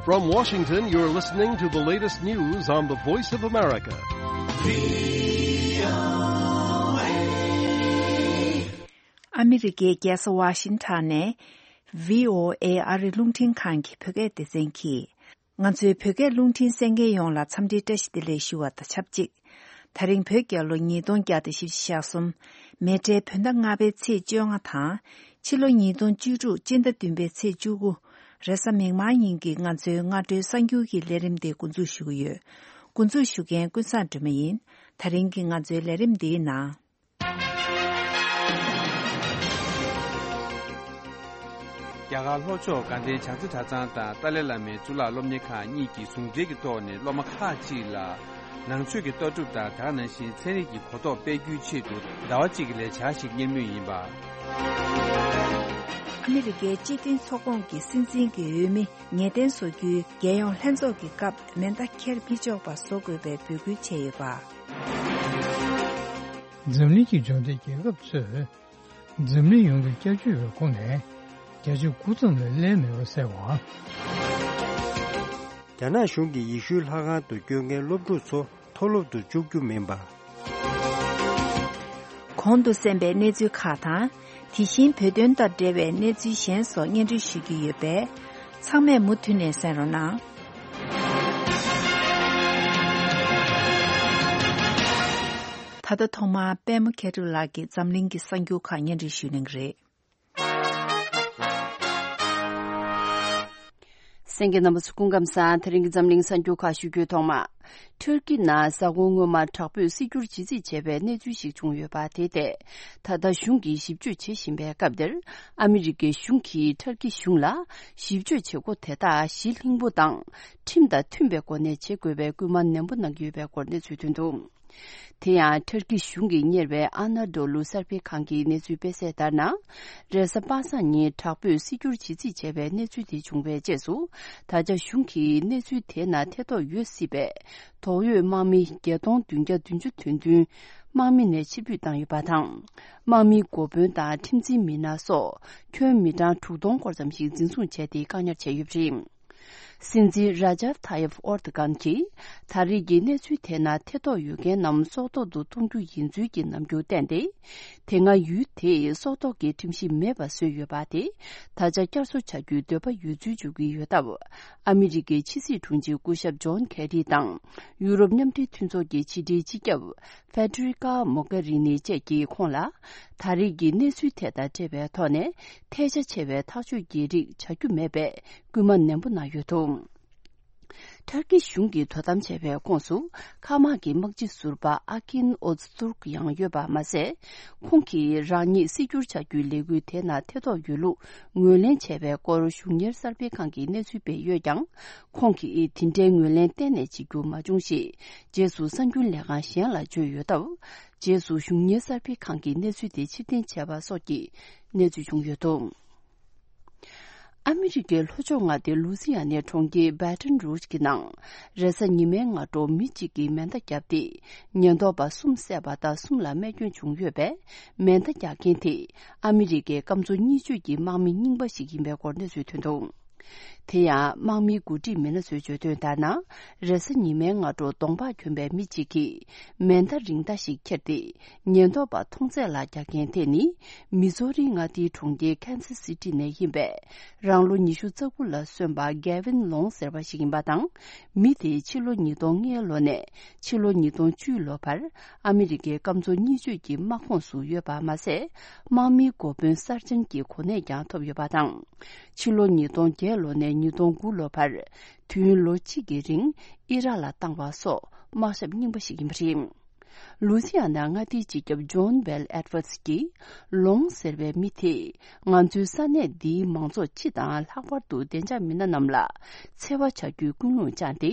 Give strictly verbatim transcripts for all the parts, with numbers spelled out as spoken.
From Washington, you're listening to the latest news on the Voice of America. ཨ་མི་རི་ཀའི་རྒྱལ་ས་ཝ་ཤིང་ཊོན་ནས་བྷི་ཨོ་ཨེ་ཨ་རི་རླུང་འཕྲིན་ཁང་གི་བོད་སྐད་སྡེ་ཚན་གྱིས། ང་ཚོའི་བོད་སྐད་རླུང་འཕྲིན་གསན་མཁན་ཡོངས་ལ་འཚམས་འདྲིའི་བཀྲ་ཤིས་བདེ་ལེགས་ཞུ་བ་དང་ཆབས་ཅིག་དེ་རིང་བོད་རྒྱལ་ལོ་ཉིས་སྟོང་བརྒྱ་དང་བཞི་བཅུ་ཞེ་གསུམ། མེ་སྤྲེལ་བོད་ཟླ་ལྔ་པའི་ཚེས་བཅོ་ལྔ་དང་། ཕྱི་ལོ་ཉིས་སྟོང་བཅུ་དྲུག་སྤྱི་ཟླ་བདུན་པའི་ཚེས་བཅུ་དགུ། རེས་གཟའ་མིག་དམར་ཉིན་གྱི་ང་ཚོའི་སྔ་དྲོའི་གསར་འགྱུར་གྱི་ལས་རིམ་དེ་འགོ་འཛུགས་ཞུ་གི་ཡོད། འགོ་འཛུགས་ཞུ་མཁན་ཀུན་བཟང་སྒྲོལ་མ་ཡིན། དེ་རིང་གི་ང་ཚོའི་ལས་རིམ་འདིའི་ནང་། རྒྱ་གར་ལྷོ་ཕྱོགས་དགའ་ལྡན་བྱང་རྩེ་གྲྭ་ཚང་དང་ཏཱ་ལའི་བླ་མའི་གཙུག་ལག་སློབ་གཉེར་ཁང་གཉིས་ཀྱིས་ཟུང་འབྲེལ་གྱི་ཐོག་ནས་སློབ་མ་ཁག་ཅིག་ལ་ནང་ཆོས་ཀྱི་ལྟ་གྲུབ་དང་དེ་ག་ནང་བཞིན་ཚན་རིག་གི་གོ་རྟོགས་སྤེལ་རྒྱུའི་ཆེད་དུ་ཟླ་བ་གཅིག་གི་ལས་འཆར་ཞིག་གཉེར་མུས་ཡིན་པ། ཨ་མི་རི་ཀའི་སྤྱི་མཐུན་ཚོགས་ཁོངས་ཀྱི་སྲིད་འཛིན་གྱི་འོས་མི་ངེས་གཏན་བཟོ་རྒྱུའི་རྒྱལ་ཡོངས་ལྷན་ཚོགས་ཀྱི་སྐབས་མེ་མདའ་འཁྱེར་མི་ཆོག་པ་བཟོ་དགོས་པའི་འབོད་སྐུལ་བྱས་ཡོད་པ། འཛམ་གླིང་གི་འབྱོར་ལྡན་རྒྱལ་ཁབ་ཚོས་འཛམ་གླིང་ཡོངས་ཀྱི་སྐྱབས་བཅོལ་བའི་ཁོངས་ནས་བརྒྱ་ཆ་དགུ་ཙམ་ལས་སླེབས་མེད་པ་གསལ་བ། རྒྱ་ནག་གཞུང་གིས་ཡེ་ཤུའི་ལྷ་ཁང་དུ་སྐྱོད་མཁན་སློབ་ཕྲུག་ཚོ་མཐོ་སློབ་ཏུ་བཅུག་རྒྱུ་མིན་པ། གོང་དུ་གསན་པའི་གནས་ཚུལ་ཁག་དང་། དེ་བཞིན་བོད་དོན་དང་འབྲེལ་བའི་གནས་ཚུལ་གཞན་སོགས་སྙན་སྒྲོན་ཞུ་རྒྱུ་ཡོད་པས། ཚང་མས་མུ་མཐུད་ནས་གསན་རོགས་གནང་། ད་ལྟ་ཐོག་མར་པད་མ་མཁས་གྲུབ་ལགས་ཀྱིས་འཛམ་གླིང་གི་གསར་འགྱུར་ཁག་སྙན་སྒྲོན་ཞུ་གནང་གི་རེད། གསན་མཁན་རྣམ་པ་ཚོ་སྐུ་ཁམས་བཟང་། དེ་རིང་གི་འཛམ་གླིང་གསར་འགྱུར་ཁག་ཞུ་རྒྱུའི་ཐོག་མ། ཊར་ཀི་ནང་གཟའ་འཁོར་སྔོན་མ་དྲག་པོས་སྲིད་སྐྱོར་བྱེད་རྩིས་བྱས་པའི་གནས་ཚུལ་ཞིག་བྱུང་ཡོད་པ་དེ་ཐད། ད་ལྟ་གཞུང་གིས་ཞིབ་དཔྱོད་བྱེད་བཞིན་པའི་སྐབས་འདིར། ཨ་མི་རི་ཀའི་གཞུང་གིས་ཊར་ཀི་གཞུང་ལ་ཞིབ་དཔྱོད་བྱེད་སྒོ་དེ་དག་གཞི་ལྷིང་པོ་དང་ཁྲིམས་དང་མཐུན་པའི་སྒོ་ནས་བྱེད་དགོས་པའི་སྐུལ་མ་ནན་པོ་གནང་གི་ཡོད་པའི་སྐོར་གནས་ཚུལ་ཐོན་འདུག། དེ་ཡང་ཊར་ཀི་གཞུང་གིས་གཉེར་བའི་ཨ་ན་ཌོ་ལུ་གསར་སྤེལ་ཁང་གི་གནས་ཚུལ་སྤེལ་གསལ་ལྟར་ན། རེས་གཟའ་པ་སངས་ཉིན་དྲག་པོས་སྲིད་སྐྱོར་བྱེད་རྩིས་བྱས་པའི་གནས་ཚུལ་དེ་བྱུང་བའི་རྗེས་སུ། ད་ཆ་གཞུང་གིས་གནས་ཚུལ་དེའི་ནང་ཐེ་གཏོགས་ཡོད་སྲིད་པའི་དོགས་ཡོད་དམག་མི་བརྒྱད་སྟོང་བདུན་བརྒྱ་བདུན་ཅུ་དོན་བདུན་དམག་མི་ནས་ཕྱིར་འབུད་བཏང་ཡོད་པ་དང་། དམག་མིའི་འགོ་དཔོན་དང་ཁྲིམས་འཛིན་མི་སྣ་སོགས་ཁྱོན་མི་གྲངས་དྲུག་སྟོང་སྐོར་ཙམ་ཞིག་འཛིན་བཟུང་བྱས་ཏེ་བཀག་ཉར་བྱས་ཡོད་པ་རེད། སྲིད་འཛིན་ར་ཇབ་ཐ་ཡབ་ཨོར་དུ་གྷན་གྱིས་ད་རེས་ཀྱི་གནས་ཚུལ་དེའི་ནང་ཐེ་གཏོགས་ཡོད་མཁན་རྣམས་སྲོག་ཐོག་ཏུ་གཏོང་རྒྱུ་ཡིན་ཚུལ་གྱི་རྣམ་འགྱུར་བསྟན་ཏེ། དེ་སྔ་ཡུལ་དེས་སྲོག་ཐོག་གི་ཁྲིམས་གཞི་མེད་པ་བཟོས་ཡོད་པ་དེ་ད་ཆ་བསྐྱར་གསོ་བྱ་རྒྱུའི་འདོད་པ་ཡོད་ཚུལ་བརྗོད་ཀྱི་ཡོད་སྟབས། ཨ་མི་རི་ཀའི་ཕྱི་སྲིད་དྲུང་ཆེ་སྐུ་ཞབས་ཇོན་ཁེ་རི་དང་ཡུ་རོབ་མཉམ་འབྲེལ་མཐུན་ཚོགས་ཀྱི་ཕྱི་དྲིལ་སྤྱི་ཁྱབ་ཧྥེ་ཏྲི་ཀ་མོ་གྷ་རི་ནི་བཅས་ཀྱིས་ཁོང་ལ། ད་རེས་ཀྱི་གནས་ཚུལ་དེ་དང་འབྲེལ་བའི་ཐོག་ནས་ཐལ་ཆ་ཆེ་བའི་ཐག་གཅོད་ཀྱི་རིགས་བྱ་རྒྱུ་མེད་པའི་སྐུལ་མ་ནན་པོ་གནང་ཡོད་འདུག། ཊར་ཀི་གཞུང་གིས་དོ་དམ་བྱས་པའི་ཁོངས་སུ་མཁའ་དམག་གི་དམག་སྤྱི་ཟུར་པ་ཨ་ཀིན་ཨོ་ཛ་ཏུར་ཀ་ཡང་ཡོད་པ་མ་ཟད། ཁོང་གིས་རང་ཉིད་སྲིད་སྐྱོར་བྱ་རྒྱུའི་ལས་འགུལ་དེ་ནང་ཐེ་གཏོགས་ཡོད་ལུགས་ངོས་ལེན་བྱས་པའི་སྐོར་གཞུང་གཉེར་གསར་སྤེལ་ཁང་གིས་གནས་ཚུལ་སྤེལ་ཡོད་ཀྱང་། ཁོང་གིས་དེ་འདྲའི་ངོས་ལེན་གཏན་ནས་བྱེད་རྒྱུ་མ་བྱུང་ཞེས། རྗེས་སུ་གསར་འགྱུར་ལས་ཁང་གཞན་ལ་བརྗོད་ཡོད་སྟབས། རྗེས་སུ་གཞུང་གཉེར་གསར་སྤེལ་ཁང་གིས་གནས་ཚུལ་དེ་ཕྱིར་འཐེན་བྱས་པ་སོགས་ཀྱི་གནས་ཚུལ་བྱུང་ཡོད་འདུག། ཨ་མི་རི་ཀའི་ལྷོ་ཕྱོགས་མངའ་སྡེ་ལུ་སི་ཡ་ནའི་གྲོང་ཁྱེར་བྷ་ཏན་རུཇ་གྱི་ནང་། རེས་གཟའ་ཉི་མའི་སྔ་དྲོ་མི་གཅིག་གིས་མེ་མདའ་བརྒྱབ་སྟེ། ཉེན་རྟོག་པ་གསུམ་བསད་པ་དང་གསུམ་ལ་རྨས་སྐྱོན་བྱུང་ཡོད་པས། མེ་མདའ་རྒྱག་མཁན་དེ་ཨ་མི་རི་ཀའི་སྐམ་མཚོ་གཉིས་ཆོད་ཀྱི་དམག་མི་རྙིང་པ་ཞིག་ཡིན་པའི་སྐོར་གནས་ཚུལ་ཐོན་འདུག། དེ་ཡང་དམག་མིའི་འགོ་ཁྲིད་མི་སྣ་ཚོས་བརྗོད་དོན་ལྟར་ན། རེས་གཟའ་ཉི་མའི་སྔ་དྲོ་གདོང་པགས་གྱོན་པའི་མི་གཅིག་གིས་མེ་མདའ་རིང་མདའ་ཞིག་འཁྱེར་ཏེ། ཉེན་རྟོག་པ་མཐོང་ཚད་ལ་རྒྱག་མཁན་དེ་ནི། མི་ཛོ་རི་མངའ་སྡེའི་གྲོང་ཁྱེར་ཁན་སི་སི་ཊི་ནས་ཡིན་པའི་རང་ལོ་ཉི་ཤུ་རྩ་དགུ་ལ་སོན་པ་གེ་ཝིན་ལོང་ཟེར་བ་ཞིག་ཡིན་པ་དང་། མི་དེ་ཕྱི་ལོ་ཉིས་སྟོང་ལྔའི་ལོ་ནས་ཕྱི་ལོ་ཉིས་སྟོང་བཅུའི་ལོ་བར་ཨ་མི་རི་ཀའི་སྐམ་མཚོ་གཉིས་ཆོད་ཀྱི་དམག་ཁོངས་སུ་ཡོད་པ་མ་ཟད། དམག་མིའི་འགོ་དཔོན་གསར་བྱང་གི་གོ་གནས་ཀྱང་ཐོབ་ཡོད་པ་དང་། ཕྱི་ལོ་ཉིས་སྟོང་བརྒྱད་ལོ་ནས་ཉིས་སྟོང་དགུ་ལོ་བར། དུས་ཡུན་ལོ་གཅིག་གི་རིང་ཨི་རག་ལ་བཏང་བ་སོགས་དམག་ཞབས་རྙིང་པ་ཞིག་ཡིན་པ་རེད། ལུ་སི་ཡ་ན་མངའ་སྡེའི་སྤྱི་ཁྱབ་ཇོན་བེལ་ཨེད་ཝར་ཌི་གིས། ལོང་ཟེར་བའི་མི་དེས། ང་ཚོའི་ས་གནས་འདིའི་མང་ཚོགས་སྤྱི་དང་ལྷག་པར་དུ་བདེ་འཇགས་མི་སྣ་རྣམས་ལ། འཚེ་བ་བྱ་རྒྱུའི་ཀུན་སློང་བཅངས་ཏེ།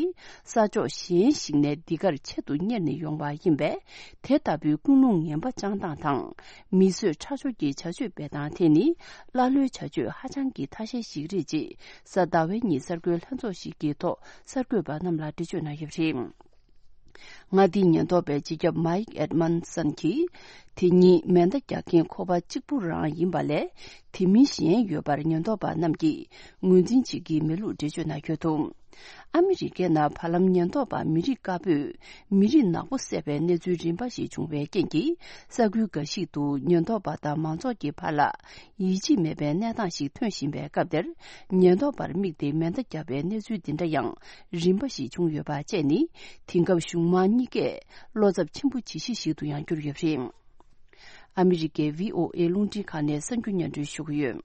ས་ཕྱོགས་གཞན་ཞིག་ནས་འདི་གར་ཆེད་དུ་གཉེར་ནས་ཡོང་བ་ཡིན་པས། དེ་ལྟ་བུའི་ཀུན་སློང་ངན་པ་བཅངས་སྟངས་དང་། མི་གསོད་ཁྲག་སྦྱོར་གྱི་བྱ་སྤྱོད་སྤེལ་སྟངས་དེ་ནི། ཀླ་ཀློའི་བྱ་སྤྱོད་ཧ་ཅང་གི་ཐ་ཤལ་ཞིག་རེད། ཅེས་གཟའ་ཟླ་བའི་ཉིན་གསར་འགོད་ལྷན་ཚོགས་ཤིག་གི་ཐོག་གསར་འགོད་པ་རྣམས་ལ་འགྲེལ་བརྗོད་གནང་ཡོད་པ་རེད། མངའ་སྡེའི་ཉེན་རྟོག་པའི་སྤྱི་ཁྱབ་མཱིག་ཨེད་མན་སན་གྱིས། དེ་ཉིད་མེ་མདའ་རྒྱག་མཁན་ཁོ་པ་གཅིག་པུ་རང་ཡིན་པ་ལས། དེ་མིན་གཞན་ཡོད་པར་ཉེན་རྟོག་པ་རྣམས་ཀྱིས་ངོས་འཛིན་བྱེད་ཀྱི་མེད་ལུགས་འགྲེལ་བརྗོད་གནང་ཡོད་འདུག། ཨ་མི་རི་ཀའི་ནང་བར་ལམ་ཉེན་རྟོག་པ་མི་རིགས་དཀར་པོས་མི་རིགས་ནག་པོ་བསད་པའི་གནས་ཚུལ་རིམ་པ་ཞིག་བྱུང་བའི་རྐྱེན་གྱིས། ས་ཁུལ་འགའ་ཞིག་ཏུ་ཉེན་རྟོག་པ་དང་མང་ཚོགས་ཀྱི་བར་ལ་ཡིད་ཆེས་མེད་པའི་གནས་སྟངས་ཤིག་ཐོན་བཞིན་པའི་སྐབས་དེར། ཉེན་རྟོག་པར་དམིགས་ཏེ་མེ་མདའ་བརྒྱབ་པའི་གནས་ཚུལ་འདི་འདྲ་ཡང་རིམ་པ་ཞིག་བྱུང་ཡོད་པ་བཅས་ནི། དེང་སྐབས་གཞུང་མང་གཉིས་ཀས་བློ་འཚབ་ཆེན་པོ་བྱེད་གཞི་ཞིག་ཏུ་ཡང་གྱུར་ཡོད་པ་རེད། ཨ་མི་རི་ཀའི་ཝི་ཨོ་ཨེ་རླུང་འཕྲིན་ཁང་ནས་གསར་འགྱུར་སྙན་སྒྲོན་ཞུ་གི་ཡོད།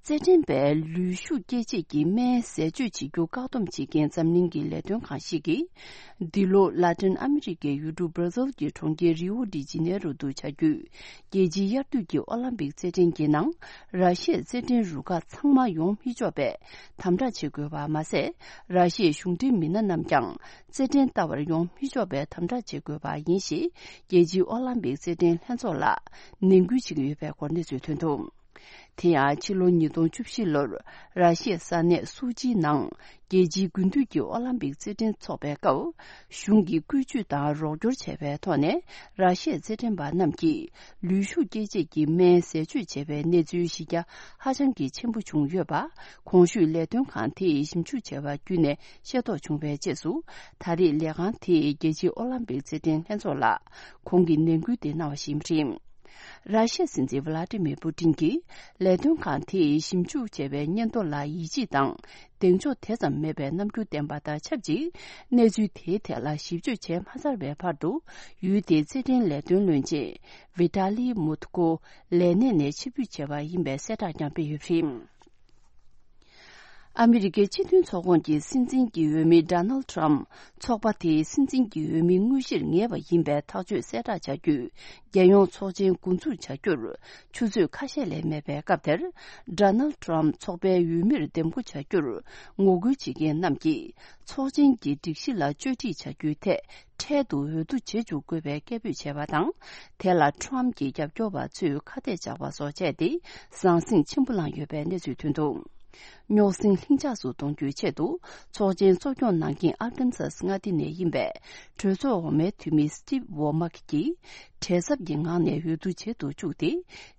རྩེད་འགྲན་པས་ལུས་ཤུགས་སྐྱེད་བྱེད་ཀྱི་སྨན་ཟས་སྤྱོད་བྱེད་རྒྱུ་བཀག་སྡོམ་བྱེད་མཁན་འཛམ་གླིང་གི་ལས་དོན་ཁང་ཞིག་གིས། འདི་ལོ་ལ་ཏིན་ཨ་མི་རི་ཀའི་ཡུལ་གྲུ་སྦྲ་ཟིལ་གྱི་གྲོང་ཁྱེར་རིའོ་ཌི་ཇི་ནེ་རོ་དུ་བྱ་རྒྱུའི་རྒྱལ་སྤྱིའི་དབྱར་དུས་ཀྱི་ཨོ་ལམ་པིག་རྩེད་འགྲན་གྱི་ནང་། ར་ཤི་ཡའི་རྩེད་འགྲན་རུ་ཁག་ཚང་མ་ཡོང་མི་ཆོག་པའི་དམ་དྲག་བྱེད་དགོས་པ་མ་ཟད། ར་ཤི་ཡའི་གཞུང་འབྲེལ་མི་སྣ་རྣམས་ཀྱང་། རྩེད་འགྲན་ལྟ་བར་ཡོང་མི་ཆོག་པའི་དམ་དྲག་བྱེད་དགོས་པ་ཡིན་ཞེས། རྒྱལ་སྤྱིའི་ཨོ་ལམ་པིག་རྩེད་འགྲན་ལྷན་ཚོགས་ལ་ནན་སྐུལ་བྱེད་ཀྱི་ཡོད་པའི་སྐོར་གནས་ཚུལ་ཐོན་འདུག་དེ་ཡང་ཕྱི་ལོ་ཉིས་སྟོང་བཅུ་བཞི་ལོར་ར་ཤི་ཡའི་ས་གནས་སུ་ཅིའི་ནང་རྒྱལ་སྤྱིའི་དགུན་དུས་ཀྱི་ཨོ་ལམ་པིག་རྩེད་འགྲན་འཚོགས་པའི་སྐབས། གཞུང་གིས་བཀོལ་སྤྱོད་དང་རོགས་སྐྱོར་བྱས་པའི་ཐོག་ནས། ར་ཤི་ཡའི་རྩེད་འགྲན་པ་རྣམས་ཀྱིས་ལུས་ཤུགས་སྐྱེད་བྱེད་ཀྱི་སྨན་ཟས་སྤྱོད་བྱས་པའི་གནས་ཚུལ་གཞི་རྒྱ་ཧ་ཅང་གི་ཆེན་པོ་བྱུང་ཡོད་པ། གོང་ཞུས་ལས་དོན་ཁང་དེས་ཞིབ་འཇུག་བྱས་པ་བརྒྱུད་ནས་ཤེས་རྟོགས་བྱུང་བའི་རྗེས་སུ། ད་རེས་ལས་ཁང་དེས་རྒྱལ་སྤྱིའི་ཨོ་ལམ་པིག་རྩེད་འགྲན་ལྷན་ཚོགས་ལ་གོང་གི་ནན་སྐུལ་དེ་གནང་བ་ཞིག་ཡིན་པ་རེད། ར་ཤི་ཡའི་སྲིད་འཛིན་ཝ་ལ་ཏི་མིར་པུ་ཏིན་གྱིས་ལས་དོན་ཁང་དེས་ཞིབ་འཇུག་བྱས་པའི་སྙན་ཐོ་ལ་ཡིད་ཆེས་དང་གདེང་འཇོག་དེ་ཙམ་མེད་པའི་རྣམ་འགྱུར་བསྟན་པ་དང་ཆབས་ཅིག་གནས་ཚུལ་དེའི་ཐད་ལ་ཞིབ་དཔྱོད་བྱས་མ་ཚར་བའི་བར་དུ། ཡུལ་དེའི་རྩེད་འགྲན་ལས་དོན་བློན་ཆེན་ཝི་ཏཱ་ལི་མུ་ཐུ་ཀོ་ལས་གནས་ནས་ཕྱིར་འབུད་བྱས་པ་ཡིན་པའི་གསལ་བསྒྲགས་ཀྱང་སྤེལ་ཡོད་པ་རེད། ཨ་མི་རི་ཀའི་སྤྱི་མཐུན་ཚོགས་ཁོངས་ཀྱི་སྲིད་འཛིན་གྱི་འོས་མི་ཌོ་ནལ་ཌི་ཊརམ་ཕི། ཚོགས་པ་དེའི་སྲིད་འཛིན་གྱི་འོས་མི་དངོས་གཞིར་ངེས་པ་ཡིན་པའི་ཐག་གཅོད་གསལ་བསྒྲགས་བྱ་རྒྱུའི་རྒྱལ་ཡོངས་ཚོགས་ཆེན་འགོ་འཛུགས་བྱ་རྒྱུར་ཆུ་ཚོད་ཁ་ཤས་ལས་མེད་པའི་སྐབས་དེར། ཌོ་ནལ་ཌི་ཊརམ་ཕི་ཚོགས་པའི་འོས་མིར་འདེམས་བསྐོ་བྱ་རྒྱུར་ངོ་རྒོལ་བྱེད་མཁན་རྣམས་ཀྱིས་ཚོགས་ཆེན་གྱི་སྒྲིག་གཞི་ལ་བཅོས་སྒྲིག་བྱ་རྒྱུའི་ཐད། འཕྲལ་དུ་འོས་བསྡུ་བྱེད་འཇུག་དགོས་པའི་སྐད་འབོད་བྱས་པ་དང་། དེ་ལ་ཊམ་གྱི་རྒྱབ་སྐྱོར་བ་ཚོས་ཁ་གཏད་བཅག་པ་སོགས་བྱས་ཏེ། ཟང་ཟིང་ཆེན་པོ་བསླངས་ཡོད་པའི་གནས་ཚུལ་ཐོན་འདུག་རྙོག་ཟིང་ལྷིང་འཇགས་སུ་གཏོང་རྒྱུའི་ཆེད་དུ། ཚོགས་ཆེན་གཙོ་སྐྱོང་གནང་མཁན་ཨར་ཀན་སཱས་མངའ་སྡེ་ནས་ཡིན་པའི་གྲོས་ཚོགས་འོག་མའི་འཐུས་མི་སི་ཊིབ་ཝོ་མག་གིས་བྲེལ་འཚབ་ཀྱི་ངང་ནས་འོས་བསྡུ་བྱེད་དུ་བཅུག་སྟེ།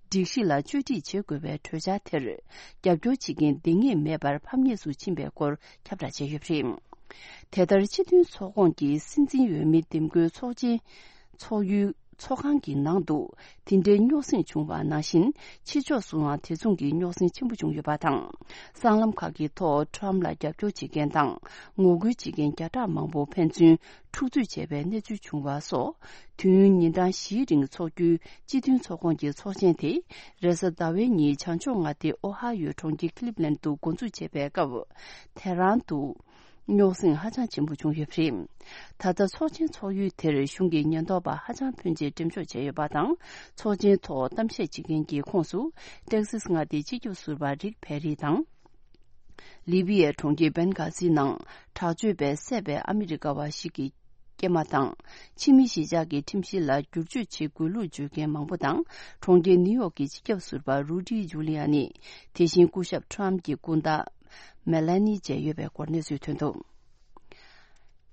སྒྲིག་གཞི་ལ་བཅོས་སྒྲིག་བྱེད་དགོས་པའི་གྲོས་འཆར་དེར་རྒྱབ་སྐྱོར་བྱེད་མཁན་འདང་ངེས་མེད་པར་ཕམ་ཉེས་སུ་ཕྱིན་པའི་སྐོར་ཁྱབ་བསྒྲགས་བྱས་ཡོད་པ་རེད། དེ་ལྟར་སྤྱི་མཐུན་ཚོགས་ཁོངས་ཀྱི་སྲིད་འཛིན་འོས་མི་འདེམས་བསྐོའི་ཚོགས་ཆེན་ཚོགས་ཡུལ་ཚོགས་ཁང་གི་ནང་དུ་དེ་འདྲའི་རྙོག་ཟིང་བྱུང་བ་ནང་བཞིན། ཕྱི་ཕྱོགས་སུའང་དེ་མཚུངས་ཀྱི་རྙོག་ཟིང་ཆེན་པོ་བྱུང་ཡོད་པ་དང་། སྲང་ལམ་ཁག་གི་ཐོག་ཊམ་ལ་རྒྱབ་སྐྱོར་བྱེད་མཁན་དང་ངོ་རྒོལ་བྱེད་མཁན་བརྒྱ་ཕྲག་མང་པོ་ཕན་ཚུན་འཁྲུག་རྩོད་བྱས་པའི་གནས་ཚུལ་བྱུང་བ་སོགས། དུས་ཡུན་ཉིན་གྲངས་བཞིའི་རིང་འཚོགས་རྒྱུའི་སྤྱི་མཐུན་ཚོགས་ཁོངས་ཀྱི་ཚོགས་ཆེན་དེ་རེས་གཟའ་ཟླ་བའི་ཉིན་བྱང་ཕྱོགས་མངའ་སྡེ་ཨོ་ཧ་ཡོའི་གྲོང་ཁྱེར་ཁི་ལིབ་ལན་དུ་འགོ་འཛུགས་བྱས་པའི་སྐབས། དེ་རང་དུ་རྙོག་ཟིང་ཧ་ཅང་ཆེན་པོ་བྱུང་ཡོད་པ་རེད། ད་ལྟ་ཚོགས་ཆེན་འཚོགས་ཡུལ་དེར་གཞུང་གི་ཉེན་རྟོག་པ་ཧ་ཅང་ཕོན་ཆེ་འགྲེམས་འཇོག་བྱས་ཡོད་པ་དང་། ཚོགས་ཆེན་ཐོག་གཏམ་བཤད་བྱེད་མཁན་གྱི་ཁོངས་སུ་ཏེག་སིས་མངའ་སྡེའི་སྤྱི་ཁྱབ་ཟུར་པ་རིག་ཕེ་རི་དང་། ལི་བི་ཡའི་གྲོང་ཁྱེར་བན་གྷ་ཟི་ནང་དྲག་སྤྱོད་པས་བསད་པའི་ཨ་མི་རི་ཀ་བ་ཞིག་གི་སྐྱེས་མ་དང་། ཕྱི་མི་གཞིས་ཆགས་ཀྱི་ཁྲིམས་གཞི་ལ་བསྒྱུར་བཅོས་བྱེད་དགོས་ལུགས་བརྗོད་མཁན་མང་པོ་དང་། གྲོང་ཁྱེར་ནིའུ་ཡོག་གི་སྤྱི་ཁྱབ་ཟུར་པ་རུ་ཌི་ཇུ་ལི་ཡ་ནི། དེ་བཞིན་སྐུ་ཞབས་ཊམ་གྱི་སྐུ་ཟླ་མེ་ལ་ནི་བཅས་ཡོད་པའི་སྐོར་གནས་ཚུལ་ཐོན་འདུག་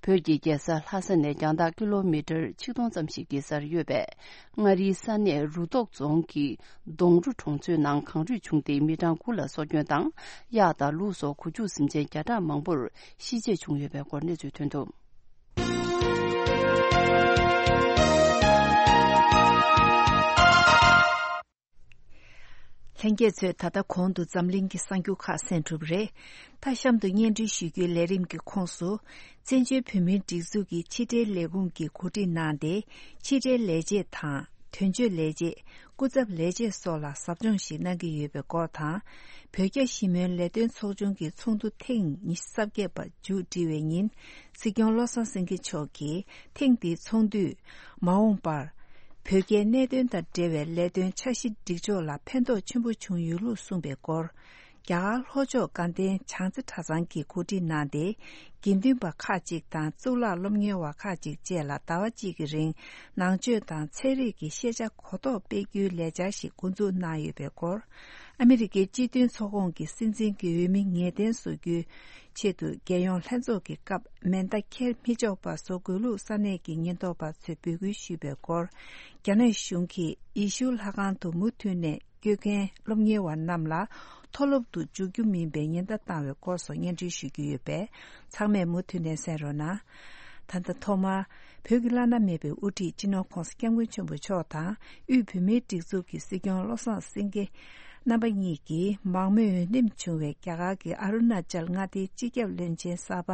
བོད་ཀྱི་རྒྱལ་ས་ལྷ་ས་ནས་རྒྱང་ཐག་ཀི་ལོ་མི་ཊར་ཆིག་སྟོང་ཙམ་ཞིག་གི་སར་ཡོད་པའི་མངའ་རིས་ས་གནས་རུ་ཐོག་རྫོང་གི་སྡོང་རུ་གྲོང་ཚོའི་ནང་གངས་རུད་བྱུང་སྟེ་མི་གྲངས་དགུ་ལ་སྲོག་སྐྱོན་དང་། གཡག་དང་ལུག་སོགས་གོ་ཆུད་སེམས་ཅན་བརྒྱ་ཕྲག་མང་པོར་ཤི་རྗེས་བྱུང་ཡོད་པའི་སྐོར་གནས་ཚུལ་ཐོན་འདུག་ལྷན་རྒྱས་ཚོས་ད་ལྟ་གོང་དུ་འཛམ་གླིང་གི་གསར་འགྱུར་ཁག་གསན་གྲུབ་རེད། མཐའ་གཤམ་དུ་སྙན་སྒྲོན་ཞུ་རྒྱུའི་ལས་རིམ་གྱི་ཁོངས་སུ། བཙན་བྱོལ་བོད་མིའི་སྒྲིག་འཛུགས་ཀྱི་ཕྱི་འབྲེལ་ལས་ཁུངས་ཀྱིས་གོ་སྒྲིག་གནང་སྟེ། ཕྱི་འབྲེལ་ལས་བྱེད་དང་། དོན་གཅོད་ལས་བྱེད། སྐུ་ཚབ་ལས་བྱེད་སོགས་ལ་ཟབ་སྦྱོང་ཞིག་གནང་གི་ཡོད་པའི་སྐོར་དང་། བོད་རྒྱ་ཞི་མོལ་ལས་དོན་ཚོགས་ཆུང་གི་ཚོགས་འདུ་ཐེངས་ཉི་ཤུ་རྩ་བརྒྱད་པ་མཇུག་སྒྲིལ་བའི་ཉིན། སྲིད་སྐྱོང་བློ་བཟང་སེང་གེ་མཆོག་གིས་ཐེངས་འདིའི་ཚོགས་འདུས་མ་འོངས་པར་བོད་རྒྱའི་གནད་དོན་དང་འབྲེལ་བའི་ལས་དོན་འཆར་གཞི་སྒྲིག་ཕྱོགས་ལ་ཕན་ཐོགས་ཆེན་པོ་བྱུང་ཡོད་ལུགས་གསུངས་པའི་སྐོར། རྒྱ་གར་ལྷོ་ཕྱོགས་དགའ་ལྡན་བྱང་རྩེ་གྲྭ་ཚང་གིས་གོ་སྒྲིག་གནང་སྟེ། དགེ་འདུན་པ་ཁག་ཅིག་དང་གཙུག་ལག་སློབ་གཉེར་བ་ཁག་ཅིག་བཅས་ལ་ཟླ་བ་གཅིག་གི་རིང་ནང་ཆོས་དང་ཚན་རིག་གི་ཤེས་བྱ་གོ་རྟོགས་སྤེལ་རྒྱུའི་ལས་འཆར་ཞིག་འགོ་འཛུགས་གནང་ཡོད་པའི་སྐོར། ཨ་མི་རི་ཀའི་སྤྱི་མཐུན་ཚོགས་ཁོངས་ཀྱི་སྲིད་འཛིན་གྱི་འོས་མི་ངེས་གཏན་བཟོ་རྒྱུའི་ཆེད་དུ་རྒྱལ་ཡོངས་ལྷན་ཚོགས་ཀྱི་སྐབས་མེ་མདའ་འཁྱེར་མི་ཆོག་པ་བཟོ་དགོས་ལུགས་ས་གནས་ཀྱི་ཉེན་རྟོག་པ་ཚོས་འབོད་སྐུལ་ཞུས་པའི་སྐོར། རྒྱ་ནག་གཞུང་གིས་ཡེ་ཤུ་ལྷ་ཁང་དུ་མུ་མཐུད་ནས་ སྐྱོད་མཁན་སློབ་གཉེར་བ་རྣམས་ལ་མཐོ་སློབ་ཏུ་འཇུག་རྒྱུ་མིན་པའི་ཉེན་བརྡ་བཏང་བའི་སྐོར་སོགས་སྙན་སྒྲོན་ཞུ་རྒྱུ་ཡོད་པས། ཚང་མས་མུ་མཐུད་ནས་གསན་རོགས་གནང་། ད་ལྟ་ཐོག་མར་བོད་ཀྱི་བླ་ན་མེད་པའི་དབུ་ཁྲིད་སྤྱི་ནོར་༸གོང་ས་༸སྐྱབས་མགོན་ཆེན་པོ་མཆོག་དང་། དབུས་བོད་མིའི་སྒྲིག་འཛུགས་ཀྱི་སྲིད་སྐྱོང་བློ་བཟང་སེང་གེ་རྣམ་པ་གཉིས་ཀྱིས་མང་མོས་འོས་འདེམས་བྱུང་བའི་རྒྱ་གར་གྱི་ཨ་རུ་ན་ཅལ་མངའ་སྡེའི་སྤྱི་ཁྱབ་བློན་ཆེན་གསར་པ་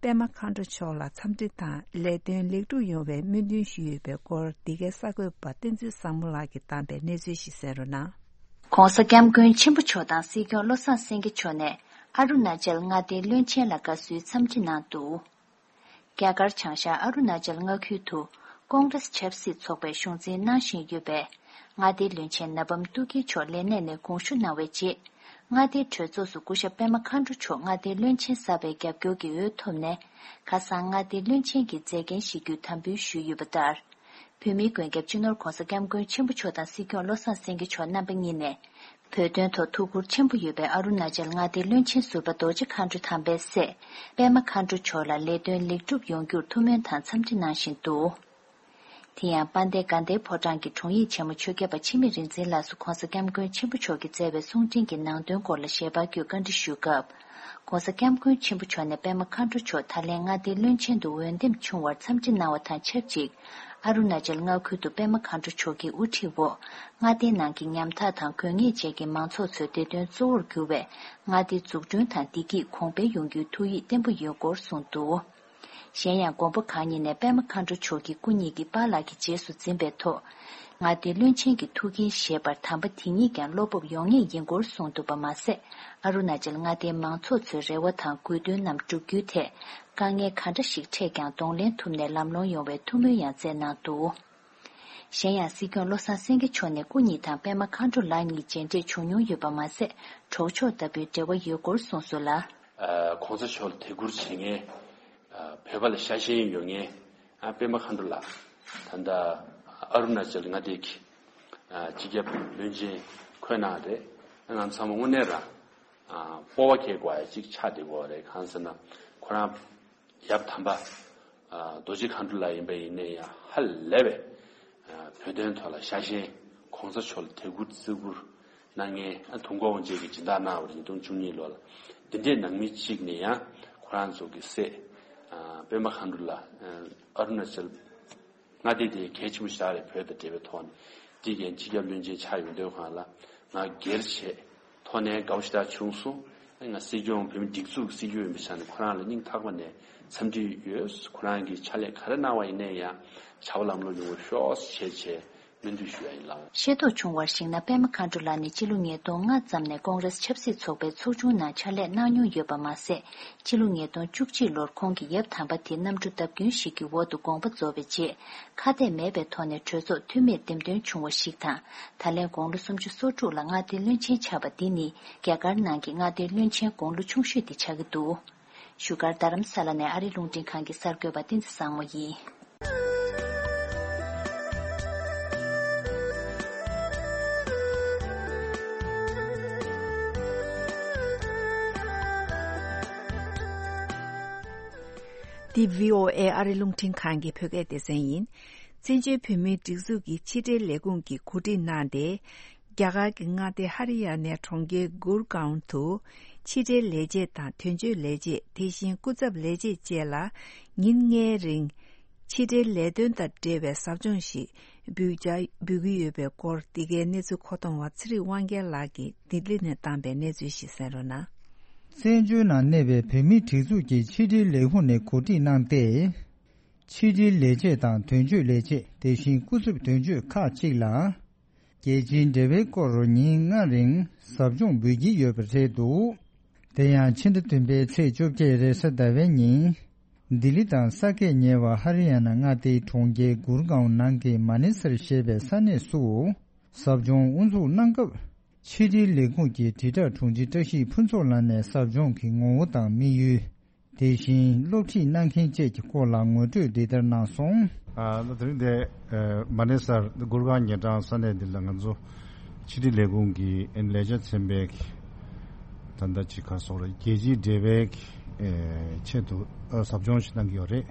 པད་མ་མཁའ་འགྲོ་མཆོག་ལ་འཚམས་འདྲི་དང་ལས་དོན་ལེགས་གྲུབ་ཡོང་བའི་སྨོན་འདུན་ཞུས་ཡོད་པའི་སྐོར། འདི་གའི་གསར་འགོད་པ་བསྟན་འཛིན་བཟང་མོ་ལགས་ཀྱིས་བཏང་པའི་གནས་ཚུལ་ཞིག་གསན་རོགས་གནང་། ༸གོང་ས་༸སྐྱབས་མགོན་ཆེན་པོ་མཆོག་དང་སྲིད་སྐྱོང་བློ་བཟང་སེང་གེ་མཆོག་ནས་ཨ་རུ་ན་ཅལ་མངའ་སྡེའི་བློན་ཆེན་ལ་དགའ་བསུའི་འཚམས་འདྲི་གནང་འདུག་རྒྱ་གར་བྱང་ཤར་ཨ་རུ་ན་ཅལ་མངའ་ཁུལ་དུ་ཀོང་རེས་ཆབ་སྲིད་ཚོགས་པའི་གཞུང་འཛིན་གནང་བཞིན་ཡོད་པའི་མངའ་སྡེའི་བློན་ཆེན་ན་བམ་ཏུ་ཀི་མཆོག་ལས་གནས་ནས་དགོངས་ཞུ་གནང་བའི་རྗེས། མངའ་སྡེའི་གྲོས་ཚོགས་སུ་སྐུ་ཞབས་པད་མ་མཁའ་འགྲོ་མཆོག་མངའ་སྡེའི་བློན་ཆེན་གསར་པའི་རྒྱབ་སྐྱོར་གྱི་འོས་ཐོབ་ནས། ཁ་སང་མངའ་སྡེའི་བློན་ཆེན་གྱི་མཛད་འགན་བཞེས་རྒྱུའི་དམ་འབུལ་ཞུས་ཡོད་པ་ལྟར། བོད་མིའི་མགོན་སྐྱབས་སྤྱི་ནོར་༸གོང་ས་༸སྐྱབས་མགོན་ཆེན་པོ་མཆོག་དང་སྲིད་སྐྱོང་བློ་བཟང་སེང་གེ་མཆོག་རྣམ་པ་གཉིས་ནས། བོད་དོན་ཐོག་ཐུགས་ཁུར་ཆེན་པོ་ཡོད་པའི་ཨ་རུ་ན་ཅལ་མངའ་སྡེའི་བློན་ཆེན་ཟུར་པ་རྡོ་རྗེ་མཁའ་འགྲོ་དམ་པའི་སྲས་པད་མ་མཁའ་འགྲོ་མཆོག་ལ་ལས་དོན་ལེགས་གྲུབ་ཡོང་རྒྱུར་ཐུགས་སྨོན་དང་འཚམས་འདྲི་གནང་བཞིན་འདུག་དེ་ཡང་དཔལ་ལྡན་དགའ་ལྡན་ཕོ་བྲང་གི་དྲུང་ཡིག་ཆེན་མོ་ཆོས་སྐྱབས་པ་འཆི་མེད་རིག་འཛིན་ལགས་སུ་༸གོང་ས་༸སྐྱབས་མགོན་ཆེན་པོ་མཆོག་གིས་མཛད་པའི་གསུང་འཕྲིན་གྱི་ནང་དོན་སྐོར་ལ་ཞལ་པར་བརྒྱུད་བཀའ་འདྲི་ཞུས་སྐབས། ༸གོང་ས་༸སྐྱབས་མགོན་ཆེན་པོ་མཆོག་ནས་པད་མ་མཁའ་འགྲོ་མཆོག་ད་ལན་མངའ་སྡེའི་བློན་ཆེན་དུ་འོས་འདེམས་བྱུང་བར་འཚམས་འདྲི་གནང་བ་དང་ཆབས་ཅིག་ཨ་རུ་ན་ཅལ་མངའ་ཁུལ་དུ་པད་མ་མཁའ་འགྲོ་མཆོག་གི་དབུ་ཁྲིད་འོག་མངའ་སྡེའི་ནང་གི་ཉམ་ཐག་དང་དགོས་ངེས་བཅས་ཀྱི་མང་ཚོགས་ཚོའི་བདེ་དོན་གཙོ་བོར་གྱུར་བའི་མངའ་སྡེའི་འཛུགས་སྐྲུན་དང་བདེ་སྐྱིད་གོང་འཕེལ་ཡོང་རྒྱུའི་ཐུགས་ཡིད་བརྟན་པོ་ཡོད་སྐོར་གསུངས་འདུག་གཞན་ཡང་མགོན་པོ་གང་ཉིད་ནས་པད་མ་མཁའ་འགྲོ་མཆོག་གི་སྐུ་ཉིད་ཀྱི་པཱ་ལགས་ཀྱི་རྗེས་སུ་འཛིན་པའི་ཐོག་མངའ་སྡེའི་བློན་ཆེན་གྱི་ཐུགས་འགན་བཞེས་པར་དམ་པ་དེ་ཉིད་ཀྱང་བློ་སྤོབས་ཡོང་ངེས་ཡིན་སྐོར་གསུངས་འདུག་པ་མ་ཟད། ཨ་རུ་ན་ཅལ་མངའ་སྡེའི་མང་ཚོགས་ཚོའི་རེ་བ་དང་དགོས་འདུན་རྣམས་བསྒྲུབ་རྒྱུའི་ཐད་དཀའ་ངལ་ག་འདྲ་ཞིག་འཕྲད་ཀྱང་གདོང་ལེན་ཐུབ་ནས་ལམ་ལྷོང་ཡོང་བའི་ཐུགས་སྨོན་ཡང་སྩལ་གནང་འདུག་གཞན་ཡང་སྲིད་སྐྱོང་བློ་བཟང་སེང་གེ་མཆོག་ནས་སྐུ་ཉིད་དང་པད་མ་མཁའ་འགྲོ་ལགས་གཉིས་མཇལ་འཕྲད་བྱུང་མྱོང་ཡོད་པ་མ་ཟད། གྲོགས་མཆོག་ལྟ་བུའི་འབྲེལ་བ་ཡོད་སྐོར་གསུངས་སོང་ལ། ཨ། ༸གོང་ས་མཆོག་ལ་དད་བཀུར་བྱེད་མཁན། ཨ། བོད་པ་ལ་ཤ་ཞེན་ཡོད་མཁན། ཨ། པད་མ་མཁའ་འགྲོ་ལགས་ད་ལྟ་ཨ་རུ་ན་ཅལ་མངའ་སྡེ་གི། ཨ། སྤྱི་ཁྱབ་བློན་ཆེན་འཁོད་གནང་རེད། ང་ཚང་མ་དངོས་གནས་རང་། ཨ། སྤོབས་པ་སྐྱེ་དགོས་ཡ་གཅིག་ཆགས་བསྡད་ཀྱི་ཡོད་རེད། གང་ཟེར་ན་ཁོ་རང་ཡབ་དམ་པ། ཨ། རྡོ་རྗེ་མཁའ་འགྲོ་ལགས་ཡིན་པ་ཡིན་ནའི་ཡང་ཧ་ལས་པའི། ཨ། བོད་དོན་ཐོག་ལ་ཤ་ཞེན། ༸གོང་ས་མཆོག་ལ་དད་བཀུར་བརྩི་བཀུར་གནང་མཁན། ཨ། དུས་འཁོར་དབང་ཆེན་གྱི་སྦྱིན་བདག་གནང་བ་རེད། ཉིས་སྟོང་བཅུ་གཉིས་ལོ་ལ། འདི་འདྲའི་ནང་མི་གཅིག་ནས་ཡང་ཁོ་རང་ཚོ་གི་སྲས། ཨ། པད་མ་མཁའ་འགྲོ་ལགས། ཨ། ཨ་རུ་ན་ཅལ་མངའ་སྡེ་དེ་གལ་ཆེན་པོ་ཞིག་རེད། བོད་དང་འབྲེལ་བའི་ཐོག་ནས། དེ་གའི་སྤྱི་ཁྱབ་བློན་ཆེན་ཆགས་ཡོང་དུས་སྒང་ལ་ང་སྒེར་བྱས་ཐོག་ནས་དགའ་པོ་ཞེ་དྲག་བྱུང་སོང་། ང་སྲིད་སྐྱོང་བོད་མི་སྒྲིག་འཛུགས་སྲིད་སྐྱོང་ཡིན་པའི་ཆ་ནས་ཁོ་རང་ལ་སྙིང་ཐག་པ་ནས་འཚམས་འདྲི་ཡོད། ཁོ་རང་གིས་ཕྱག་ལས་ག་རེ་གནང་བ་ཡིན་ནའི་ཡང་བྱ་བ་ལམ་ལྷོང་ཡོང་བ་ཤོག་ཅེས་བྱས་སྨོན་འདུན་ཞུ་ཡ་ཡིན་ལགས། ཤེས་རྟོགས་བྱུང་བར་གཞིགས་ན། པད་མ་མཁའ་འགྲོ་ལགས་ནི་སྤྱི་ལོ་ཉིས་སྟོང་ལྔ་ཙམ་ནས་ཀོང་རེས་ཆབ་སྲིད་ཚོགས་པའི་ཚོགས་ཆུང་ནང་ཕྱག་ལས་གནང་མྱོང་ཡོད་པ་མ་ཟད། སྤྱི་ལོ་ཉིས་སྟོང་བཅུ་གཅིག་ལོར་ཁོང་གི་ཡབ་དམ་པ་དེའི་གནམ་གྲུ་བརྡབ་སྐྱོན་ཞིག་གི་འོག་ཏུ་དགོངས་པ་རྫོགས་པའི་རྗེས། ཁ་གཏད་མེད་པའི་ཐོག་ནས་གྲོས་ཚོགས་འཐུས་མིར་འདེམས་ཐོན་བྱུང་བ་ཞིག་དང་། ད་ལན་དགུང་ལོ་སུམ་ཅུ་སོ་དྲུག་ལ་མངའ་སྡེའི་བློན་ཆེན་ཆགས་པ་འདི་ནི་རྒྱ་གར་ནང་གི་མངའ་སྡེའི་བློན་ཆེན་དགུང་ལོ་ཆུང་ཤོས་དེ་ཆགས་ཀྱི་འདུག་བཞུགས་སྒར་རྡ་རམ་ས་ལ་ནས་ཨ་རིའི་རླུང་འཕྲིན་ཁང་གི་གསར་འགོད་པ་བསྟན་འཛིན་བཟང་མོ་ཡིན། འདི་བྷི་ཨོ་ཨེ་ཨ་རིའི་རླུང་འཕྲིན་ཁང་གི་བོད་སྐད་སྡེ་ཚན་ཡིན། བཙན་བྱོལ་བོད་མིའི་སྒྲིག་འཛུགས་ཀྱི་ཕྱི་འབྲེལ་ལས་ཁུངས་ཀྱིས་གོ་སྒྲིག་གནང་སྟེ། རྒྱ་གར་གྱི་མངའ་སྡེ་ཧ་རི་ཡ་ནའི་གྲོང་ཁྱེར་གུར་གའོན་དུ། ཕྱི་འབྲེལ་ལས་བྱེད་དང་དོན་གཅོད་ལས་བྱེད། དེ་བཞིན་སྐུ་ཚབ་ལས་བྱེད་བཅས་ལ་ཉིན་ལྔའི་རིང་། ཕྱི་འབྲེལ་ལས་དོན་དང་འབྲེལ་བའི་ཟབ་སྦྱོང་ཞིག་འབུལ་བྱ་འབུལ་གྱི་ཡོད་པའི་སྐོར། འདི་གའི་གནས་ཚུལ་མཁོ་གཏོང་བ་ཚེ་རིང་དབང་རྒྱལ་ལགས་ཀྱིས་ལྡི་ལི་ནས་བཏང་པའི་གནས་ཚུལ་ཞིག་གསན་རོགས་གནང་། བཙན་བྱོལ་ནང་གནས་པའི་བོད་མིའི་སྒྲིག་འཛུགས་ཀྱི་ཕྱི་འབྲེལ་ལས་ཁུངས་ནས་གོ་སྒྲིག་གནང་སྟེ། ཕྱི་འབྲེལ་ལས་བྱེད་དང་དོན་གཅོད་ལས་བྱེད། དེ་བཞིན་སྐུ་ཚབ་དོན་གཅོད་ཁག་ཅིག་ལ། རྒྱལ་སྤྱིའི་འབྲེལ་བའི་སྐོར་ཉིན་ལྔ་རིང་ཟབ་སྦྱོང་འབུལ་གྱི་ཡོད་པ་རེད་འདུག་དེ་ཡང་ཕྱི་ཟླ་བདུན་པའི་ཚེས་བཅོ་བརྒྱད་རེས་གཟའ་ཟླ་བའི་ཉིན། ལྡི་ལི་དང་ས་ཁད་ཉེ་བ་ཧ་རི་ཡ་ན་མངའ་སྡེའི་གྲོང་ཁྱེར་གུར་གའོན་ནང་གི་མ་ནི་སར་ཞེས་པའི་ས་གནས་སུ། ཟབ་སྦྱོང་དབུ་འཛུགས་གནང་སྐབས། ཕྱི་དྲིལ་ལས་ཁུངས་ཀྱི་དྲིལ་བསྒྲགས་དྲུང་ཆེ་བཀྲ་ཤིས་ཕུན་ཚོགས་ལགས་ནས་ཟབ་སྦྱོང་གི་ངོ་བོ་དང་དམིགས་ཡུལ། དེ་བཞིན་སློབ་ཁྲིད་གནང་མཁན་བཅས་ཀྱི་སྐོར་ལ་ངོ་སྤྲོད་འདི་ལྟར་གནང་སོང་། ཨ། ད་དེ་རིང་འདི་ཨ་མ་ནེ་སར་གུར་གང་ཉེ་གྲང་ས་གནས་འདི་ལ་ང་ཚོ་ཕྱི་དྲིལ་ལས་ཁུངས་ཀྱི་ལས་བྱེད་ཚན་པའི་ད་ལྟ་ཅིག་ག་སོགས་རེད། རྒྱལ་སྤྱིའི་འབྲེལ་བའི་ཨ་ཆེད་དུ་ཨ་ཟབ་སྦྱོང་ཞིག་གནང་གི་ཡོད་རེད།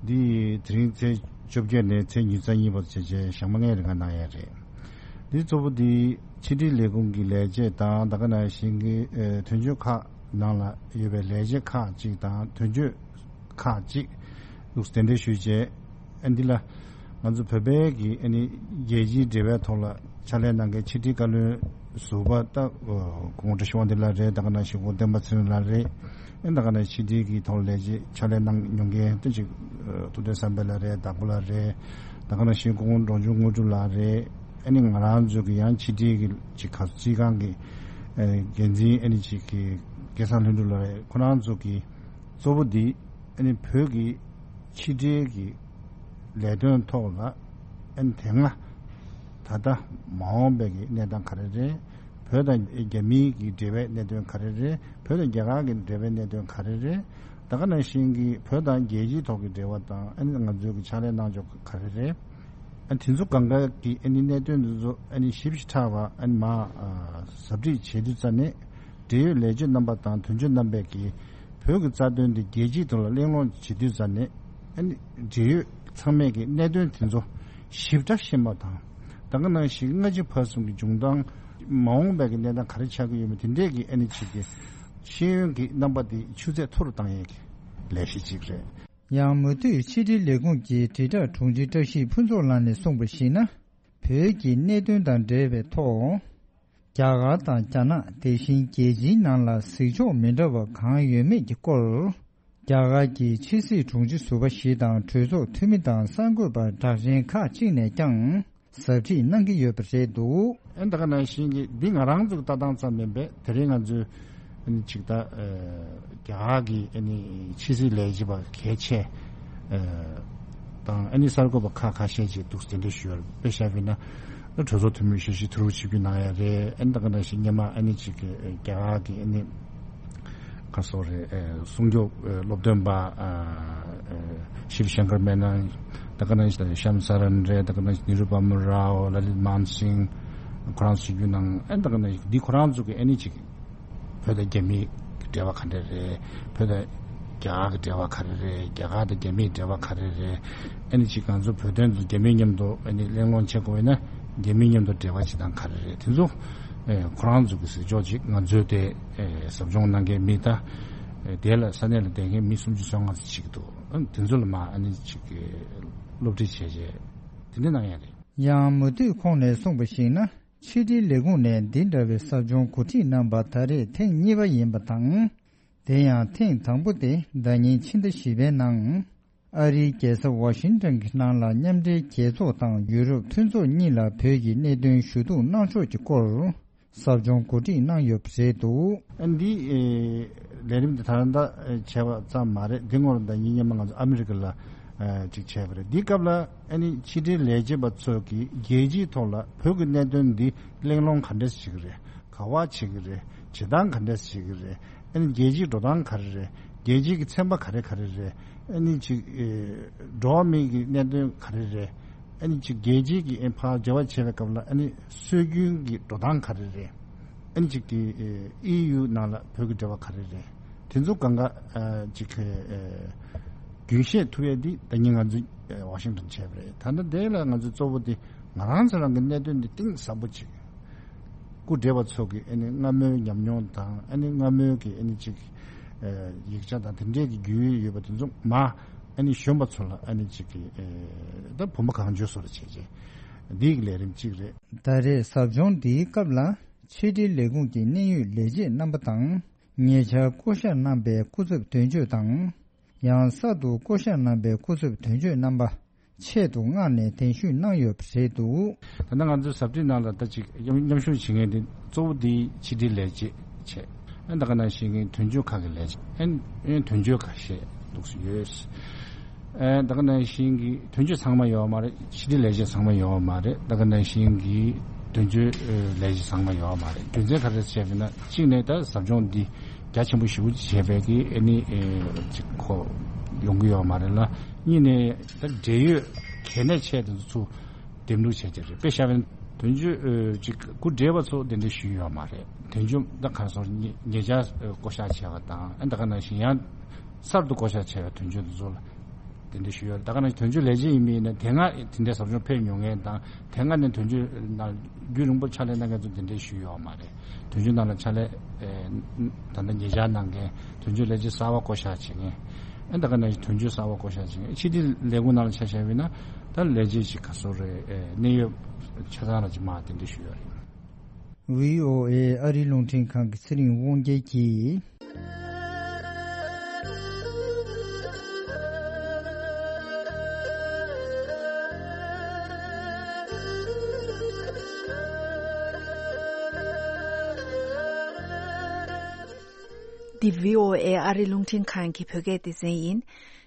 འདི་དེ་རིང་ཚེས་བཅོ་བརྒྱད་ནས་ཚེས་ཉེར་གཉིས་བར་བྱས་རྗེས་ཞག་མ་ལྔའི་རིང་ག་གནང་ཡ་རེད། འདི་གཙོ་བོ་འདི་ ཕྱི་དྲིལ་ལས་ཁུངས་ཀྱི་ལས་བྱེད་དང་ད་ག་ནང་བཞིན་གྱི་ཨེ་དོན་གཅོད་ཁག་ནང་ལ་ཡོད་པའི་ལས་བྱེད་ཁག་ཅིག་དང་དོན་གཅོད་ཁག་ཅིག་འདུག་གདན་འདྲེན་ཞུས་རྗེས། ཨ་འདི་ལ་ང་ཚོ་བོད་པའི་གི་ཨ་ནི་རྒྱལ་སྤྱིའི་འབྲེལ་བའི་ཐོག་ལ་ཕྱག་ལས་གནང་མཁན་ཕྱི་དྲིལ་བཀའ་བློན་ཟུར་པ་ད་ཨོ་སྐུ་ངོ་བཀྲ་ཤིས་དབང་འདུས་ལགས་རེད། ད་ག་ནང་བཞིན་སྐུ་ངོ་བསྟན་པ་ཚེ་རིང་ལགས་རེད། ཨ་ད་ག་ནང་ཕྱི་དྲིལ་གྱི་ཐོག་ལས་བྱེད་ཕྱག་ལས་གནང་མྱོང་མཁན་ད་ཅིག་ཨ་ཐུབ་བསྟན་བསམ་འཕེལ་ལགས་རེད། བདག་པོ་ལགས་རེད། ད་ག་ནང་བཞིན་སྐུ་ངོ་འབྲོང་ཆུང་དངོས་གྲུབ་ལགས་རེད། ཨ་ནི་ང་རང་ཚོ་གི་ཡང་ཕྱི་དྲིལ་གྱི་ཅིག་ག་རྩིས་ཁང་གི་ཨ་འགན་འཛིན་ཨ་ནི་ཅིག་གི་སྐལ་བཟང་ལྷུན་གྲུབ་ལགས་རེད། ཁོ་རང་ཚོ་གི་གཙོ་བོ་འདི་ཨ་ནི་བོད་ཀྱི་ཕྱི་འབྲེལ་གྱི་ལས་དོན་ཐོག་ལ་ཨ་ནི་དེ་སྔ་ད་ལྟ་མ་འོངས་པའི་གི་གནས་སྟངས་ག་རེ་རེད། བོད་དང་རྒྱ་མིའི་གི་འབྲེལ་བའི་གནད་དོན་ག་རེ་རེད། བོད་དང་རྒྱ་གར་གྱི་འབྲེལ་བའི་གནད་དོན་ག་རེ་རེད། ད་ག་ནང་བཞིན་གྱི་བོད་དང་རྒྱལ་སྤྱིའི་ཐོག་གི་འབྲེལ་བ་དང་ཨ་ནི་ང་ཚོའི་གི་ཕྱག་ལས་གནང་ཕྱོགས་ག་རེ་རེད། ཨ་དེ་ཚོ་གང་ག་གི་ཨ་ནི་གནད་དོན་དེ་ཚོ་ཨ་ནི་ཞིབ་ཞིབ་ཕྲ་བ་ཨ་ནི་མ་ཨ་ཟབ་ཁྲིད་བྱེད་དུས་ཙ་ནས་འབྲེལ་ཡོད་ལས་བྱེད་རྣམ་པ་དང་དོན་གཅོད་རྣམ་པས་ཀྱིས་བོད་ཀྱི་རྩ་དོན་དེ་རྒྱལ་སྤྱིའི་ཐོག་ལ་གླེང་སློང་བྱེད་དུས་ཙ་ནས་ཨ་ནི་འབྲེལ་ཡོད་ཚང་མས་ཀྱི་གནད་དོན་དེ་ཚོ་ཞིབ་ཕྲ་ཤེས་པ་དང་། ད་ག་ནང་བཞིན་སྔ་ཕྱི་བར་གསུམ་གྱི་འབྱུང་སྟངས་མ་འོངས་པའི་གི་གནས་སྟངས་ག་རེ་ཆགས་ཀྱི་ཡོད་མེད་དེ་འདྲས་ཀྱི་ཨ་ནི་ཅིག་གི་ཤེས་ཡོན་གྱི་རྣམ་པ་དེ་ཆུ་ཚད་མཐོ་རུ་བཏང་ཡས་ཀྱི་ལས་གཞི་ཅིག་རེད། ཡང་མུ་མཐུད་ཕྱི་དྲིལ་ལས་ཁུངས་ཀྱི་དྲིལ་བསྒྲགས་དྲུང་ཆེ་བཀྲ་ཤིས་ཕུན་ཚོགས་ལགས་ནས་གསུངས་པར་གཞིགས་ན། བོད་ཀྱི་གནད་དོན་དང་འབྲེལ་བའི་ཐོག་རྒྱ་གར་དང་རྒྱ་ནག་དེ་བཞིན་རྒྱལ་སྤྱིའི་ནང་ལ་གཟིགས་ཕྱོགས་མི་འདྲ་བ་གང་ཡོད་མེད་ཀྱི་སྐོར། རྒྱ་གར་གྱི་ཕྱི་སྲིད་དྲུང་ཆེ་ཟུར་པ་ཞིག་དང་གྲོས་ཚོགས་འཐུས་མི་དང་གསར་འགོད་པ་གྲགས་ཅན་ཁག་ཅིག་ནས་ཀྱང་ཟབ་ཁྲིད་གནང་གི་ཡོད་པ་རེད་འདུག་ཨ་ད་ག་ནང་བཞིན་གྱི་འདི་ང་རང་ཚོའི་ལྟ་སྟངས་ཙམ་མིན་པས་དེ་རིང་ང་ཚོས་ཨ་ནི་ཅིག་ད་ཨ་རྒྱ་གར་གྱི་ཨ་ནི་ཕྱི་སྲིད་ལས་བྱེད་པ་གལ་ཆེ་ཨ་དང་ཨ་ནི་གསར་འགོད་པ་ཁག་ཁ་ཤས་ཅིག་འདུག་གདན་འདྲེན་ཞུས་ཡོད་རེད། དཔེ་བཞག་པ་ཡིན་ན་གྲོས་ཚོགས་འཐུས་མི་ཞེ་ཅིག་ཐུག་རོགས་བྱེད་རྒྱུ་གནང་ཡ་རེད། ཨ་ནི་ད་ག་ནང་བཞིན་སྔོན་མ་ཨ་ནི་ཅིག་གི་རྒྱ་གར་གྱི་ཨ་ནི་ག་སོགས་རེད། ཨ་སྲུང་སྐྱོབ་ཨ་སློབ་སྟོན་པ་ཨ་ཨ་ཤིབ་ཤང་ཀར་མེ་ནན། ད་ག་ནང་བཞིན་ཤམ་སར་རན་རེད། ད་ག་ནང་བཞིན་ནི་རུ་པ་མ་རའོ། ལ་ལིད་མན་སིང་། ཁོ་རང་ཚོ་ཞུ་རྒྱུ་གནང་། ཨ་ད་ག་ནང་བཞིན་འདི་ཁོ་རང་ཚོ་གི་ཨ་ནི་ཅིག་བོད་དང་རྒྱ་མིའི་འབྲེལ་བ་ག་འདྲ་རེད། བོད་དང་རྒྱ་གར་གྱི་འབྲེལ་བ་ག་རེ་རེད། རྒྱ་གར་དང་རྒྱ་མིའི་འབྲེལ་བ་ག་རེ་རེད། ཨ་ནི་ཅིག་ང་ཚོ་བོད་དོན་དུ་རྒྱ་མི་མཉམ་དུ་ཨ་ནི་གླེང་སློང་བྱེད་དགོས་ན་རྒྱ་མི་མཉམ་དུ་འབྲེལ་བ་བྱེད་སྟངས་ག་རེ་རེད། དེ་ཚོ་ཨེ་ཁོ་རང་ཚོ་གི་གཟིགས་ཕྱོགས་ཅིག་ང་ཚོའི་དེ་ཨེ་ཟབ་སྦྱོང་གནང་མཁན་མི་ད་ཨེ་དེ་ལ་ས་གནས་ལ་བསྡད་མཁན་མི་སུམ་ཅུ་སོ་ལྔ་ཙམ་ཅིག་འདུག་ཨ་དེ་ཚོ་ལ་མ་ཨ་ནི་ཅིག་གི་སློབ་ཁྲིད་བྱས་རྗེས་དེ་འདྲ་གནང་ཡ་རེད། ཡང་མུ་མཐུད་ཁོང་ནས་གསུངས་པར་གཞིགས་ན། ཕྱི་དྲིལ་ལས་ཁུངས་ནས་འདི་འདྲ་བའི་ཟབ་སྦྱོང་གོ་སྒྲིག་གནང་པ་ད་རེས་ཐེངས་གཉིས་པ་ཡིན་པ་དང་། དེ་ཡང་ཐེངས་དང་པོ་དེ་ཟླ་ཉིན་ཕྱི་ཟླ་བཞི་པའི་ནང་། ཨ་རིའི་རྒྱལ་ས་ཝ་ཤིང་ཊོན་གྱི་ནང་ལ་མཉམ་འབྲེལ་རྒྱལ་ཚོགས་དང་ཡུ་རོབ་མཐུན་ཚོགས་གཉིས་ལ་བོད་ཀྱི་གནད་དོན་ཞུ་གཏུག་གནང་ཕྱོགས་ཀྱི་སྐོར། ཟབ་སྦྱོང་གོ་སྒྲིག་གནང་ཡོད་པ་རེད་འདུག་ཨ་འདི་ཨེ་ལས་རིམ་འདི་ད་ལྟ་ཨེ་བྱས་པ་ཙམ་མ་རེད། འདི་སྔོན་ལ་ཟླ་ཉིན་སྔོན་མ་ང་ཚོ་ཨ་མི་རི་ཀ་ལ་ཨེ་ཅིག་བྱས་པ་རེད། འདི་སྐབས་ལ་ཨ་ནི་ཕྱི་དྲིལ་ལས་བྱེད་པ་ཚོ་གིས་རྒྱལ་སྤྱིའི་ཐོག་ལ་བོད་ཀྱི་གནད་དོན་འདི་གླེང་སློང་ག་འདྲས་བྱེད་ཀྱི་རེད། ག་བ་བྱེད་ཀྱི་རེད། བྱེད་སྟངས་ག་འདྲས་བྱེད་ཀྱི་རེད། ཨ་ནི་རྒྱལ་སྤྱིའི་འགྲོ་སྟངས་ག་རེ་རེད། རྒྱལ་སྤྱིའི་གི་ཚན་པ་ག་རེ་ག་རེ་རེད། ཨ་ནི་ཅིག་ཨེ་འགྲོ་བ་མིའི་གི་གནད་དོན་ག་རེ་རེད། ཨ་ནི་ཅིག་རྒྱལ་སྤྱིའི་གི་ཨེ་ཕར་འབྲེལ་བ་བྱེད་པའི་སྐབས་ལ་ཨ་ནི་སྲོལ་རྒྱུན་གྱི་འགྲོ་སྟངས་ག་རེ་རེད། ཨ་ནི་ཅིག་དེ་ཨེ་ཨི་ཡུ་ནང་ལ་བོད་ཀྱི་འབྲེལ་བ་ག་རེ་རེད། དེ་ཚོ་གང་ག་ཨ་ཅིག་ཨེ་རྒྱུན་ཤེས་ཐུབ་ཡས་འདི་ད་ཉིན་ང་ཚོ་ཨེ་ཝ་ཤིང་ཊོན་བྱས་པ་རེད། ད་ལྟ་དེ་ལ་ང་ཚོ་གཙོ་བོ་དེ་ང་རང་ཚོ་རང་གི་གནད་དོན་འདི་གཏིང་ཟབ་པོ་ཅིག་སྐུ་བགྲེས་པ་ཚོ་གི་ཨ་ནི་སྔ་མོའི་ཉམས་མྱོང་དང་ཨ་ནི་སྔ་མོའི་གི་ཨ་ནི་ཅིག་ཨེ་ཡིག་ཆ་དང་དེ་འདྲའི་གི་རྒྱུས་ཡོད་པ་དེ་ཚོ་མ་ཨ་ནི་གཞོན་པ་ཚོ་ལ་ཨ་ནི་ཅིག་གི་ཨེ་ད་བུམ་པ་གང་བྱོའི་བཟོ་འདྲ་བྱས་རྗེས་འདིའི་གི་ལས་རིམ་གཅིག་རེད། ད་རེས་ཟབ་སྦྱོང་འདིའི་སྐབས་ལ་ཕྱི་དྲིལ་ལས་ཁུངས་ཀྱི་གནད་ཡོད་ལས་བྱེད་རྣམ་པ་དང་ཉེ་ཆར་བསྐོ་བཞག་གནང་པའི་སྐུ་ཚབ་དོན་གཅོད་དང་། ཡང་གསར་དུ་བསྐོ་བཞག་གནང་པའི་སྐུ་ཚབ་དོན་གཅོད་རྣམ་པ་ཆེད་དུ་མངགས་ནས་གདན་ཞུ་གནང་ཡོད་པ་རེད་འདུག་ད་ལྟ་ང་ཚོའི་ཟབ་ཁྲིད་ནང་ལ་ད་ཅིག་མཉམ་མཉམ་ཞུགས་བྱེད་མཁན་དེ་གཙོ་བོ་དེ་ཕྱི་དྲིལ་ལས་བྱེད་བྱས། ཨ་ད་ག་ནང་བཞིན་གྱི་དོན་གཅོད་ཁག་གི་ལས་བྱེད་ཨ་ཨ་དོན་གཅོད་ཁ་ཤས་འདུག་སེ་ཡོད། ཨ་ད་ག་ནང་བཞིན་གྱི་དོན་གཅོད་ཚང་མ་ཡོད་མ་རེད། ཕྱི་དྲིལ་ལས་བྱེད་ཚང་མ་ཡོད་མ་རེད། ད་ག་ནང་བཞིན་གྱི་དོན་གཅོད་ལས་བྱེད་ཚང་མ་ཡོད་མ་རེད། རྒྱུ་མཚན་ག་རེ་བྱས་པ་ཡིན་ན་གཅིག་ནས་ད་ཟབ་སྦྱོང་འདི་རྒྱ་ཆེན་པོ་ཞེ་པོ་ཅིག་བྱས་པའི་གི་ཨ་ནི་ཨེ་ཅིག་ཁོ་ཡོང་གི་ཡོད་མ་རེད་ལ། གཉིས་ནས་ད་འབྲེལ་ཡོད་གལ་གནད་ཆེ་དེ་ཚོ་འདེམས་ལུགས་བྱས་ཀྱི་རེད། དཔེ་བཞག་པ་ཡིན་དོན་གཅོད་ཨེ་ཅིག་སྐུ་བགྲེས་པ་ཚོ་གདན་འདྲེན་ཞུས་ཡོད་མ་རེད། དོན་གཅོད་ད་ག་སོང་ཉེ་ཉེ་ཆར་ཨེ་བསྐོ་བཞག་བྱས་པ་དང་ཨ་ད་ག་ནང་བཞིན་ཡང་གསར་དུ་བསྐོ་བཞག་བྱས་པའི་དོན་གཅོད་དེ་ཚོ་ལ་ དེ་འདྲ་ཞུས་ཡོད་རེད། ད་ག་ནང་བཞིན་དོན་གཅོད་ལས་བྱེད་ཡིན་པ་ཡིན་ན་དེ་སྔ་དེ་འདྲའི་ཟབ་སྦྱོང་ཕེབས་མྱོང་མཁན་དང་དེ་སྔ་ནས་དོན་གཅོད་ནང་རྒྱུན་རིང་པོ་ཕྱག་ལས་གནང་མཁན་ཚོ་དེ་འདྲའི་ཞུས་ཡོད་མ་རེད། དོན་གཅོད་ནང་ལ་ཕྱག་ལས་ཨེ་ད་ལྟ་ཉེ་ཆར་གནང་མཁན་དོན་གཅོད་ལས་བྱེད་གསར་པ་བསྐོ་བཞག་བྱེད་མཁན་ཨེ་ད་ག་ནང་བཞིན་དོན་གཅོད་གསར་པ་བསྐོ་བཞག་བྱེད་མཁན་ཕྱི་དྲིལ་ལས་ཁུངས་ནང་ལ་ཆ་བཞག་པ་ཡིན་ན་ད་ལས་བྱེད་ཅིག་ག་ཚོད་རེད། ཨེ་གནས་ཡོད་ཆ་ཚང་ལ་ཅིག་མ་དེ་འདྲ་ཞུས་ཡོད་རེད། ཝི་ཨོ་ཨེ་ཨ་རིའི་རླུང་འཕྲིན་ཁང་གི་ཚེ་རིང་དབང་རྒྱལ་གྱིས། འདི་ཝི་ཨོ་ཨེ་ཨ་རིའི་རླུང་འཕྲིན་ཁང་གི་བོད་སྐད་སྡེ་ཚན་ཡིན།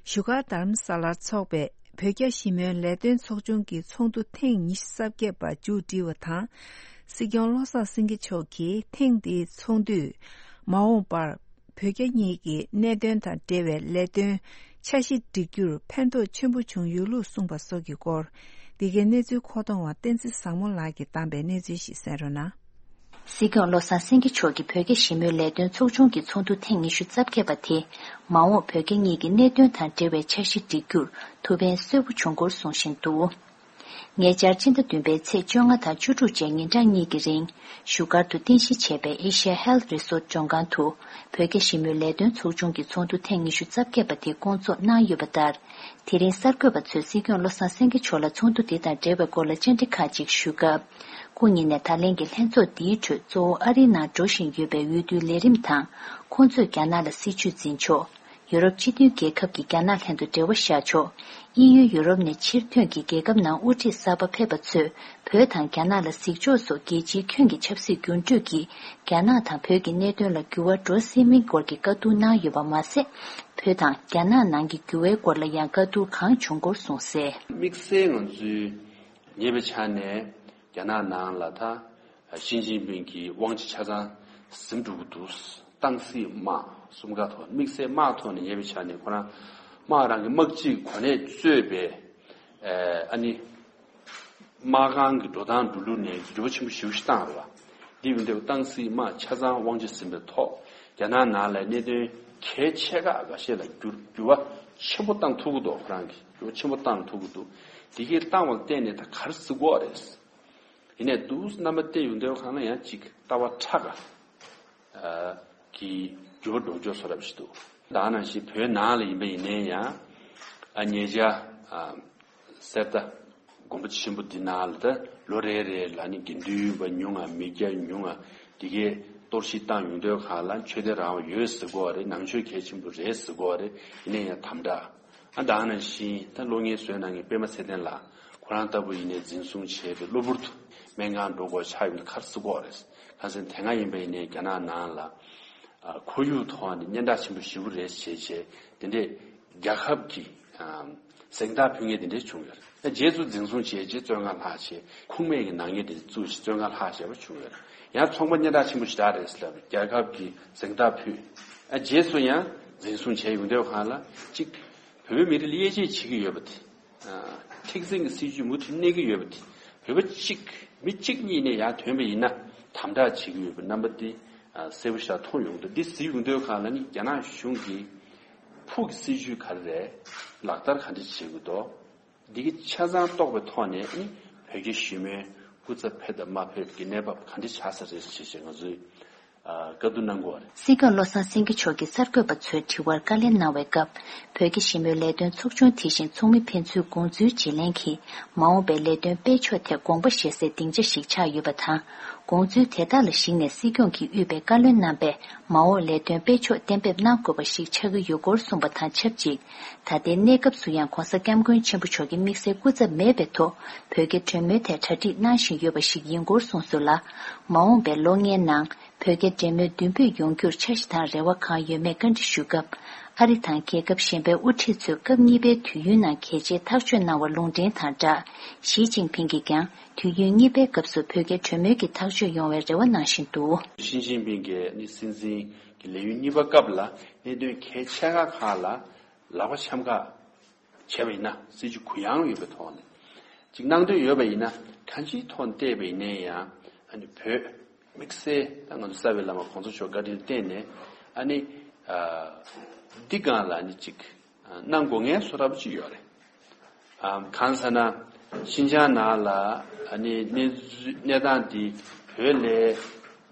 བཞུགས་སྒར་རྡ་རམ་ས་ལར་འཚོགས་པའི་བོད་རྒྱ་ཞི་མོལ་ལས་དོན་ཚོགས་ཆུང་གི་ཚོགས་འདུ་ཐེངས་ཉི་ཤུ་རྩ་བརྒྱད་པ་མཇུག་སྒྲིལ་བ་དང་། སྲིད་སྐྱོང་བློ་བཟང་སེང་གེ་མཆོག་གིས་ཐེངས་འདིའི་ཚོགས་འདུས་མ་འོངས་པར་བོད་རྒྱ་གཉིས་ཀྱི་གནད་དོན་དང་འབྲེལ་བའི་ལས་དོན་འཆར་གཞི་སྒྲིག་རྒྱུར་ཕན་ཐོགས་ཆེན་པོ་བྱུང་ཡོད་ལུགས་གསུངས་པ་སོགས་ཀྱི་སྐོར། འདི་གའི་གནས་ཚུལ་མཁོ་གཏོང་བ་བསྟན་འཛིན་བཟང་མོ་ལགས་ཀྱིས་བཏང་པའི་གནས་ཚུལ་ཞིག་གསན་རོགས་གནང་། སྲིད་སྐྱོང་བློ་བཟང་སེང་གེ་མཆོག་གིས་བོད་རྒྱ་ཞི་མོལ་ལས་དོན་ཚོགས་ཆུང་གི་ཚོགས་འདུ་ཐེངས་ཉི་ཤུ་རྩ་བརྒྱད་པ་དེ་མ་འོངས་བོད་རྒྱ་གཉིས་ཀྱི་གནད་དོན་དང་འབྲེལ་བའི་འཆར་གཞི་སྒྲིག་རྒྱུར་ཐུགས་ཕན་གསོས་པོ་བྱུང་སྐོར་གསུང་བཞིན་འདུག་ཉེ་ཆར་སྤྱི་ཟླ་བདུན་པའི་ཚེས་བཅོ་ལྔ་དང་བཅུ་དྲུག་བཅས་ཉིན་གྲངས་གཉིས་ཀྱི་རིང་བཞུགས་སྒར་དུ་རྟེན་གཞི་བྱས་པའི་Asia Health Resort མགྲོན་ཁང་དུ་བོད་རྒྱ་ཞི་མོལ་ལས་དོན་ཚོགས་ཆུང་གི་ཚོགས་འདུ་ཐེངས་ཉི་ཤུ་རྩ་བརྒྱད་པ་དེ་བསྐོང་ཚོགས་གནང་ཡོད་པ་ལྟར། དེ་རིང་གསར་འགོད་པ་ཚོས་སྲིད་སྐྱོང་བློ་བཟང་སེང་གེ་མཆོག་ལ་ཚོགས་འདུ་འདི་དང་འབྲེལ་བའི་སྐོར་ལ་བཅར་འདྲི་ཁག་ཅིག་ཞུས་སྐབས། སྐུ་ཉིད་ནས་ད་ལན་གྱི་ལྷན་ཚོགས་འདིའི་ཁྲོད་གཙོ་བོ་ཨ་རིའི་ནང་འགྲོ་བཞིན་ཡོད་པའི་འོས་བསྡུའི་ལས་རིམ་དང་། ཁོང་ཚོས་རྒྱ་ནག་ལ་སྲིད་ཇུས་འཛིན་ཕྱོགས། ཡུ་རོབ་སྤྱི་མཐུན་རྒྱལ་ཁབ་ཀྱིས་རྒྱ་ནག་ལྷན་དུ་འབྲེལ་བ་བཞག་ཕྱོགས། དབྱིན་ཡུལ་ཡུ་རོབ་ནས་ཕྱིར་ཐོན་གྱིས་རྒྱལ་ཁབ་ནང་དབུ་ཁྲིད་གསར་པ་ཕེབས་པ་ཚོས་བོད་དང་རྒྱ་ནག་ལ་གཟིགས་ཕྱོགས་སོགས་རྒྱལ་སྤྱིའི་ཁྱོན་གྱི་ཆབ་སྲིད་འགྱུར་འགྲོས་ཀྱིས་རྒྱ་ནག་དང་བོད་ཀྱི་གནད་དོན་ལ་འགྱུར་བ་འགྲོ་སྲིད་མིན་སྐོར་གྱི་བཀའ་བསྡུར་གནང་ཡོད་པ་མ་ཟད། བོད་དང་རྒྱ་ནག་ནང་གི་འགྱུར་བའི་སྐོར་ལ་ཡང་བཀའ་བསྡུར་གང་བྱུང་སྐོར་གསུངས་གསལ། དམིགས་བསལ་ང་ཚོའི་ཉེ་བའི་ཆ་ནས་རྒྱ་ནག་ནང་ལ་ད་ཞི་ཅིན་ཕིང་གི་དབང་ཆ་ཆ་ཚང་ཟིན་འགྲོ་གི་འདུག་ཏང་སྲིད་དམག་གསུམ་ཀ་ཐོག་དམིགས་བསལ་དམག་ཐོག་ནས་ཉེ་བའི་ཆ་ནས་ཁོ་རང་དམག་རང་གི་དམག་སྤྱིའི་གོ་གནས་རྩོད་པའི་ཨ་ནི། དམག་ཁང་གི་འགྲོ་སྟངས་འགྲོ་ལུགས་ནས་འགྱུར་བ་ཆེན་པོ་ཞེ་པོ་ཞིག་བཏང་རེད་བ། འདི་ཡིན་དུས་ཏང་སྲིད་དམག་ཆ་ཚང་དབང་ཆ་ཟིན་པའི་ཐོག་རྒྱ་ནག་ནང་ལ་གནད་དོན་གལ་ཆེ་ཁག་འགའ་ཤས་ལ་འགྱུར་འགྱུར་བ་ཆེན་པོ་བཏང་ཐུབ་ཀྱི་འདུག་ཁོ་རང་གིས་འགྱུར་བ་ཆེན་པོ་བཏང་ཐུབ་ཀྱི་འདུག་དེ་གའི་བཏང་བ་ལ་བརྟེན་ནས་ད་ག་རེ་ཟེར་དགོས་རེད། ཡིན་ནའི་འདུག་རྣམ་པ་བལྟས་ཡོང་དུས་གང་ལ་ཡང་ཅིག་ལྟ་བ་ཕྲ་ག་གི་འགྱུར་བ་འགྲོ་འཇོག་བཟོ་འདྲ་ཞིག་འདུག་ད་ནང་བཞིན་བོད་ནང་ལ་ཡིན་པ་ཡིན་ནའི་ཡང་ཨ་ཉེ་ཆར་ཨ་གསེར་རྟ་དགོན་པ་ཆེན་པོ་འདི་ནང་ལ་ད་ལོ་རེ་རེ་ལ་ནི་དགེ་འདུན་པ་ཉུང་ང་མི་སྐྱ་ཉུང་ང་འདི་གའི་གཏོར་བཤིག་བཏང་ཡོང་དུས་གང་ལ་ཆོས་དད་རང་དབང་ཡོད་ཟེར་གོ་རེད། ནང་ཆོས་གལ་ཆེན་པོ་རེད་ཟེར་གོ་རེད། ཡིན་ནའི་ཡང་དམ་དྲག་ཨ་ད་ནང་བཞིན་ད་གློག་བརྙན་བཟོས་གནང་མཁན་པད་མ་ཚེ་བརྟན་ལགས་ཁོ་རང་ལྟ་བུ་ཡིན་ནའི་འཛིན་བཟུང་བྱས་ཏེ་གློ་བུར་དུ་སྨན་ཁང་འགྲོ་དགོས་ཆགས་ཡོང་དུས་ག་རེ་ཟེར་གོ་རེད། ཁ་སང་དེ་སྔ་ཡིན་པ་ཡིན་ནའི་རྒྱ་ནག་ནང་ལ། ཁོར་ཡུག་ཐོག་ནས་སྙན་གྲགས་ཆེན་པོ་ཞེ་པོ་རེད་བྱས་བྱས་དེ་འདྲས་རྒྱལ་ཁབ་ཀྱི་གཟེངས་རྟགས་ཕུལ་མཁན་དེ་འདྲས་བྱུང་ཡོད་རེད། རྗེས་སུ་འཛིན་བཟུང་བྱས་རྗེས་བཙོན་ཁང་ལྷག་བྱས་ཁུངས་མེད་ཀྱི་ནག་ཉེས་དེ་བཙུགས་ཤིང་བཙོན་ཁང་ལྷག་བྱས་པ་བྱུང་ཡོད་རེད། ཡང་ཚོང་པ་སྙན་གྲགས་ཆེན་པོ་ཞེ་དྲག་རེད་ཟེར་ལབ་རྒྱལ་ཁབ་ཀྱི་གཟེངས་རྟགས་ཕུལ། རྗེས་སུ་ཡང་འཛིན་བཟུང་བྱས་ཡོང་དུས་གང་ལ་གཅིག་བོད་པའི་མི་རིགས་ལ་དབྱེ་འབྱེད་བྱེད་ཀྱི་ཡོད་པ་དེ། མཁྲེགས་འཛིན་གྱི་སྲིད་ཇུས་མུ་མཐུད་གནས་ཀྱི་ཡོད་པ་དེ། བོད་པ་གཅིག་མི་གཅིག་གཉིས་ནས་ཡར་ཐོན་པ་ཡིན་ན་དམ་དྲག་བྱེད་ཀྱི་ཡོད་པའི་རྣམ་པ་དེ་གསལ་པོ་ཞིག་མཐོང་ཡོང་འདུག་འདི་གཟིགས་ཡོང་དུས་གང་ལ་ནི་རྒྱ་ནག་གཞུང་གིས་ཕུགས་ཀྱི་སྲིད་ཇུས་ག་རེ་རེད། ལག་བསྟར་ག་འདྲ་བྱེད་དགོས་འདུག་འདི་གི་ཆ་ཚང་རྟོགས་པའི་ཐོག་ནས་ནི་བོད་རྒྱ་ཞི་མོལ་སྐུ་ཚབ་ཕེབས་དང་མ་ཕེབས་ཀྱི་གནས་བབ་ག་འདྲ་ཆགས་ས་རེད་ཅེས་ང་ཚོས། བཀའ་བསྡུར་གནང་དགོས་པ་རེད། སྲིད་སྐྱོང་བློ་བཟང་སེང་གེ་མཆོག་གིས་གསར་འགོད་པ་ཚོའི་དྲི་བར་བཀའ་ལན་གནང་བའི་སྐབས། བོད་ཀྱི་ཞི་མོལ་ལས་དོན་ཚོགས་ཆུང་དེ་བཞིན་ཚོགས་མི་ཕན་ཚུན་དགོངས་ཚུལ་བརྗེ་ལེན་གྱིས་མ་འོངས་པའི་ལས་དོན་སྤེལ་ཕྱོགས་ཐད་དགོངས་པ་བཞེས་སའི་སྡིངས་ཆ་ཞིག་ཆགས་ཡོད་པ་དང་། དགོངས་ཚུལ་དེ་དག་ལ་གཞིགས་ནས་སྲིད་སྐྱོང་གིས་དབུས་པའི་བཀའ་བློན་རྣམ་པས་མ་འོངས་ལས་དོན་སྤེལ་ཕྱོགས་གཏན་འབེབས་གནང་དགོས་པ་ཞིག་ཆགས་ཀྱི་ཡོད་སྐོར་གསུངས་པ་དང་ཆབས་ཅིག་ད་ལྟའི་གནས་སྐབས་སུ་ཡང་༧གོང་ས་༧སྐྱབས་མགོན་ཆེན་པོ་མཆོག་གི་དམིགས་བསལ་སྐུ་ཚབ་མེད་པའི་ཐོག་བོད་རྒྱ་གྲོས་མོལ་ཐད་གྲ་སྒྲིག་གནང་བཞིན་ཡོད་པ་ཞིག་ཡིན་སྐོར་གསུངས་སོང་ལ། མ་འོངས་པའི་ལོ་ལྔའི་ནང་། བོད་རྒྱ་འབྲེལ་མོལ་མདུན་སྤོས་ཡོང་རྒྱུར་འཆར་གཞི་དང་རེ་བ་གང་ཡོད་མེད་བཀའ་འདྲི་ཞུ་སྐབས། ཨ་རི་དང་རྒྱལ་ཁབ་གཞན་པའི་དབུ་ཁྲིད་ཚོས་སྐབས་གཉིས་པའི་དུས་ཡུན་ནང་གལ་ཆེའི་ཐག་གཅོད་གནང་བར་ལུང་འདྲེན་དང་སྦྲགས། ཞི་ཅིན་ཕིང་གིས་ཀྱང་དུས་ཡུན་གཉིས་པའི་སྐབས་སུ་བོད་རྒྱ་གྲོས་མོལ་གྱི་ཐག་གཅོད་ཡོང་བའི་རེ་བ་གནང་བཞིན་འདུག་ཞི་ཅིན་ཕིང་གིས་ནི་སྲིད་འཛིན་གྱི་ལས་ཡུན་གཉིས་པ་སྐབས་ལ་གནད་དོན་གལ་ཆེ་ཁག་ཁག་ལ་ལག་པ་འཆང་ཁག་བྱས་པ་ཡིན་ན་སྲིད་ཇུས་གུ་ཡངས་ཡོད་པའི་ཐོག་ནས་ཅིག་གནང་འདོད་ཡོད་པ་ཡིན་ན་གང་ཅིའི་ཐོག་ནས་བལྟས་པ་ཡིན་ན་ཡང་ཨ་ནི་བོད་དམིགས་བསལ་ད་ང་ཚོ་རྩ་བའི་བླ་མ་གོང་ས་མཆོག་བཀའ་དྲིན་བརྟེན་ནས་ཨ་ནི་འདི་སྒང་ལ་ཨ་ནི་ཅིག་ གནང་དགོས་ངེས་བཟོ་འདྲ་པོ་ཅིག་ཡོད་རེད། ཨམ། གང་ཟེར་ན། ཤིན་ཅང་ནང་ལ་ཨ་ནི་གནས་གནས་སྟངས་འདི་བོད་ལས་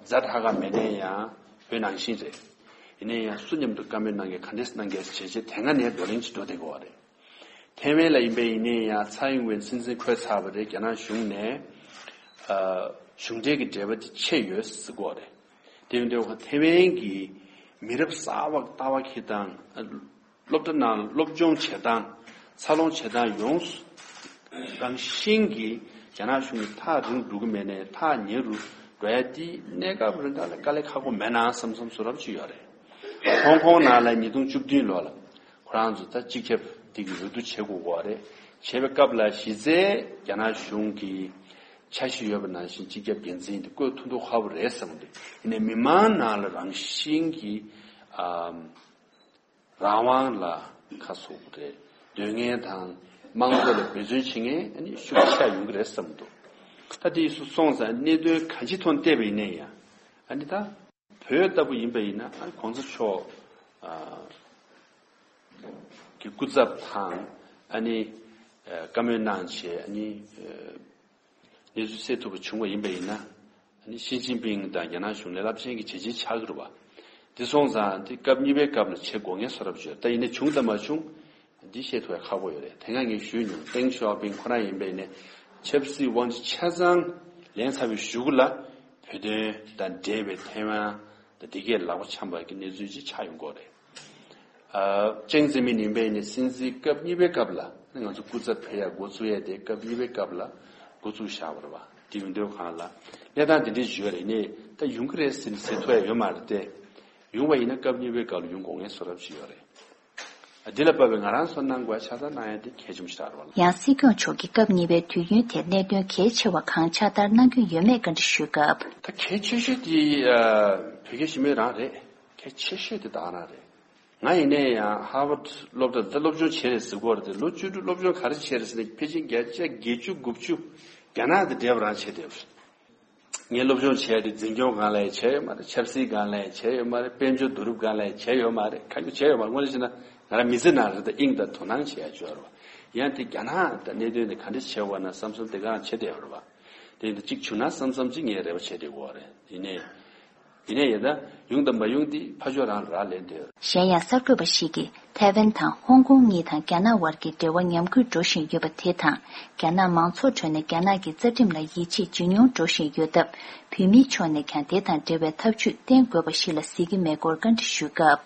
ཛ་དྲག་ག་མེད་ན་ཡང་བོད་ནང་བཞིན་རེད། ཡིན་ན་ཡང་སུ་མཉམ་དུ་བཀའ་མོལ་གནང་གི་ག་འདྲས་གནང་གི་བྱས་རྗེས་དེ་སྔ་ནས་བགྲོ་གླེང་ཅིག་འགྲོ་བསྡད་ཀྱི་ཡོད་རེད། ཐའེ་ཝན་ལ་ཡིན་པ་ཡིན་ན་ཡང་ཚའེ་ཨིན་ཝེན་སྲིད་འཛིན་འཁོད་ཚར་བ་རེད། རྒྱ་ནག་གཞུང་ནས་ཨ། གཞུང་འབྲེལ་གྱི་འབྲེལ་བ་དེ་ཆད་ཡོད་ཟེར་གྱི་ཡོད་རེད། དེ་ཡིན་དུས་ཐའེ་ཝན་གྱི་མི་རབས་གསར་པ་ལྟ་བ་ཁྱེད་དང་། སློབ་གྲྭ་ནང་སློབ་སྦྱོང་བྱེད་སྟངས། འཚར་ལོངས་བྱེད་སྟངས་ཡོངས་སུ་རང་བཞིན་གྱིས་རྒྱ་ནག་གཞུང་གིས་ཐག་རིང་རུ་འགྲོ་གི་མེད་ནས་ཐག་ཉེ་རུ་འགྲོ་ཡ་དེ་གནས་སྐབས་རིང་ག་ལ་དཀའ་ལས་ཁག་པོ་མེད་ན་བསམ་བསམ་བཟོ་འདྲ་པོ་ཅིག་ཡོད་རེད། ཧོང་ཀོང་ནང་ལ་ཉིས་སྟོང་བཅུ་བདུན་ལོ་ལ་ཁོ་རང་ཚོ་ད་སྤྱི་ཁྱབ་དེ་གི་འོས་བསྡུ་བྱེད་དགོས་པ་རེད། བྱེད་པའི་སྐབས་ལ་གཞི་རྩའི་རྒྱ་ནག་གཞུང་གི་འཆར་གཞི་ཡོད་པ་ནང་བཞིན་སྤྱི་ཁྱབ་འགན་འཛིན་དེ་བསྐོས་ཐུབ་མདོག་ཁ་པོ་རེད་བསམ་གི་འདུག་ཡིན་ནའི་མི་མང་ནང་ལ་རང་བཞིན་གྱིས་ཨམ། རང་དབང་ལ་ཁ་གསོ་དགོས་རེད། འདོད་མཁན་དང་དམངས་གཙོ་ལ་འབད་བརྩོན་བྱེད་མཁན་ཨ་ནི་ཤུགས་ཆེ་ཡོང་གི་རེད་བསམ་འདུག་ད་དེ་སོང་ཙང་གནད་དོན་གང་ཅི་ཐོག་བལྟས་པ་ཡིན་ན་ཡང་ཨ་ནི་ད་བོད་ལྟ་བུ་ཡིན་པ་ཡིན་ན་ཨ་ནི་གོང་ས་མཆོག་ཨ་གི་སྐུ་ཚབ་དང་ཨ་ནི་ཨ་བཀའ་མོལ་གནང་བྱས་ཨ་ནི་ཨ་གནས་ཚུལ་སེལ་ཐུབ་པ་བྱུང་བ་ཡིན་པ་ཡིན་ན། ཨ་ནི་ཞི་ཅིན་ཕིང་དང་རྒྱ་ནག་གཞུང་ལ་རླབས་ཆེན་གྱི་བྱས་རྗེས་ཆགས་ཀྱི་རེད་བ། དེ་སོང་ཙང་དེ་སྐབས་གཉིས་པའི་སྐབས་ལ་བྱེད་དགོས་ངེས་བཟོ་འདྲ་པོ་ཅིག་ཡོད། ད་ཡིན་ན་བྱུང་དང་མ་བྱུང་འདི་བཤད་ཐུབ་ཡ་ཁག་པོ་ཡོད་རེད། དེ་སྔ་ངས་ཞུས་མྱོང་། ཏེང་ཞའོ་ཕིང་ཁོ་རང་ཡིན་པ་ཡིན་ནའི་ཆབ་སྲིད་དབང་ཆ་ཆ་ཚང་ལེན་ཚར་བའི་གཞུག་ལ་བོད་དོན་དང་འབྲེལ་བའི་ཐའེ་ཝན་དང་དེ་གའི་ལག་པ་འཆམ་པ་གི་གནས་ཚུལ་ཅིག་ཆགས་ཡོང་གི་རེད། ཨ། ཅང་ཙེ་མིན་ཡིན་པའི་ནི་སྲིད་འཛིན་སྐབས་གཉིས་པའི་སྐབས་ལ་ང་ཚོ་སྐུ་ཚབ་ཕེབས་ཡ་འགོ་བཙུགས་ཡ་དེ་སྐབས་གཉིས་པའི་སྐབས་ལ་འགོ་བཙུགས་བཞག་པ་རེད་བ། དེ་ཡིན་དུས་གང་ལ་གནས་སྟངས་དེ་འདྲ་ཞིག་ཡོད་རེད། ནས་ད་ཡོང་གི་རེད་ཟེར་ནས་ཟེར་ཐུབ་ཡ་ཡོད་མ་རེད་དེ། ཡོང་བ་ཡིན་ན་སྐབས་གཉིས་པའི་སྐབས་ལ་ཡོང་དགོས་ངེས་བཟོ་འདྲ་ཞིག་ཡོད་རེད། ཨ། འདི་ལ་བབས་པའི་ང་རང་ཚོ་གནང་དགོས་ཡ་ཆ་ཚང་གནང་ཡ་དེ་གལ་ཆེན་པོ་ཞིག་རེད་བ། ཡང་སྲིད་སྐྱོང་མཆོག་གིས་སྐབས་གཉིས་པའི་དུས་ཡུན་དེར་གནད་དོན་གལ་ཆེ་བ་གང་ཕྱག་བསྟར་གནང་རྒྱུ་ཡོད་མེད་བཀའ་འདྲི་ཞུས་སྐབས། ད་གལ་ཆེ་ཤོས་དེ་ཨ་བོད་རྒྱ་ཞི་མོལ་རང་རེད། གལ་ཆེ་ཤོས་དེ་ད་ག་རང་རེད། ང་ཡིན་ནའི་ཡང་ཧར་ཝརཌ་སློབ་གྲྭ་ད་སློབ་སྦྱོང་བྱས་རེད་ཟེར་གྱི་ཡོད་རེད་དེ། ལོ་བཅུ་དྲུག་སློབ་སྦྱོང་ག་རེ་བྱས་རེད་ཟེར་ན་ཕལ་ཆེར་བརྒྱ་ཆ་བརྒྱད་ཅུ་དགུ་བཅུ་རྒྱ་ནག་དང་འབྲེལ་བ་རང་བྱས་བསྡད་ཡོད་རེད། ངས་སློབ་སྦྱོང་བྱས་ཏེ་འཛིན་སྐྱོང་སྒང་ལ་ཡང་བྱས་ཡོད་མ་རེད། ཆབ་སྲིད་སྒང་ལ་ཡང་བྱས་ཡོད་མ་རེད། དཔལ་འབྱོར་བསྡུ་རུབ་སྒང་ལ་ཡང་བྱས་ཡོད་མ་རེད། གང་ཡང་བྱས་ཡོད་མ་རེད། དངོས་གནས་བྱས་ན་ང་རང་མི་ཚེ་ནང་རེ་ད་དབྱིངས་དང་དོ་སྣང་བྱེད་ཡ་ཅིག་ཡོད་རེད་བ། ཡང་དེ་རྒྱ་ནག་དང་གནད་དོན་དེ་ག་འདྲ་བྱས་ཡོད་ན་བསམ་བསམ་དེ་ག་རང་བྱས་བསྡད་ཡོད་རེད་བ། དེ་ཡིན་དུས་གཅིག་བྱུང་ན་བསམ་བསམ་གཅིག་ངས་རེ་བ་བྱས་བསྡད་ཡོད་རེད། ཡིན་ནའི། ཡིན་ནའི་ཡིན་ད་ཡོང་དང་མ་ཡོང་དེ་ཕར་ཕྱོགས་རང་ལ་རག་ལས་བསྡད་ཡོད་རེད། གཞན་ཡང་གསར་འགོད་པ་ཞིག་གིས་ཐའེ་ཝན་དང་ཧོང་ཀོང་གཉིས་དང་རྒྱ་ནག་དབར་གྱི་འབྲེལ་བ་ཉམས་རྒུད་འགྲོ་བཞིན་ཡོད་པ་དེ་དང་། རྒྱ་ནག་མང་ཚོགས་ཁྲོད་ནས་རྒྱ་ནག་གི་རྩ་ཁྲིམས་ལ་ཡིད་ཆེས་ཇེ་ཉུང་འགྲོ་བཞིན་ཡོད་སྟབས། བོད་མིའི་ཕྱོགས་ནས་ཀྱང་དེ་དང་འབྲེལ་བའི་ཐབས་ཇུས་བསྟེན་དགོས་པ་ཞིག་ལ་གཟིགས་ཀྱི་མེད་སྐོར་བཀའ་འདྲི་ཞུས་སྐབས།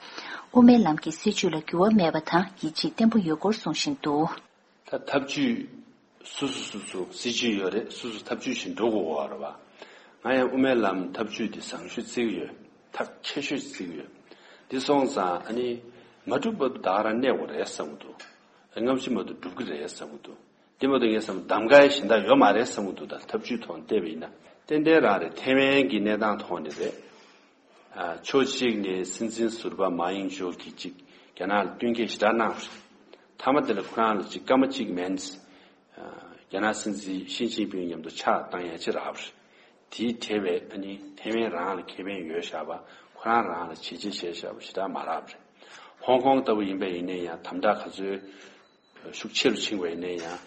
དབུ་མའི་ལམ་གྱི་སྲིད་བྱུས་ལ་འགྱུར་བ་མེད་པ་དང་ཡིད་ཆེས་བརྟན་པོ་ཡོད་སྐོར་གསུངས་བཞིན་འདུག་ད་ཐབས་ཇུས་སོ་སོ་སོ་སོ་སྲིད་ཇུས་ཡོད་རེད། སོ་སོ་ཐབས་ཇུས་བཞིན་འགྲོ་དགོས་པ་རེད་བ། ང་ཡང་དབུ་མའི་ལམ་ཐབས་ཇུས་དེ་བཟང་ཤོས་བརྩི་གི་ཡོད། ཐབས་ཆེ་ཤོས་བརྩི་གི་ཡོད། དེ་སོང་ཙང་ཨ་ནི་མ་འགྲུབ་བར་དུ་ད་ག་རང་གནས་དགོས་རེད་བསམ་གི་འདུག་སྔ་ཕྱི་མ་གཏོགས་འགྲུབ་གི་རེད་བསམ་གི་འདུག་དེ་མ་གཏོགས་ངས་བསམ་གདམ་ག་ཡི་གཞན་དག་ཡོད་མ་རེད་བསམ་གི་འདུག་ད་ཐབས་ཇུས་ཐོག་བལྟས་པ་ཡིན་ན་ཏན་ཏན་རང་རེད། ཐའེ་ཝན་གྱི་གནས་སྟངས་ཐོག་ནས་རེད། ཨ། ཕྱོགས་གཅིག་ནས་སྲིད་འཛིན་ཟུར་པ་མཱ་ཡིང་ཇོ་གིས་ཅིག་རྒྱ་ནག་ལ་བསྟུན་མཁས་ཞེ་དྲག་གནང་བ་རེད། མཐའ་མ་དེ་ལ་ཁོ་རང་ལ་ཅིག་སྐར་མ་གཅིག་མིན། ཨ། རྒྱ་ནག་སྲིད་འཛིན་ཞི་ཅིན་ཕིང་མཉམ་དུ་ཕྱག་བཏང་ཡ་ཅིག་རག་པ་རེད། དེའི་འབྲེལ་བའི་ཨ་ནི་ཐའེ་ཝན་རང་ལ་ཁེ་ཕན་ཡོད་བཞག་པ། ཁོ་རང་རང་ལ་བྱས་རྗེས་བྱས་བཞག་པ་ཞེ་དྲག་མ་རག་པ་རེད། ཧོང་ཀོང་ལྟ་བུ་ཡིན་པ་ཡིན་ན་ཡང་དམ་དྲག་ག་ཚོད་ཤུགས་ཆེ་རུ་ཕྱིན་པ་ཡིན་ན་ཡང་།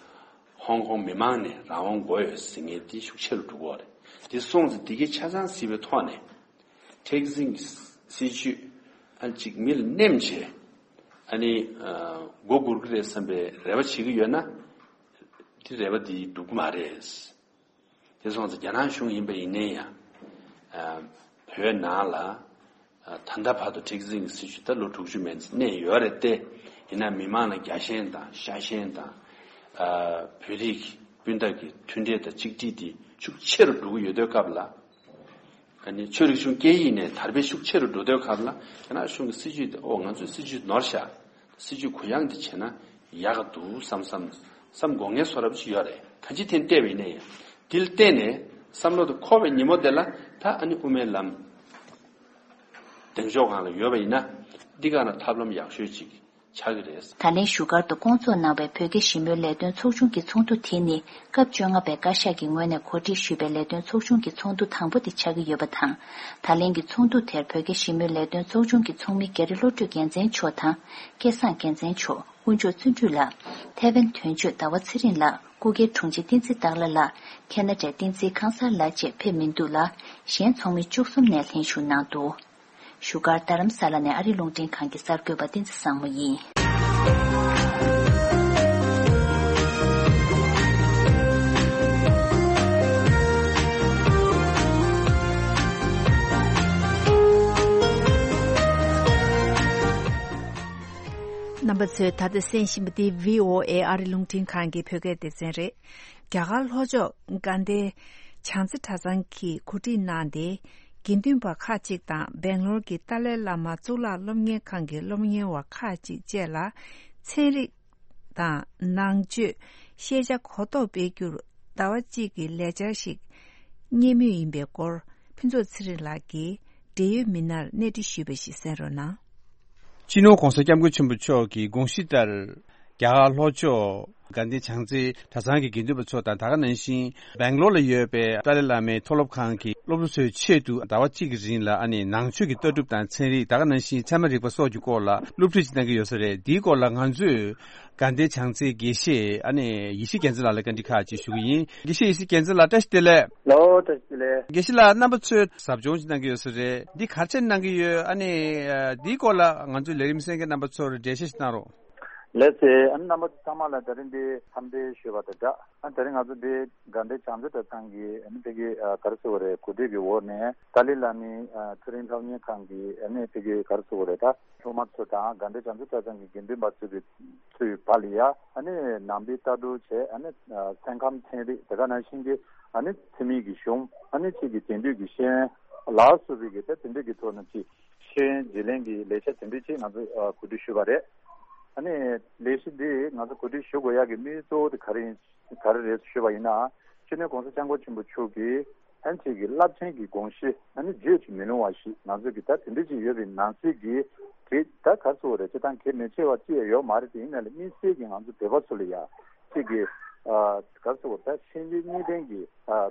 ཧོང་ཀོང་མི་མང་ནས་རང་དབང་དགོས་ཡོད་ཟེར་མཁན་དེ་ཤུགས་ཆེ་རུ་འགྲོ་གི་ཡོད་རེད། དེ་སོང་ཙང་དེ་གའི་ཆ་ཚང་གཟིགས་པའི་ཐོག་ནས། མཁྲེགས་འཛིན་གྱི་སྲིད་བྱུས་ཨ་ཅིག་མི་ལ་སྣེམ་བྱས། ཨ་ནི་ཨ་མགོ་སྒུར་གི་རེད་བསམ་པའི་རེ་བ་བྱེད་ཀྱི་ཡོད་ན། དེ་རེ་བ་དེ་འགྲུབ་ཀྱི་མ་རེད། དེ་སོང་ཙང་རྒྱ་ནག་གཞུང་ཡིན་པ་ཡིན་ནའི་ཡང་། ཨ་བོད་ནང་ལ་ཨ་ད་ལྟ་བར་དུ་མཁྲེགས་འཛིན་གྱི་སྲིད་བྱུས་ད་ལོ་དྲུག་ཅུ་མན་ཙམ་གནས་ཡོད་རེད་དེ། ཡིན་ན་མི་མང་ལ་རྒྱ་ཞེན་དང་ཤ་ཞེན་དང་། ཨ་བོད་རིགས་སྤུན་ཟླ་གི་མཐུན་སྒྲིལ་དང་གཅིག་སྒྲིལ་དེ་ཤུགས་ཆེ་རུ་འགྲོ་གི་ཡོད་དུས་སྐབས་ལ། ཨ་ནི་ཆོས་རིག་གཞུང་སྐད་ཡིག་ནས་དར་སྤེལ་ཤུགས་ཆེ་རུ་འགྲོ་དུས་སྐབས་ལ་རྒྱ་ནག་གཞུང་གི་སྲིད་བྱུས་དེ་ཨོ་ང་ཚོས་སྲིད་བྱུས་ནོར་ཤག་སྲིད་བྱུས་གུ་ཡངས་དེ་བྱས་ན་ཡག་ག་འདུག་བསམ་བསམ་བསམ་དགོས་ངེས་བཟོ་འདྲ་པོ་ཅིག་ཡོད་རེད། གང་ཅི་ཐད་བལྟས་པ་ཡིན་ན་ཡང་དེ་ལ་བརྟེན་ནས་བསམ་བློ་དེ་འཁོར་བའི་ཉིན་མོ་དེ་ལ་ད་ཨ་ནི་དབུ་མའི་ལམ་གདེང་འཇོག་སྒང་ལ་ཡོད་པ་ཡིན་ན་འདི་ག་ན་ཐབས་ལམ་ཡག་ཤོས་ཅིག་ཆགས་ཀྱི་རེད། ད་ལན་བཞུགས་སྒར་དུ་བསྐོང་ཚོགས་གནང་བའི་བོད་རྒྱ་ཞི་མོལ་ལས་དོན་ཚོགས་ཆུང་གི་ཚོགས་འདུ་དེ་ནི་སྐབས་བཅོ་ལྔ་པའི་བཀའ་ཤག་གི་ངོས་ནས་གོ་སྒྲིག་ཞུས་པའི་ལས་དོན་ཚོགས་ཆུང་གི་ཚོགས་འདུ་དང་པོ་དེ་ཆགས་ཀྱི་ཡོད་པ་དང་། ད་ལན་གྱི་ཚོགས་འདུ་དེར་བོད་རྒྱ་ཞི་མོལ་ལས་དོན་ཚོགས་ཆུང་གི་ཚོགས་མི་རྒྱ་རི་བློ་གྲོས་རྒྱལ་མཚན་མཆོག་དང་། སྐལ་བཟང་རྒྱལ་མཚན་མཆོག་དཀོན་མཆོག་བརྩོན་འགྲུས་ལགས། ཐེ་ཝན་དོན་གཅོད་ཟླ་བ་ཚེ་རིང་ལགས། སྐུ་སྒེར་དྲུང་ཆེ་བསྟན་འཛིན་སྟག་ལྷ་ལགས། ཁེ་ན་ཌའི་བསྟན་འཛིན་ཁང་གསར་ལགས་བཅས་ཕེབས་མི་འདུག་ལ། གཞན་ཚོགས་མི་བཅུ་གསུམ་ནས་ལྷན་ཞུགས་གནང་འདུག་བཞུགས་སྒར་རྡ་རམ་ས་ལ་ནས་ཨ་རི་རླུང་འཕྲིན་ཁང་གི་གསར་འགོད་པ་བསྟན་འཛིན་བཟང་མོ་ཡིན། རྣམ་པ་ཚོས་ད་ལྟ་གསན་བཞིན་པ་འདི་བྷི་ཨོ་ཨེ་ཨ་རི་རླུང་འཕྲིན་ཁང་གི་བོད་སྐད་སྡེ་ཚན་རེད། རྒྱ་གར་ལྷོ་ཕྱོགས་དགའ་ལྡན་བྱང་རྩེ་གྲྭ་ཚང་གིས་གོ་སྒྲིག་གནང་སྟེ། དགེ་འདུན་པ་ཁག་ཅིག་དང་སྦེང་ལོར་གྱི་ཏཱ་ལའི་བླ་མ་གཙུག་ལག་སློབ་གཉེར་ཁང་གི་སློབ་གཉེར་བ་ཁག་ཅིག་བཅས་ལ་ཚན་རིག་དང་ནང་ཆོས་ཤེས་བྱ་གོ་རྟོགས་སྤེལ་རྒྱུར་ཟླ་བ་གཅིག་གི་ལས་འཆར་ཞིག་གཉེར་མུས་ཡིན་པའི་སྐོར་ཕུན་ཚོགས་ཚེ་རིང་ལགས་ཀྱིས་འབྲེལ་ཡོད་མི་སྣར་གནས་འདྲི་ཞུས་པ་ཞིག་གསན་རོགས་གནང་། སྤྱི་ནོར་༸གོང་ས་༸སྐྱབས་མགོན་ཆེན་པོ་མཆོག་གི་དགོངས་གཞི་ལྟར། རྒྱ་གར་ལྷོ་ཕྱོགས་དགའ་ལྡན་བྱང་རྩེ་གྲྭ་ཚང་གི་དགེ་འདུན་པ་ཚོ་དང་། ད་ག་ནང་བཞིན་སྦེང་ལོར་ལ་ཡོད་པའི་ཏཱ་ལའི་བླ་མའི་མཐོ་སློབ་ཁང་གི་སློབ་ཕྲུག་ཚོའི་ཆེད་དུ་ཟླ་བ་གཅིག་གི་རིང་ལ་ཨ་ནི་ནང་ཆོས་ཀྱི་ལྟ་གྲུབ་དང་ཚན་རིག་ད་ག་ནང་བཞིན་ཚད་མ་རིག་པ་སོགས་ཀྱི་སྐོར་ལ་སློབ་ཁྲིད་ཅིག་གནང་གི་ཡོད་ས་རེད། འདིའི་སྐོར་ལ་ང་ཚོས་དགའ་ལྡན་བྱང་རྩེའི་དགེ་བཤེས་ཨ་ནི་ཡེ་ཤེས་རྒྱལ་མཚན་ལགས་ལ་བཀའ་འདྲི་ཁག་ཅིག་ཞུ་གི་ཡིན། དགེ་བཤེས་ཡེ་ཤེས་རྒྱལ་མཚན་ལགས་བཀྲ་ཤིས་བདེ་ལེགས། ལོ། བཀྲ་ཤིས་བདེ་ལེགས། དགེ་བཤེས་ལགས་རྣམ་པ་ཚོས་ཟབ་སྦྱོང་ཅིག་གནང་གི་ཡོད་ས་རེད། འདི་ག་རེ་བྱས་གནང་གི་ཡོད། ཨ་ནི་འདིའི་སྐོར་ལ་ང་ཚོའི་ལས་རིམ་གསན་མཁན་རྣམ་པ་ཚོར་འགྲེལ་བཤད་ཅིག་གནང་རོགས། ལགས་སེ། ཨ་ནི་རྣམ་པ་ཚོ་ཚང་མ་ལ་ད་རིང་འདི་འཚམས་འདྲི་ཞུས་པ་དང་སྦྲགས། ཨ་ནི་ད་རིང་ང་ཚོ་འདི་དགའ་ལྡན་བྱང་རྩེ་གྲྭ་ཚང་གི་ཨ་ནི་ཕ་གི་ཨ་ག་རེ་ཟེར་དགོས་རེད། གོ་སྒྲིག་གི་འོག་ནས་ཏཱ་ལའི་བླ་མའི་ཨ་མཐོ་རིམ་སློབ་གཉེར་ཁང་གི་ཨ་ནི་ཕ་གི་ག་རེ་ཟེར་དགོས་རེད། ད་སློབ་མ་ཚོ་དང་དགའ་ལྡན་བྱང་རྩེ་གྲྭ་ཚང་གི་དགེ་འདུན་པ་ཚོ་གི་ཚོའི་བར་ལ་ཡ་ཨ་ནི་ནང་པའི་ལྟ་གྲུབ་བྱས། ཨ་ནི་ཨ་སེམས་ཁམས་ཚན་རིག་དེ་ག་ནང་བཞིན་གྱི་ཨ་ནི་འཚེ་མེད་ཀྱི་གཞུང་། ཨ་ནི་གཅིག་གི་དེང་དུས་ཀྱི་ཤེས་ཡོན་ལ་སོགས་པའི་གི་ད་དེ་འདྲ་གི་ཐོག་ནས་ཅིག་ཤེས་ཡོན་བརྗེ་ལེན་གྱི་ལས་འཆར་དེ་འདྲ་ཅིག་ང་ཚོ་ཨ་གོ་སྒྲིག་ཞུས་པ་རེད། ཨ་ནི་ལས་གཞི་འདི་ང་ཚོ་གོ་སྒྲིག་ཞུ་དགོས་ཡག་གི་དམིགས་ཡུལ་གཙོ་བོ་དེ་ག་རེ་ཡིན། ག་རེ་རེད་ཞུས་པ་ཡིན་ན། སྤྱི་ནོར་༸གོང་ས་༸སྐྱབས་མགོན་ཆེན་པོ་མཆོག་གིས་ཨ་ནི་གཅིག་གི་རླབས་ཆེན་གྱི་དགོངས་གཞི་ཨ་ནི་བརྗོད་ཀྱིས་མི་ལོང་བ་ཞིག་ང་ཚོ་གི་ད་དེ་འདྲ་ཅིག་ཡོད་པའི་ནང་གསེས་ཀྱི་གེགས་ད་ག་རེ་ཟེར་དགོས་རེད། སྤྱིར་བཏང་གལ་མི་ཆེ་བ་ཅི་ཡང་ཡོད་མ་རེད། དེ་ཡིན་ན་ལས་དམིགས་བསལ་གྱི་ང་ཚོ་བོད་པ་ཚོ་ལ་ཡ་གཅིག་གི་ཨ་ག་རེ་ཟེར་དགོས་རེད། ད་ཤེས་འཇོན་གཉིས་ལྡན་གྱི་ཨ་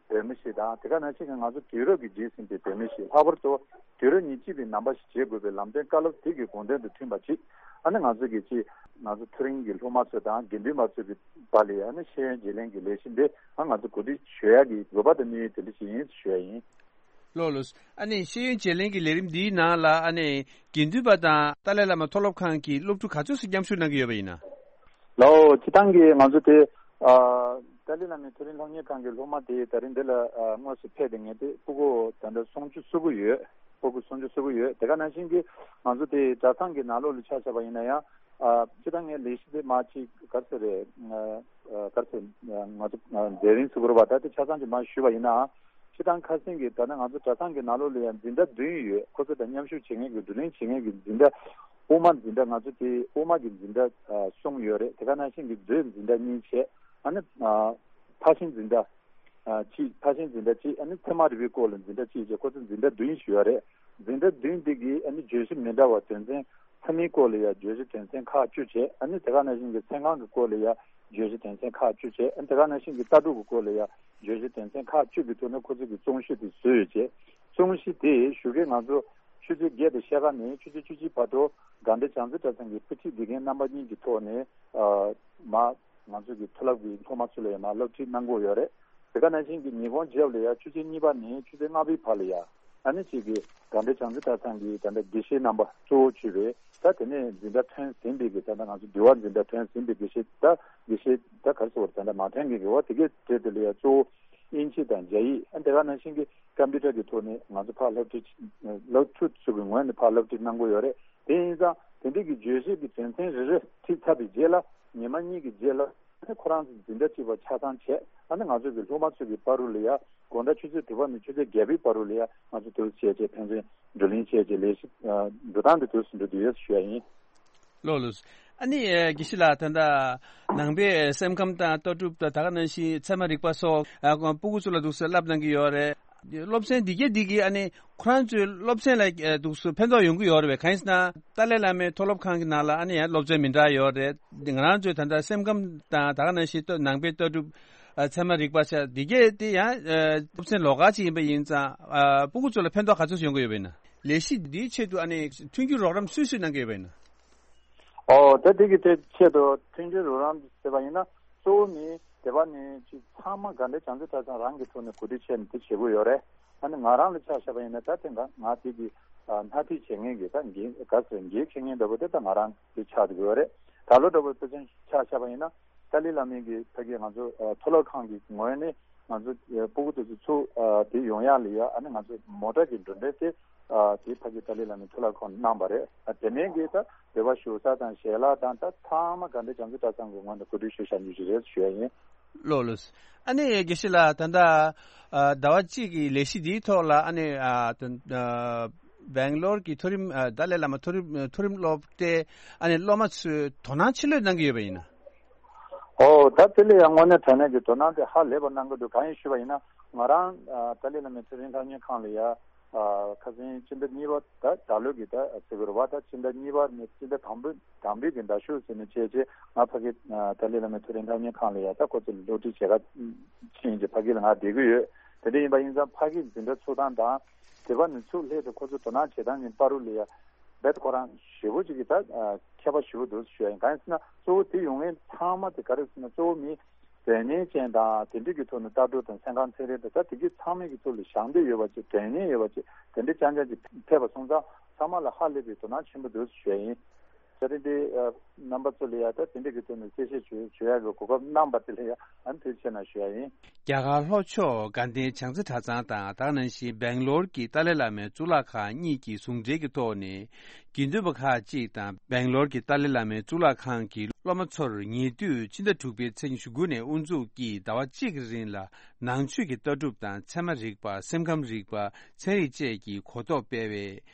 བོད་མི་ཞིག་དང་། དེ་ག་ནང་བཞིན་གྱི་ང་ཚོ་དུས་རབས་ཀྱིས་བརྗེད་ཟིན་པའི་བོད་མི་ཞིག་ལྷག་པར་དུ་དུས་རབས་ཉེར་གཅིག་པའི་ནང་པ་ཞིག་བྱེད་དགོས་པའི་ལམ་སྟོན་བཀའ་སློབ་དེ་གི་དགོངས་དོན་དང་མཐུན་པ་ཅིག་ཨ་ནི་ང་ཚོ་གི་ཅིག་ང་ཚོ་མཐོ་རིམ་གྱི་སློབ་མ་ཚོ་དང་དགེ་འདུན་པ་ཚོ་གི་བར་ལ་ཡ་ཨ་ནི་ཤེས་ཡོན་བརྗེ་ལེན་གྱི་ལས་གཞི་འདི་ཨ་ང་ཚོ་གོ་སྒྲིག་ཞུ་ཡག་གི་དགོས་པ་དང་དམིགས་ཡུལ་དེ་འདྲ་ཞིག་ཡིན་ཞུ་ཡ་ཡིན། ལགས་ལགས། ཨ་ནི་ཤེས་ཡོན་བརྗེ་ལེན་གྱི་ལས་རིམ་འདིའི་ནང་ལ་ཨ་ནི་དགེ་འདུན་པ་དང་ཏཱ་ལའི་བླ་མ་མཐོ་སློབ་ཁང་གི་སློབ་ཕྲུག་ག་ཚོད་ཙམ་མཉམ་ཞུགས་གནང་གི་ཡོད་པ་ཡིན་ན། ལགས་འོ། སྤྱིར་བཏང་གི་ང་ཚོ་དེ་ཨ་ཏཱ་ལའི་བླ་མའི་མཐོ་རིམ་སློབ་གཉེར་ཁང་གི་སློབ་མ་དེ་ད་རིང་འདི་ལ་ཨ་དངོས་སུ་ཕེབས་ཏེ་ངེས་དེ་སྤུ་གུ་ད་ལྟ་སུམ་ཅུ་སོ་དགུ་ཡོད། སྤུ་གུ་སུམ་ཅུ་སོ་དགུ་ཡོད། དེ་ག་ནང་བཞིན་གྱི་ང་ཚོ་དེ་གྲྭ་ཚང་གི་ནང་ལོགས་ལ་ཆ་བཞག་པ་ཡིན་ན་ཡང་ཨ་སྤྱིར་བཏང་ངའི་ལས་གཞི་དེ་མ་གཅིག་ག་ཚོད་རེད། ཨ་ག་ཚོད་ང་ཚོ་མཛད་རིམ་ཟེར་དགོས་རེད་པ། ད་དེ་ཆ་ཚང་ཅིག་མར་ཞུས་པ་ཡིན་ན། སྤྱིར་བཏང་ཁ་སེང་གི་ད་ལྟ་ང་ཚོ་གྲྭ་ཚང་གི་ནང་ལོགས་ལ་ཡང་འཛིན་གྲྭ་བདུན་ཡོད། ཁོ་ཚོ་དང་མཉམ་ཞུགས་བྱེད་མཁན་གྱི་བསྡུ་ལེན་བྱེད་མཁན་གྱི་འཛིན་གྲྭ། དབུ་མ་འཛིན་གྲྭ་ང་ཚོ་དེ་དབུ་མ་གི་འཛིན་གྲྭ་ཨ་གསུམ་ཡོད་རེད། དེ་ག་ནང་བཞིན་གྱི་མཛོད་འཛིན་གྲྭ་གཉིས་བྱས། ཨ་ནི་ཨ་ཕར་ཕྱིན་འཛིན་གྲྭ་ཨ་གཅིག་ཕར་ཕྱིན་འཛིན་གྲྭ་གཅིག་ཨ་ནི་ཚད་མ་རིག་པའི་སྐོར་ལ་འཛིན་གྲྭ་གཅིག་བྱས། ཁོ་ཚོ་འཛིན་གྲྭ་བདུན་ཞིག་ཡོད་རེད། འཛིན་གྲྭ་བདུན་འདི་གི་ཨ་ནི་བརྗོད་གཞི་མི་འདྲ་བ་དོན་ཚན། ཚད་མའི་སྐོར་ལ་ཡང་བརྗོད་གཞི་དོན་ཚན་ཁག་བཅུ་བྱས། ཨ་ནི་དེ་ག་ནང་བཞིན་གྱི་ཚན་གང་གི་སྐོར་ལ་ཡང་བརྗོད་གཞི་དོན་ཚན་ཁག་བཅུ་བྱས། ཨ་ནི་དེ་ག་ནང་བཞིན་གྱི་ལྟ་གྲུབ་ཀྱི་སྐོར་ལ་ཡང་བརྗོད་གཞི་དོན་ཚན་ཁག་བཅུ་གི་ཐོག་ནས་ཁོ་ཚོ་གི་རྩོམ་གཞི་དེ་བཟོས་ཡོད་ཅེས། རྩོམ་གཞི་དེ་ཞོགས་ཀས་ང་ཚོ་ཆུ་ཚོད་བརྒྱད་དང་ཕྱེད་ཀ་ནས་ཆུ་ཚོད་བཅུ་གཅིག་བར་དུ་དགའ་ལྡན་བྱང་རྩེ་གྲྭ་ཚང་གི་དཔེ་ཁྲིད་དགེ་རྒན་རྣམ་པ་གཉིས་ཀྱི་ཐོག་ནས་ཨ་མ་ང་ཚོ་གི་མཐོ་སློབ་ཀྱི་སློབ་མ་ཚོ་ལ་ཡང་མར་སློབ་ཁྲིད་གནང་གི་ཡོད་རེད། དེ་ག་ནང་བཞིན་གྱི་ཉིན་གུང་རྗེས་ལ་ཡང་ཆུ་ཚོད་གཉིས་པ་ནས་ཆུ་ཚོད་ལྔ་པའི་བར་ལ་ཡང་ཨ་ནི་གཅིག་གི་དགའ་ལྡན་བྱང་རྩེ་གྲྭ་ཚང་གི་ད་ལྟ་དགེ་བཤེས་རྣམ་པ་གཙོ་བོ་བྱས་པའི་ད་དེ་ནས་འཛིན་གྲྭ་ཐོན་ཟིན་པའི་གི་ད་ལྟ་ང་ཚོ་འདུལ་བ་འཛིན་གྲྭ་ཐོན་ཟིན་པའི་དགེ་བཤེས་ད་དགེ་བཤེས་ད་ག་རེ་ཟེར་བ་ད་ལྟ་མ་ཐོན་མཁན་གྱི་འོ་དེ་གའི་གྲས་དེ་ལ་ཡང་གཙོ་བོ་དབྱིན་ཇི་དང་རྒྱ་ཡིག་ཨ་དེ་ག་ནང་བཞིན་གྱི་ཀམ་པུ་ཊར་གྱི་ཐོག་ནས་ང་ཚོ་ཕར་སློབ་ཁྲིད་སློབ་ཕྲུག་ཚོ་གི་ངོས་ནས་ཕར་སློབ་ཁྲིད་གནང་གི་ཡོད་རེད། དེ་ཡིན་ཙང་དེ་འདྲའི་གི་བརྗོད་གཞི་གི་དོན་ཚན་རེ་རེ་ཁྲིད་ཚར་བའི་རྗེས་ལ་ཉི་མ་གཉིས་ཀྱི་རྗེས་ལ་ཨ་ནི་ཁོ་རང་ཚོ་འཛིན་གྲྭ་གཅིག་པ་ཆ་ཚང་བྱས། ཨ་ནི་ང་ཚོ་གི་སློབ་མ་ཚོ་གི་བར་དུ་ལ་ཡ་དགོང་དག་ཆུ་ཚོད་དྲུག་པ་ནས་ཆུ་ཚོད་བརྒྱད་པའི་བར་དུ་ལ་ཡ་ང་ཚོ་དུས་སུ་བྱས་བྱས་ཕན་ཚུན་བགྲོ་གླེང་བྱས་བྱས་ལས་གཞི་འགྲོ་སྟངས་དེ་དུས་སུ་འགྲོ་བསྡད་ཡོད་ཞུ་ཡ་ཡིན། ལགས་ལགས། ཨ་ནི་དགེ་བཤེས་ལགས་ད་ལྟ་ནང་པའི་སེམས་ཁམས་དང་ལྟ་གྲུབ་དང་ད་ག་ནང་བཞིན་ཚད་མ་རིག་པ་སོགས་ཨ་སྤུ་གུ་ཚོ་ལ་འདུག་སེ་བསླབ་གནང་གི་ཡོད་རེད། སློབ་ཚན་འདི་གས་འདི་གིས་ཨ་ནི་ཁོ་རང་ཚོའི་སློབ་ཚན་ལ་ཨ་འདུག་སུ་ཕན་ཐོགས་ཡོང་གི་ཡོད་རེད་པས། གང་ཡིན་ཟེར་ན་ཏཱ་ལའི་བླ་མའི་མཐོ་སློབ་ཁང་གི་ནང་ལ་ཨ་ནི་ཡང་སློབ་ཚན་མི་འདྲ་ཡོད་རེད། ང་རང་ཚོའི་ད་ལྟ་སེམས་ཁམས་དང་ད་ག་ནང་བཞིན་ལྟ་ནང་པའི་ལྟ་གྲུབ། ཨ་ཚད་མ་རིག་པ་ཆ་འདི་གས་དེ་ཡང་ཨ་སློབ་ཚན་ལོགས་ཀ་ཅིག་ཡིན་པ་ཡིན་ཙང་། ཨ་སྤུ་གུ་ཚོ་ལ་ཕན་ཐོགས་ག་ཚོད་ཡོང་གི་ཡོད་པ་ཡིན་ན། ལས་གཞི་འདིའི་ཆེད་དུ་ཨ་ནི་མཐུན་འགྱུར་རོགས་རམ་སུས་སུས་གནང་གི་ཡོད་པ་ཡིན་ན། ཨོ་ད་དེ་གི་དེ་ཆེད་དུ་མཐུན་འགྱུར་རོགས་རམ་ཟེར་བ་ཡིན་ན། གཙོ་བོ་ནི་དེ་བ་ནི་ཅིག་ཚང་མ་དགའ་ལྡན་བྱང་རྩེ་གྲྭ་ཚང་རང་གི་ཐོག་ནས་གོ་སྒྲིག་བྱས་ནས་དེ་བྱེད་དགོས་ཡོད་རེད། ཨ་ནི་ང་རང་ལ་ཆ་བཞག་པ་ཡིན་ན་ད་དེ་འདྲ་ང་དེ་གི་ཨ་སྣ་ཁྲིད་བྱེད་མཁན་གྱི་ད་འགན་ག་ཚོད་འགན་འཁྱེར་མཁན་འདྲ་པོ་དེ་ད་ང་རང་དེ་ཆགས་འགྲོ་གི་ཡོད་རེད། ད་ལོ་འདྲ་པོ་དེ་ཚོ་ཆ་བཞག་པ་ཡིན་ན། ཏཱ་ལའི་བླ་མའི་གི་ཕ་གི་ང་ཚོ་ཨ་མཐོ་སློབ་ཁང་གི་ངོས་ནས་ང་ཚོ་ཨ་སྤུ་གུ་དེ་ཚོ་ཚུར་ཨ་དེ་ཡོང་ཡག་ལ་ཡ་ཨ་ནི་ང་ཚོ་མོ་ཊ་གི་འགྲོ་གྲོན་དེ་ཨ་དེ་ཕ་གི་ཏཱ་ལའི་བླ་མའི་མཐོ་སློབ་ཁང་གནང་བ་རེད། ཨ་དེ་ནས་གི་ད་འབུལ་བ་ཞུ་ས་དང་ཞལ་ལག་དང་ད་ཚང་མ་དགའ་ལྡན་བྱང་རྩེ་གྲྭ་ཚང་གི་ངོས་ནས་གོ་སྒྲིག་ཞུ་བཞག་རྒྱུ་ཞིག་རེད་ཞུ་ཡ་ཡིན། ལོ་ལོ། ཨ་ནི་དགེ་བཤེས་ལགས་ད་ལྟ་ཨ་ཟླ་བ་གཅིག་གི་ལས་གཞི་འདིའི་ཐོག་ལ་ཨ་ནི་ཨ་དོན་ཨ་སྦེང་ལོར་གྱི་མཐོ་རིམ་ཨ་ཏཱ་ལའི་བླ་མ་མཐོ་རིམ་མཐོ་རིམ་སློབ་གྲྭའི་ཨ་ནི་སློབ་མ་ཚོས་དོ་སྣང་ཆེ་ལོས་གནང་གི་ཡོད་པ་ཡིན་ན། ཨོ་ད་དེ་ལ་ཡང་དངོས་གནས་དྲང་གནས་ཀྱི་དོ་སྣང་དེ་ཧ་ལས་པ་གནང་གི་འདུག་གང་ཡིན་ཞུས་པ་ཡིན་ན་ང་རང་ཨ་ཏཱ་ལའི་བླ་མའི་མཐོ་རིམ་སློབ་གཉེར་ཁང་ལ་ཡ་ཨ་ཁ་སང་སྤྱི་ཟླ་གཉིས་པ་ད་ད་ལོ་གི་ད་ཟེར་དགོས་རེད་བ། ད་སྤྱི་ཟླ་གཉིས་པ་ནས་སྤྱི་ཟླ་དང་པོ་དང་པོའི་གི་ཟླ་གཞུག་ཟེར་ནས་བྱས་རྗེས་ང་ཕ་གི་ཨ་ཏཱ་ལའི་བླ་མའི་མཐོ་རིམ་སློབ་གཉེར་ཁང་ལ་ཡ་ད་ཁོ་ཚོ་ལ་སློབ་ཁྲིད་བྱེད་ག་ཕྱིན་རྗེས་ཕ་གི་ལ་ང་བསྡད་ཀྱི་ཡོད། དེ་འདྲ་ཡིན་པ་ཡིན་ཙང་ཕ་གི་འཛིན་གྲྭ་ཚུགས་སྟངས་དང་དེ་བ་ནས་ཚུར་སླེབས་ཏེ་ཁོ་ཚོ་དོ་སྣང་བྱེད་སྟངས་ཀྱི་བར་དུ་ལ་ཡ་རྦད་ཁོ་རང་ཞེ་པོ་ཅིག་གི་ད་ཨ་ཁྱད་པར་ཞེ་པོ་འདུག་ཞུ་ཡ་ཡིན། གང་ཡིན་ཟེར་ན་གཙོ་བོ་དེ་ཡོང་མཁན་ཚང་མ་དེ་ག་རེ་ཟེར་ན་གཙོ་བོ་མི་འཛད་མཁན་ཅན་དང་དེ་འདྲ་གི་ཐོག་ནས་ལྟ་གྲུབ་དང་སེམས་ཁམས་ཚན་རིག་དང་ད་དེ་གི་ཚང་མའི་གི་ཐོག་ལ་ཞང་འདོད་ཡོད་པ་ཅིག་འཛད་མཁན་ཡོད་པ་ཅིག་དེ་འདྲ་རྐྱང་རྐྱང་ཅིག་ཕེབས་པ་སོང་ཙང་ཚང་མ་ལ་ཧ་ལས་པའི་དོ་སྣང་ཆེན་པོ་འདུག་ཞུ་ཡ་ཡིན། ད་རེས་འདི་ཨ་རྣམ་པ་ཚོ་ལ་ཡ་ད་དེ་འདྲ་གི་ཐོག་ནས་གསལ་བཤད་བྱོས་བྱོས་ཡ་གི་གོ་སྐབས་གནང་པ་དེ་ལ་ཡ་ཨ་ནི་ཐུགས་རྗེ་ཆེ་གནང་ཞུ་ཡ་ཡིན། རྒྱ་གར་ལྷོ་ཕྱོགས་དགའ་ལྡན་བྱང་རྩེ་གྲྭ་ཚང་དང་ད་ག་ནང་བཞིན་སྦེང་ལོར་གྱི་ཏཱ་ལའི་བླ་མའི་གཙུག་ལག་ཁང་གཉིས་ཀྱི་ཟུང་འབྲེལ་གྱི་ཐོག་ནས་དགེ་འདུན་པ་ཁག་ཅིག་དང་སྦེང་ལོར་གྱི་ཏཱ་ལའི་བླ་མའི་གཙུག་ལག་ཁང་གི་སློབ་མ་ཚོར་ཉེ་དུས་ཕྱི་ཟླ་དྲུག་པའི་ཚེས་ཉི་ཤུ་དགུ་ནས་དབུ་འཛུགས་ཀྱིས་ཟླ་བ་གཅིག་གི་རིང་ལ་ནང་ཆོས་ཀྱི་ལྟ་གྲུབ་དང་ཚད་མ་རིག་པ་སེམས་ཁམས་རིག་པ་ཚན་རིག་བཅས་ཀྱི་གོ་རྟོགས་སྤེལ་བའི་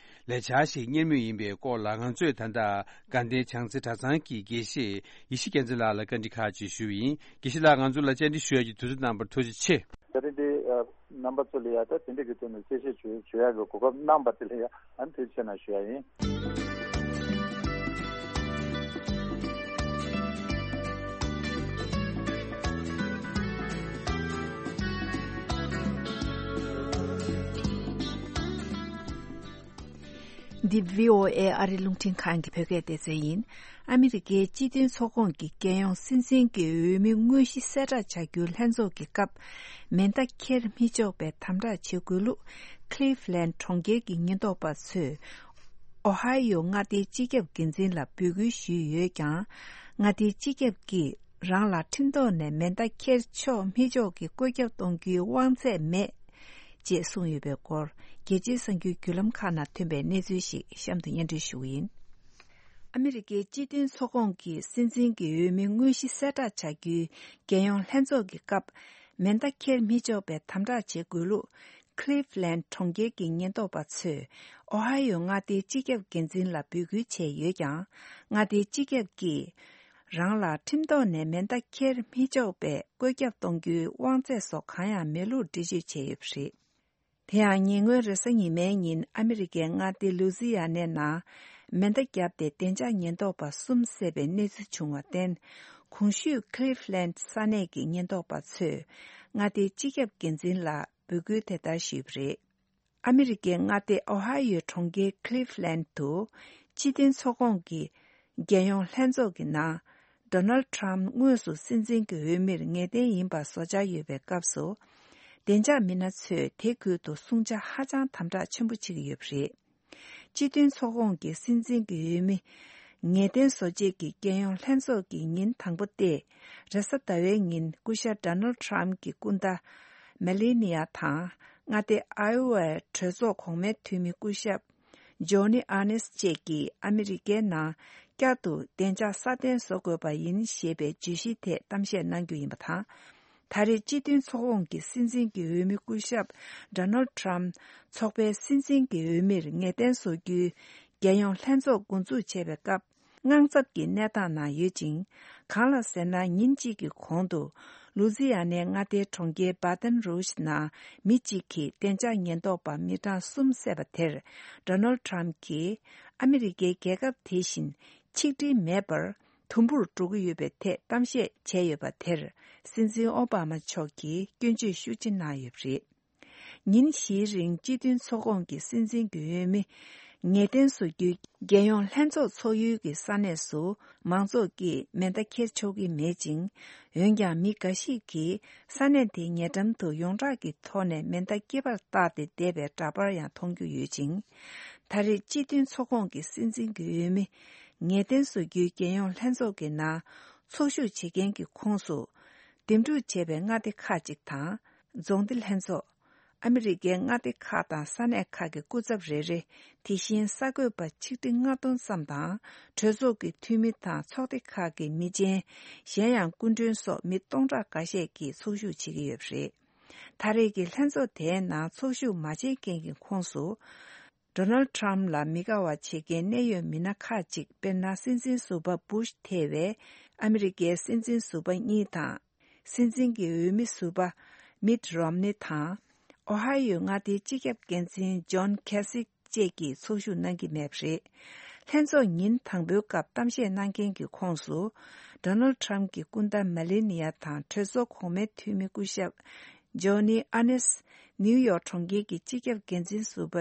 ལས་འཆར་ཞིག་གཉེར་མུས་ཡིན་པའི་སྐོར་ལ་ང་ཚོས་ད་ལྟ་དགའ་ལྡན་བྱང་རྩེ་གྲྭ་ཚང་གི་དགེ་བཤེས་ཡེ་ཤེས་རྒྱལ་མཚན་ལགས་ལ་བཀའ་འདྲི་ཁག་ཅིག་ཞུས་པ་ཡིན། དགེ་བཤེས་ལགས་ང་ཚོ་ལ་བཅར་འདྲི་ཞུ་ཡ་གི་དུས་ཚོད་གནང་བར་ཐུགས་རྗེ་ཆེ། ད་རེས་འདི་ཨ་རྣམ་པ་ཚོ་ལ་ཡ་ད་དེ་འདྲ་གི་ཐོག་ནས་གསལ་བཤད་བྱོས་བྱོས་ཡ་གི་གོ་སྐབས་གནང་པ་དེ་ལ་ཡ་ཨ་ནི་ཐུགས་རྗེ་ཆེ་གནང་ཞུ་ཡ་ཡིན། འདི་བྷི་ཨོ་ཨེ་ཨ་རི་རླུང་འཕྲིན་ཁང་གི་བོད་སྐད་སྡེ་ཚན་ཡིན། ཨ་མི་རི་ཀའི་སྤྱི་མཐུན་ཚོགས་ཁོངས་ཀྱི་རྒྱལ་ཡོངས་སྲིད་འཛིན་གྱི་འོས་མི་དངོས་གཞི་གསལ་བསྒྲགས་བྱ་རྒྱུའི་ལྷན་ཚོགས་ཀྱི་སྐབས། མེ་མདའ་འཁྱེར་མི་ཆོག་པའི་དམ་དྲག་བྱེད་དགོས་ལུགས། Cleveland་གྲོང་ཁྱེར་གྱི་ཉེན་རྟོག་པ་ཚོས་ཨོ་ཧའི་ཡོ་མངའ་སྡེའི་སྤྱི་ཁྱབ་འགན་འཛིན་ལ་འབོད་སྐུལ་ཞུས་ཡོད་ཀྱང་། མངའ་སྡེའི་སྤྱི་ཁྱབ་ཀྱིས་རང་ལ་ཁྲིམས་ཐོག་ནས་མེ་མདའ་འཁྱེར་ཆོག་མི་ཆོག་གི་བཀོད་ཁྱབ་གཏོང་རྒྱུའི་དབང་ཚད་མེད། ཅེས་གསུངས་ཡོད་པའི་སྐོར། རྒྱལ་སྤྱིའི་གསར་འགྱུར་བརྒྱུད་ལམ་ཁག་ནང་ཐོན་པའི་གནས་ཚུལ་ཞིག་གཤམ་དུ་སྙན་སྒྲོན་ཞུ་གི་ཡིན། ཨ་མི་རི་ཀའི་སྤྱི་མཐུན་ཚོགས་ཁོངས་ཀྱི་སྲིད་འཛིན་གྱི་འོས་མི་དངོས་གཞི་གསལ་བསྒྲགས་བྱ་རྒྱུའི་རྒྱལ་ཡོངས་ལྷན་ཚོགས་ཀྱི་སྐབས། མེ་མདའ་འཁྱེར་མི་ཆོག་པའི་དམ་དྲག་བྱེད་དགོས་ལུགས། Cleveland་གྲོང་ཁྱེར་གྱི་ཉེན་རྟོག་པ་ཚོས་ཨོ་ཧའི་ཡོ་མངའ་སྡེའི་སྤྱི་ཁྱབ་འགན་འཛིན་ལ་འབོད་སྐུལ་བྱས་ཡོད་ཀྱང་། མངའ་སྡེའི་སྤྱི་ཁྱབ་ཀྱིས། རང་ལ་ཁྲིམས་ཐོག་ནས་མེ་མདའ་འཁྱེར་མི་ཆོག་པའི་བཀོད་ཁྱབ་གཏོང་རྒྱུའི་དབང་ཚད་སོགས་གང་ཡང་མེད་ལུགས་འགྲེལ་བརྗོད་བྱས་ཡོད་པ་རེད། དེ་ཡང་ཉེ་སྔོན་རེས་གཟའ་ཉི་མའི་ཉིན་ཨ་མི་རི་ཀའི་མངའ་སྡེ་ལུ་ཛི་ཡ་ནའི་ནང་མེ་མདའ་བརྒྱབ་སྟེ་བདེ་འཇགས་ཉེན་རྟོག་པ་གསུམ་བསད་པའི་གནས་ཚུལ་བྱུང་བར་བརྟེན། གོང་ཞུས་Cleveland་ས་གནས་ཀྱི་ཉེན་རྟོག་པ་ཚོས་མངའ་སྡེའི་སྤྱི་ཁྱབ་འགན་འཛིན་ལ་འབོད་སྐུལ་དེ་ལྟར་ཞུས་པ་རེད། ཨ་མི་རི་ཀའི་མངའ་སྡེ་ཨོ་ཧའི་ཡོའི་གྲོང་ཁྱེར་Cleveland་དུ་སྤྱི་མཐུན་ཚོགས་ཁོངས་ཀྱི་རྒྱལ་ཡོངས་ལྷན་ཚོགས་ཀྱི་ནང་། Donald Trump་དངོས་སུ་སྲིད་འཛིན་གྱི་འོས་མིར་ངེས་གཏན་ཡིན་པ་བཟོ་འཆར་ཡོད་པའི་སྐབས་སུ། བདེ་འཇགས་མི་སྣ་ཚོས་དེ་ཁུལ་དུ་སྲུང་བྱ་ཧ་ཅང་དམ་དྲག་ཆེན་པོ་བྱེད་ཀྱི་ཡོད་པ་རེད། སྤྱི་མཐུན་ཚོགས་ཁོངས་ཀྱི་སྲིད་འཛིན་གྱི་འོས་མི་ངེས་གཏན་བཟོ་ཆེད་ཀྱི་རྒྱལ་ཡོངས་ལྷན་ཚོགས་ཀྱི་ཉིན་དང་པོ་སྟེ། རེས་གཟའ་ཟླ་བའི་ཉིན་སྐུ་ཞབས་Donald Trump་གྱི་སྐུ་ཟླ་Melania་དང་མངའ་སྡེ་Iowa་གྲོས་ཚོགས་གོང་མའི་འཐུས་མི་སྐུ་ཞབས་Johnny Ernst་བཅས་ཀྱིས་ཨ་མི་རི་ཀའི་ནང་བསྐྱར་དུ་བདེ་འཇགས་སྲ་བརྟན་བཟོ་དགོས་པ་ཡིན་ཞེས་པའི་བརྗོད་གཞིའི་ཐད་གཏམ་བཤད་གནང་རྒྱུ་ཡིན་པ་དང་། ད་རེས་སྤྱི་མཐུན་ཚོགས་ཁོངས་ཀྱི་སྲིད་འཛིན་གྱི་འོས་མི་སྐུ་ཞབས་Donald Trump་ཚོགས་པའི་སྲིད་འཛིན་གྱི་འོས་མིར་ངེས་གཏན་བཟོ་རྒྱུའི་རྒྱལ་ཡོངས་ལྷན་ཚོགས་འགོ་འཛུགས་བྱས་པའི་སྐབས། དངངས་འཚབ་ཀྱི་གནས་སྟངས་ནང་ཡོད་ཅིང་། གང་ལ་ཟེར་ན་ཉིན་གཅིག་གི་གོང་དུ་ ལུ་ཛི་ཡ་ནའི་མངའ་སྡེའི་གྲོང་ཁྱེར་བྷ་ཏན་རུ་ཤི་ནང་མི་གཅིག་གིས་བདེ་འཇགས་ཉེན་རྟོག་པ་མི་གྲངས་གསུམ་བསད་པ་དེར། ཌོ་ནལ་ཌི་ཊརམ་ཕ་གྱིས་ཨ་མི་རི་ཀའི་རྒྱལ་ཁབ་དེ་བཞིན་ཆིག་སྒྲིལ་མེད་པར་དུམ་བུར་འགྲོ་གི་ཡོད་པའི་ཐད་གཏམ་བཤད་བྱས་ཡོད་པ་དེར། སྲིད་འཛིན་ཨོ་བྷ་མ་མཆོག་གིས་སྐྱོན་བརྗོད་ཤུགས་ཆེ་གནང་ཡོད་པ་རེད། ཉིན་བཞིའི་རིང་སྤྱི་མཐུན་ཚོགས་ཁོངས་ཀྱི་སྲིད་འཛིན་གྱི་འོས་མི་ངེས་གཏན་བཟོ་རྒྱུའི་རྒྱལ་ཡོངས་ལྷན་ཚོགས་ཚོགས་ཡུལ་གྱི་ས་གནས་སུ་མང་ཚོགས་ཀྱིས་མེ་མདའ་འཁྱེར་ཆོག་གི་མེད་ཅིང་། འོན་ཀྱང་མི་འགའ་ཞིག་གིས་ས་གནས་དེའི་ཉེ་འགྲམ་དུ་ཡོངས་གྲགས་ཀྱི་ཐོག་ནས་མེ་མདའ་སྐེད་པར་བཏགས་ཏེ་བསྡད་པའི་འདྲ་པར་ཡང་མཐོང་རྒྱུ་ཡོད་ཅིང་། ད་རེས་སྤྱི་མཐུན་ཚོགས་ཁོངས་ཀྱི་སྲིད་འཛིན་གྱི་འོས་མི་ངེས་གཏན་བཟོ་རྒྱུའི་རྒྱལ་ཡོངས་ལྷན་ཚོགས་ཀྱི་ནང་ཚོགས་ཞུགས་བྱེད་མཁན་གྱི་ཁོངས་སུ། འདེམས་སྒྲུག་བྱས་པའི་མངའ་སྡེ་ཁག་ཅིག་དང་། རྫོང་སྡེ་ལྷན་ཚོགས། ཨ་མི་རི་ཀའི་མངའ་སྡེ་ཁག་དང་ས་གནས་ཁག་གི་སྐུ་ཚབ་རེ་རེ། དེ་བཞིན་གསར་འགོད་པ་ཆིག་ཁྲི་ལྔ་སྟོང་ཙམ་དང་། གྲོས་ཚོགས་ཀྱི་འཐུས་མི་དང་ཚོགས་སྡེ་ཁག་གི་མི་ཆེན། གཞན་ཡང་སྐུ་མགྲོན་སོགས་མི་སྟོང་ཕྲག་འགའ་ཤས་ཀྱིས་ཚོགས་ཞུགས་བྱེད་ཀྱི་ཡོད་པ་རེད། ད་རེས་ཀྱི་ལྷན་ཚོགས་དེའི་ནང་ཚོགས་ཞུགས་མ་བྱེད་མཁན་གྱི་ཁོངས་སུ། ཌོ་ནལ་ཌི་ཊརམ་ཕ་ལ་མི་དགའ་བ་བྱེད་མཁན་གནད་ཡོད་མི་སྣ་ཁག་ཅིག་དཔེར་ན། སྲིད་འཛིན་ཟུར་པ་བུ་ཤ་ཐེ་བའི་ཨ་མི་རི་ཀའི་སྲིད་འཛིན་ཟུར་པ་གཉིས་དང་། སྲིད་འཛིན་གྱི་འོས་མི་ཟུར་པ་མིད་རོམ་ནི་དང་། ཨོ་ཧའི་ཡོའི་མངའ་སྡེའི་སྤྱི་ཁྱབ་འགན་འཛིན་ཇོན་ཁེ་སི་བཅས་ཀྱིས་ཚོགས་ཞུགས་གནང་གི་མེད་པ་རེད། ལྷན་ཚོགས་ཉིན་དང་པོའི་སྐབས་གཏམ་བཤད་གནང་མཁན་གྱི་ཁོངས་སུ། ཌོ་ནལ་ཌི་ཊརམ་ཕ་གྱི་སྐུ་ཟླ་མེ་ལེ་ནི་ཡ་དང་གྲོས་ཚོགས་གོང་མའི་འཐུས་མི་སྐུ་ཞབས་ཇོ་ནི་ཨ་ནེ་སི། ནིའུ་ཡོག་གྲོང་ཁྱེར་གྱི་སྤྱི་ཁྱབ་འགན་འཛིན་ཟུར་པ་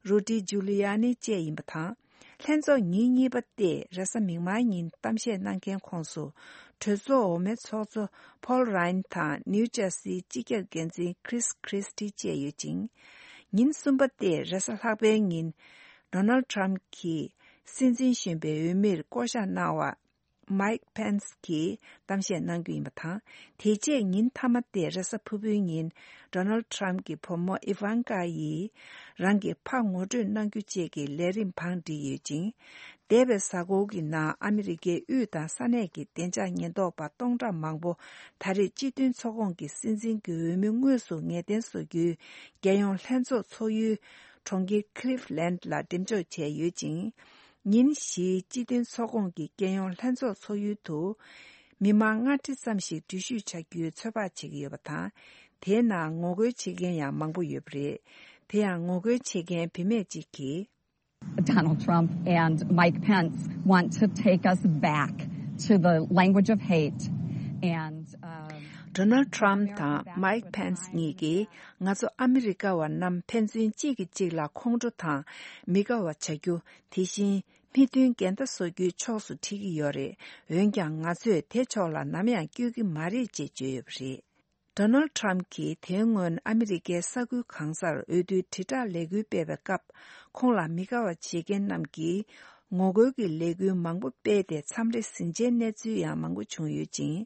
རུ་ཌི་ཇུ་ལི་ཡ་ནི་བཅས་ཡིན་པ་དང་། ལྷན་ཚོགས་ཉིན་གཉིས་པ་སྟེ་རེས་གཟའ་མིག་དམར་ཉིན་གཏམ་བཤད་གནང་མཁན་ཁོངས་སུ། གྲོས་ཚོགས་འོག་མའི་ཚོགས་གཙོ་ཕོལ་རཱིན་དང་ནིའུ་ཇར་སིའི་སྤྱི་ཁྱབ་འགན་འཛིན་ཁྲིས་ཁྲིས་ཊི་བཅས་ཡོད་ཅིང་། ཉིན་གསུམ་པ་སྟེ་རེས་གཟའ་ལྷག་པའི་ཉིན། ཌོ་ནལ་ཌི་ཊརམ་ཕ་གྱིས་སྲིད་འཛིན་གཞོན་པའི་འོས་མིར་བསྐོ་གཞག་གནང་བ། མའིག་ཕེན་སི་གིས་གཏམ་བཤད་གནང་རྒྱུ་ཡིན་པ་དང་། དེ་རྗེས་ཉིན་མཐའ་མ་སྟེ་རེས་གཟའ་ཕུར་བུའི་ཉིན། ཌོ་ནལ་ཌི་ཊརམ་ཕ་གྱི་བུ་མོ་ཨི་ཝན་ཀ་ཡིས་རང་གི་ཕ་ངོ་སྤྲོད་གནང་རྒྱུ་བཅས་ཀྱི་ལས་རིམ་བང་བསྒྲིགས་ཡོད་ཅིང་། འདས་པའི་གཟའ་འཁོར་གྱི་ནང་ཨ་མི་རི་ཀའི་དབུས་དང་ས་གནས་ཀྱི་བདེ་འཇགས་ཉེན་རྟོག་པ་སྟོང་ཕྲག་མང་པོ་ད་རེས་སྤྱི་མཐུན་ཚོགས་ཁོངས་ཀྱི་སྲིད་འཛིན་གྱི་འོས་མི་དངོས་སུ་ངེས་གཏན་བཟོ་རྒྱུའི་རྒྱལ་ཡོངས་ལྷན་ཚོགས་ཚོགས་ཡུལ་གྲོང་ཁྱེར་ཁི་ལིབ་ལན་ལ་འགྲེམས་འཇོག་བྱས་ཡོད་ཅིང་། ཉིན་བཞིའི་སྤྱི་མཐུན་ཚོགས་ཁོངས་ཀྱི་རྒྱལ་ཡོངས་ལྷན་ཚོགས་ཚོགས་ཡུལ་དུ། མི་མང་ལྔ་ཁྲི་ཙམ་ཞིག་འགྲུལ་བཞུད་བྱ་རྒྱུའི་ཚོད་དཔག་བྱེད་ཀྱི་ཡོད་པ་དང་། དེའི་ནང་ངོ་རྒོལ་བྱེད་མཁན་ཡང་མང་པོ་ཡོད་པ་རེད། དེ་ཡང་ངོ་རྒོལ་བྱེད་མཁན་བུད་མེད་ཅིག་གིས། Donald Trump and Mike Pence want to take us back to the language of hate and, um, ཌོ་ནལ་ཌི་ཊརམ་ཕ་དང་མའིག་ཕེན་སི་གཉིས་ཀྱིས་ང་ཚོ་ཨ་མི་རི་ཀ་བ་རྣམས་ཕན་ཚུན་གཅིག་གིས་གཅིག་ལ་ཁོང་ཁྲོ་དང་མི་དགའ་བ་བྱ་རྒྱུ། དེ་བཞིན། མི་མཐུན་འགལ་ཟླ་བཟོ་རྒྱུའི་ཕྱོགས་སུ་ཁྲིད་ཀྱི་ཡོད་རེད། འོན་ཀྱང་ང་ཚོས་དེ་ཕྱོགས་ལ་ནམ་ཡང་བསྐྱོད་ཀྱི་མ་རེད་ཅེས་བརྗོད་ཡོད་པ་རེད། ཌོ་ནལ་ཌི་ཊརམ་ཕ་གྱིས་དེའི་སྔོན་ཨ་མི་རི་ཀའི་ས་ཁུལ་གང་སར་འོས་བསྡུའི་དྲིལ་བསྒྲགས་ལས་འགུལ་སྤེལ་བའི་སྐབས། ཁོང་ལ་མི་དགའ་བ་བྱེད་མཁན་རྣམས་ཀྱིས་ངོ་རྒོལ་གྱི་ལས་འགུལ་མང་པོ་སྤེལ་ཏེ་མཚམས་རེ་ཟིང་ཆའི་གནས་ཚུལ་ཡང་མང་པོ་བྱུང་ཡོད་ཅིང་།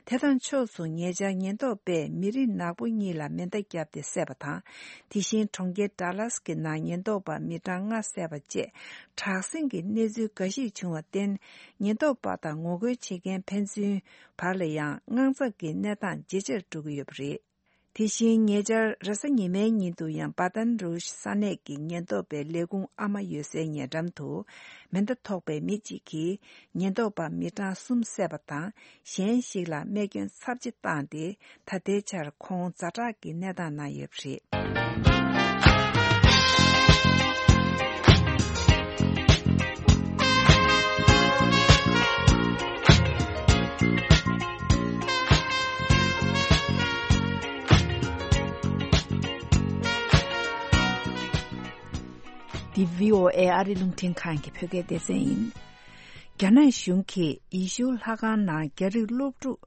དེ་དང་ཕྱོགས་སུ་ཉེ་ཆར་ཉེན་རྟོག་པས་མི་རིགས་ནག་པོ་གཉིས་ལ་མེ་མདའ་བརྒྱབ་སྟེ་བསད་པ་དང་། དེ་བཞིན་གྲོང་ཁྱེར་ཌ་ལཱས་ཀྱི་ནང་ཉེན་རྟོག་པ་མི་གྲངས་ལྔ་བསད་པ་བཅས་དྲག་ཟིང་གི་གནས་ཚུལ་འགའ་ཞིག་བྱུང་བར་བརྟེན། ཉེན་རྟོག་པ་དང་ངོ་རྒོལ་བྱེད་མཁན་ཕན་ཚུན་བར་ལ་ཡང་དངངས་འཚབ་ཀྱི་གནས་སྟངས་ཇེ་ཆེར་འགྲོ་གི་ཡོད་པ་རེད། དེ་བཞིན་ཉེ་ཆར་རེས་གཟའ་ཉི་མའི་ཉིན་དུ་ཡང་བྷ་ཏན་རུ་ཤི་ས་གནས་ཀྱི་ཉེན་རྟོག་པའི་ལས་ཁུངས་ཨ་མ་ཡོད་སའི་ཉེ་འགྲམ་དུ་མེ་མདའ་ཐོགས་པའི་མི་གཅིག་གིས་ཉེན་རྟོག་པ་མི་གྲངས་གསུམ་བསད་པ་དང་། གཞན་ཞིག་ལ་རྨས་སྐྱོན་ཚབས་ཆེ་བཏང་སྟེ། ད་ལྟའི་ཆར་ཁོང་ཛ་དྲག་གི་གནས་སྟངས་ན་ཡོད་པ་རེད། འདི་བྷི་ཨོ་ཨེ་ཨ་རི་རླུང་འཕྲིན་ཁང་གི་བོད་སྐད་སྡེ་ཚན་ཡིན། རྒྱ་ནག་གཞུང་གིས་ཡེ་ཤུ་ལྷ་ཁང་ནང་རྒྱ་རིགས་སློབ་ཕྲུག་